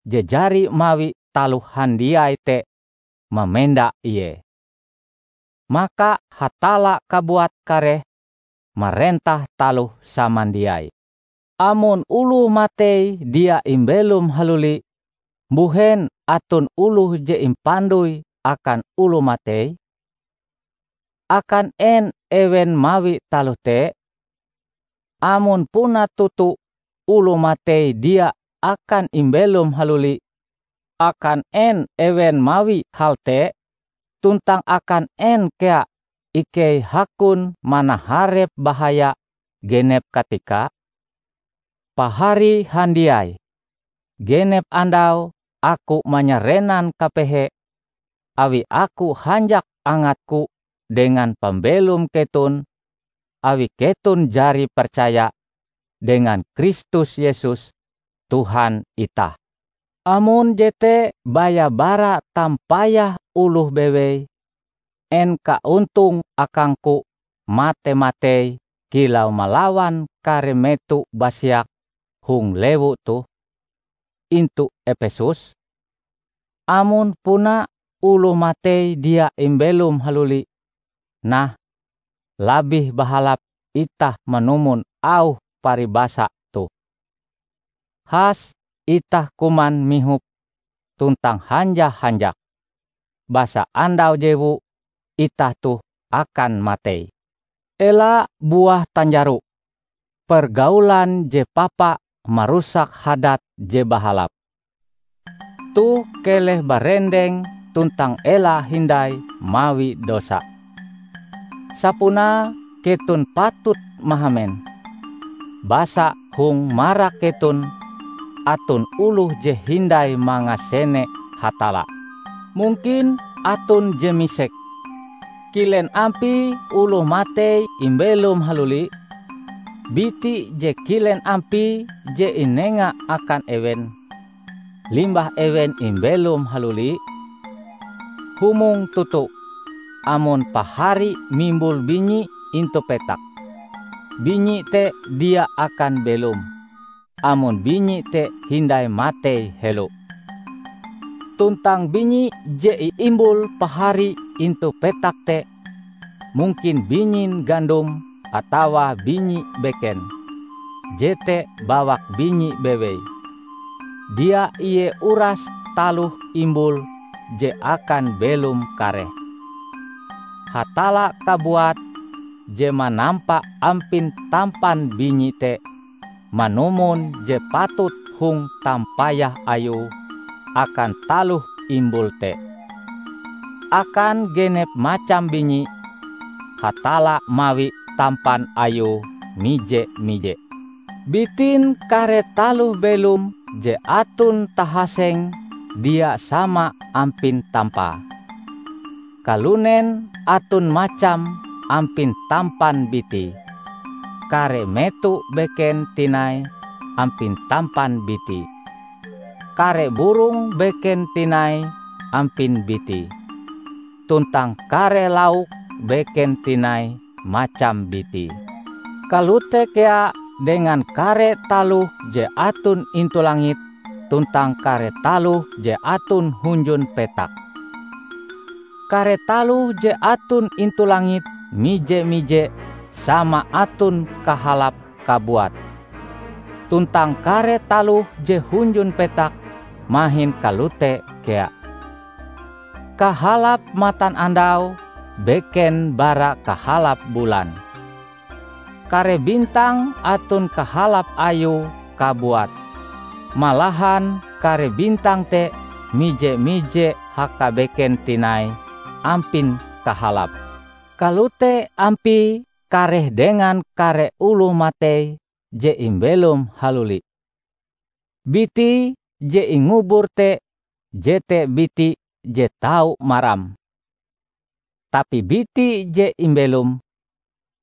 je jari mawi taloh handiai te mamenda Ie. Maka Hatalla kabuat kareh marentah taloh samandiai. Amon oloh matei dia imbelom haluli, mbuhen aton oloh je impandoi akan oloh matei? Akan en ewen mawi taloh te? Amon puna toto oloh matei dia akan imbelom haluli, akan en ewen mawi hal te? Tuntang akan en kea ikei hakon manaharep bahaya genep katika? Pahari handiai, genep andau aku manyarenan kapehe, awi aku hanjak angatku dengan pambelom keton, awi keton jari percaya dengan Kristus Yesus, Tuhan itah. Amon jete baya bara tampayah oloh bewei, en kaontong akangku mate-matei kilau malawan kare meto basiak hong lewu toh intu Epesus? Amon puna oloh matei dia imbelom haluli, nah, labih bahalap itah manumon auh paribasa toh. Has itah kuman mihop tuntang hanjah-hanjak, basa andau jewu itah toh akan matei. Ela buah tanjaro, pergaulan je papa marusak hadat je bahalap. Toh keleh barendeng tuntang ela hindai mawi dosa. Sapunae keton patut mahamen, basa hong marak keton aton oloh je hindai mangasene Hatalla. Mungkin aton je misek, "Kilen ampie oloh matei imbelom haluli? Biti je kilen ampie je inenga akan ewen, limbah ewen imbelom haluli?" Humong toto, amon pahari mimbul binyi intu petak, binyi te dia akan belom, amon binyi te hindai matei helo. Tuntang binyi je iimbul pahari intu petak te, mungkin binyin gandom atawa binyi beken, jete bawak binyi bewei. Dia ie uras taloh imbul je akan belom kareh. Hatalla kabuat je manampa ampin tampan binyi te manumon je patut hong tampayah Ayue akan taloh imbul te. Akan genep macam binyi, Hatalla mawi tampan Ayue mije-mije. Bitin kare taloh belom je aton tahaseng dia sama ampin tampae. Kalunen aton macam ampin tampan bitie. Kare meto beken tinai ampin tampan bitie. Kare burong beken tinai ampin bitie. Tuntang kare lauk beken tinai macam bitie. Kalote kea dengan kare taloh je aton intu langit tuntang kare taloh je aton hunjun petak. Kare taloh je aton intu langit mije-mije sama aton kahalap kabuat. Tuntang kare taloh je hunjun petak mahin kalote kea. Kahalap matanandau beken bara kahalap bulan. Kare bintang aton kahalap ayue kabuat. Malahan kare bintang te mije-mije hakabeken tinai ampin kahalap. Kalote ampie kareh dengan kare oloh matei je imbelom haluli. Biti je ingubur te jete biti je tau maram. Tapi biti je imbelom,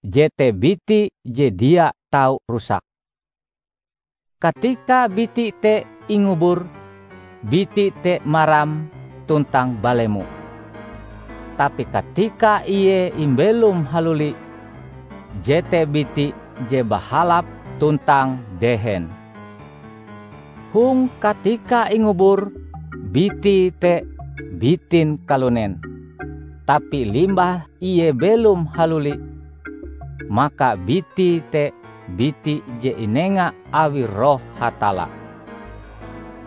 jete biti je dia tau rusak. Katika biti te ingubur, biti te maram tuntang balemo. Tapi katika ie imbelom haluli, jete biti je bahalap tuntang dehen. Hong katika ingubur, biti te bitin kalunen. Tapi limbah ie belom haluli, maka biti te biti je inenga awi Roh Hatalla.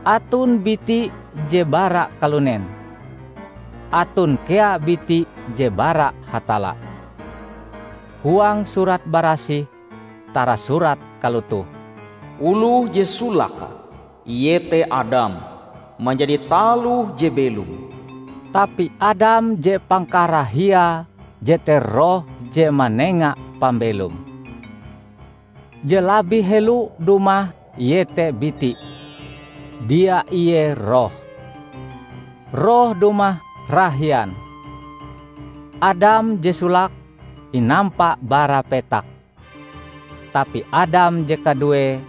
Aton biti je bara kalunen. Aton kea biti je bara Hatalla. Huang Surat Barasih tarasurat kalotoh, "Oloh je solake, iete Adam, manjadi taloh je belom." Tapi Adam je pangkarahiae jete roh je manenga pambelom. Je labih helo dumah iete biti, dia ie roh. Roh dumah rahian. Adam je solake inampa bara petak, tapi Adam je kaduee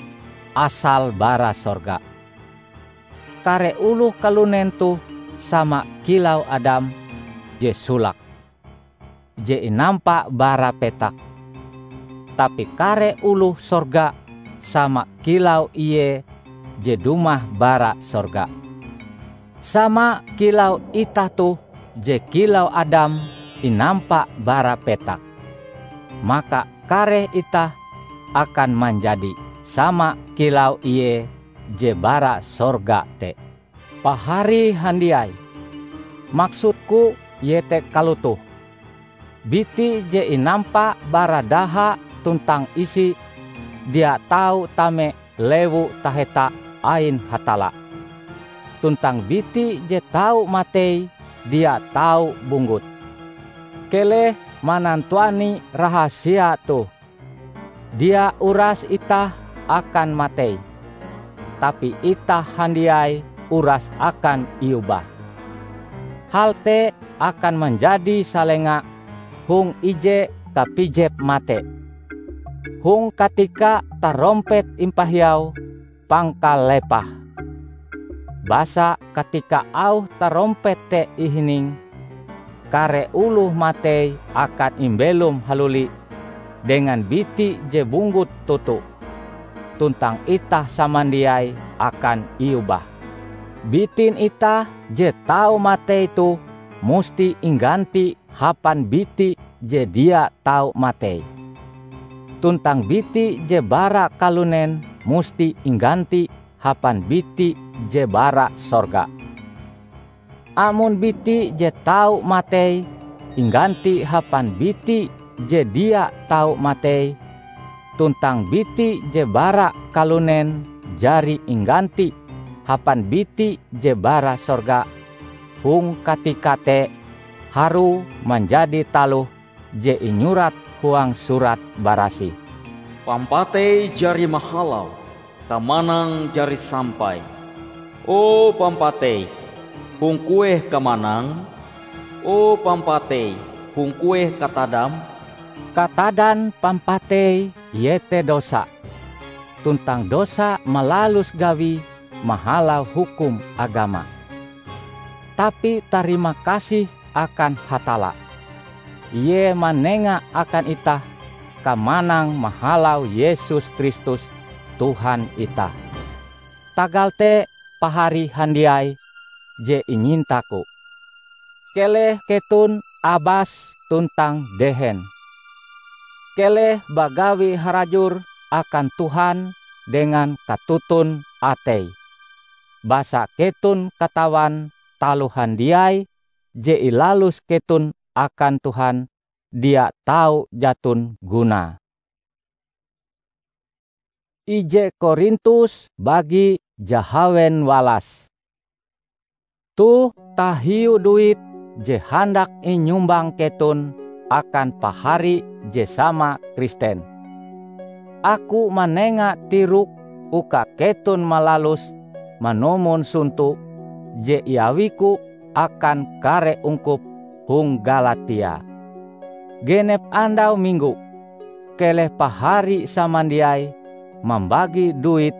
asale bara sorga. Kare oloh kalunen toh sama kilau Adam je solake, je inampa bara petak. Tapi kare oloh sorga sama kilau ie je dumah bara sorga. Sama kilau itah toh je kilau Adam inampa bara petak, maka kareh itah akan manjadi sama kilau ie je bara sorga te. Pahari handiai, maksudku iete kalotoh: biti je inampa bara daha tuntang isi dia tau tame lewu taheta ain Hatalla. Tuntang biti je tau matei dia tau bunggut. Keleh manantuani rahasia toh. Dia uras itah akan matei, tapi itah handiai uras akan iobah. Hal te akan manjadi salenga hong ije kapijep mate, hong katika tarompet impahiau pangkalepahe. Basa katika auh tarompet te ihining, kare oloh matei akan imbelom haluli dengan biti je bunggut toto, tuntang itah samandiai akan iobah. Bitin itah je tau matei toh musti ingganti hapan biti je dia tau matei, tuntang biti je bara kalunen musti ingganti hapan biti je bara sorga. Amon biti je tau matei ingganti hapan biti je dia tau matei, tuntang biti je bara kalunen jari ingganti hapan biti je bara sorga, hong katika te harue manjadi taloh je inyurat huang Surat Barasih, "Pampatei jari mahalau, kamanang jari sampai. O pampatei, hong kueh kamanangm? O pampatei, hong kueh katadam?" Katadan pampatei iete dosa, tuntang dosa malalus gawie mahalau hukum agama. Tapi tarima kasih akan Hatalla, Ie manenga akan itah kamanang mahalau Yesus Kristus, Tuhan itah. Tagal te, pahari handiai je inyintaku, keleh keton abas tuntang dehen. Keleh bagawi harajur akan Tuhan dengan katuntun atei, basa keton katawan taloh handiai je ilalus keton akan Tuhan dia tau jaton gunae. Ije Korintus bagi jahawen walas. Toh tahiu duit je handak inyumbang keton akan pahari je sama Kristen. Aku manenga tirok uka keton malalus manumon sonto je iawiku akan kare ungkup hong Galatia. Genep andau minggo, keleh pahari samandiai mambagi duit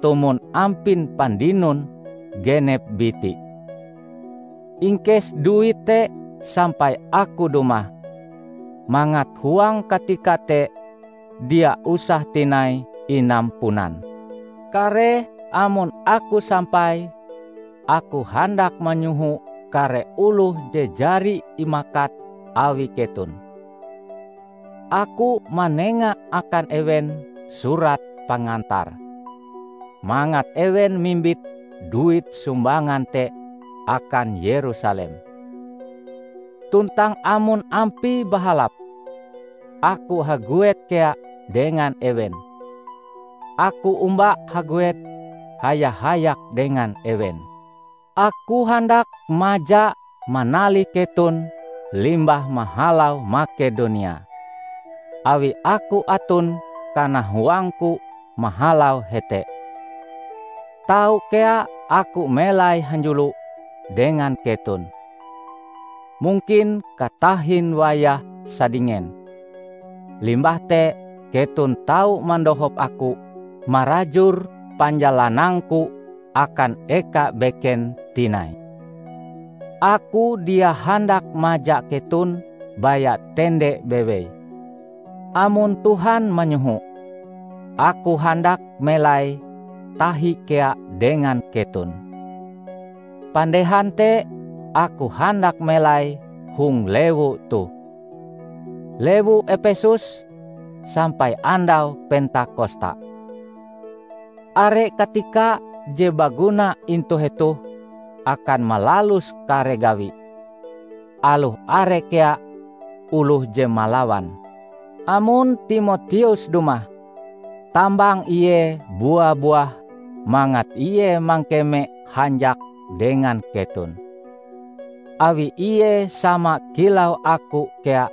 tumon ampin pandinon genep biti. Ingkes duit te sampai aku dumah, mangat huang katika te dia usah tinai inampunan. Kareh amon aku sampai, aku handak manyoho kare oloh je jari imakat awi keton. Aku manenga akan ewen surat pangantar, mangat ewen mimbit duit sumbangan te akan Yerusalem. Tuntang amon ampie bahalap, aku haguet kea dengan ewen. Aku omba haguet haya-hayak dengan ewen. Aku handak maja manalih keton limbah mahalau Makedonia, awi aku aton kanahuangku mahalau hete. Tau kea aku melai hanjulo dengan keton, mungkin katahin wayah sadingen. Limbah te keton tau mandohop aku marajur panjalanangku akan eka beken tinai. Aku dia handak maja keton baya tende bewei. Amon Tuhan manyoho, aku handak melai tahi kea dengan keton. Pandehan te aku handak melai hong lewu toh, lewu Epesus, sampai andau Pentakosta. Are katika je baguna intu hetoh akan malalus kare gawi, aloh are kea oloh je malawan. Amon Timoteus dumah, tambang ie bua-buah mangat ie mangkeme hanjak dengan keton, awi ie sama kilau aku kea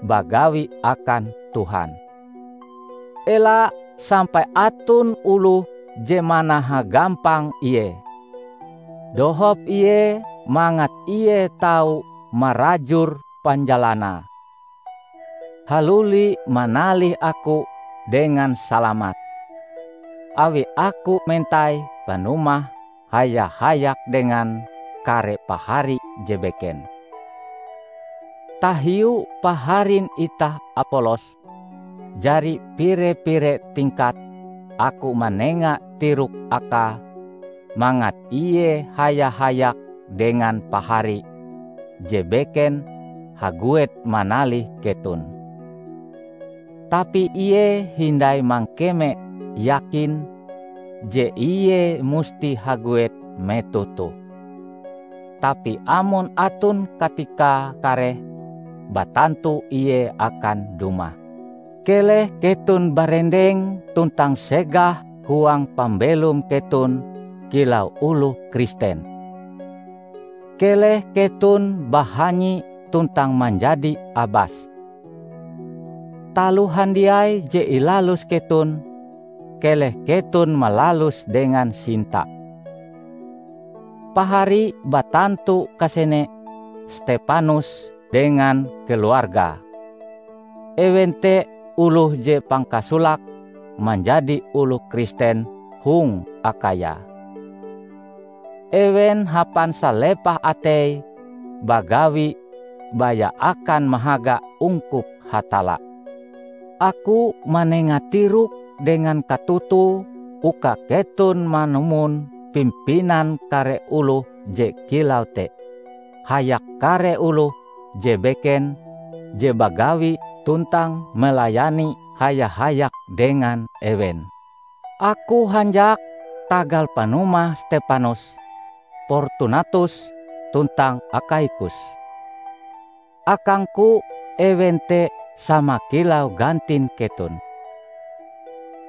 bagawi akan Tuhan. Ela sampai aton oloh je manahagampang ie. Dohop ie mangat ie tau marajur panjalanae. Haluli manalih aku dengan salamat, awi aku mentai panumah haya-hayak dengan kare pahari je beken. Tahiu paharin itah Apolos jari pire-pire tingkat, aku manenga tirok akae mangat ie haya-hayak dengan pahari je beken haguet manalih keton. Tapi ie hindai mangkeme yakin je ie musti haguet metoh toh. Tapi amon aton katikae kareh, batantu ie akan dumah. Keleh keton barendeng tuntang segah huang pambelom keton kilau oloh Kristen. Keleh keton bahanyi tuntang manjadi abas. Taloh handiai je ilalus keton, keleh keton malaluse dengan sinta. Pahari batantu kasene Stepanus dengan keluargae. Ewen te oloh je pangkasolake manjadi oloh Kristen hong Akhaya. Ewen hapan salepah atei bagawi baya akan mahaga ungkup Hatalla. Aku manenga tirok dengan katoto uka keton manumon pimpinan kare oloh je kilau te, hayak kare oloh je beken je bagawi tuntang melayani haya-hayak dengan ewen. Aku hanjak tagal panumah Stepanus, Portunatus, tuntang Akhaikus. Akangku ewen te sama kilau gantin keton.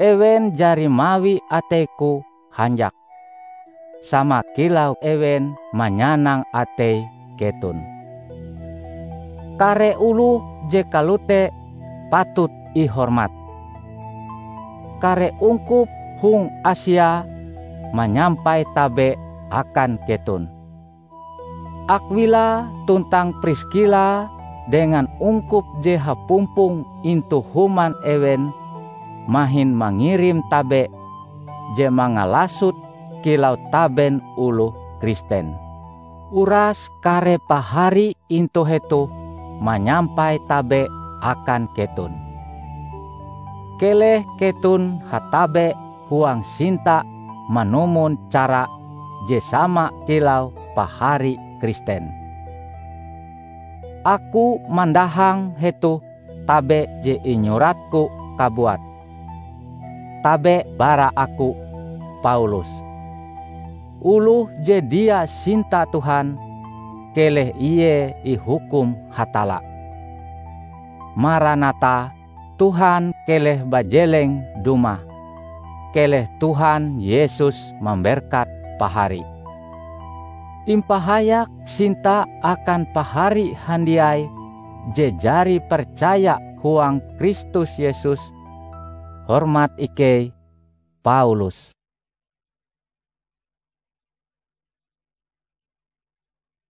Ewen jari mawi ateiku hanjak, sama kilau ewen manyanang atei keton. Kare oloh je kalote patut ihormat. Kare ungkup hong Asia manyampai tabe akan keton. Akwila tuntang Priskila dengan ungkup je hapumpong intu human ewen mahin mangirim tabe je mangalasot kilau taben oloh Kristen. Uras kare pahari intu hetoh manyampai tabe akan keton. Keleh keton hatabe huang sinta manumon cara je sama kilau pahari Kristen. Aku mandahang hetoh tabe je inyuratku kabuat. Tabe bara aku, Paulus. Oloh je dia sinta Tuhan, keleh ie ihukum Hatalla. Maranatha, Tuhan keleh bajeleng dumah. Keleh Tuhan Yesus mamberkat pahari. Impahayak sinta akan pahari handiai je jari percaya huang Kristus Yesus. Hormat ikei, Paulus.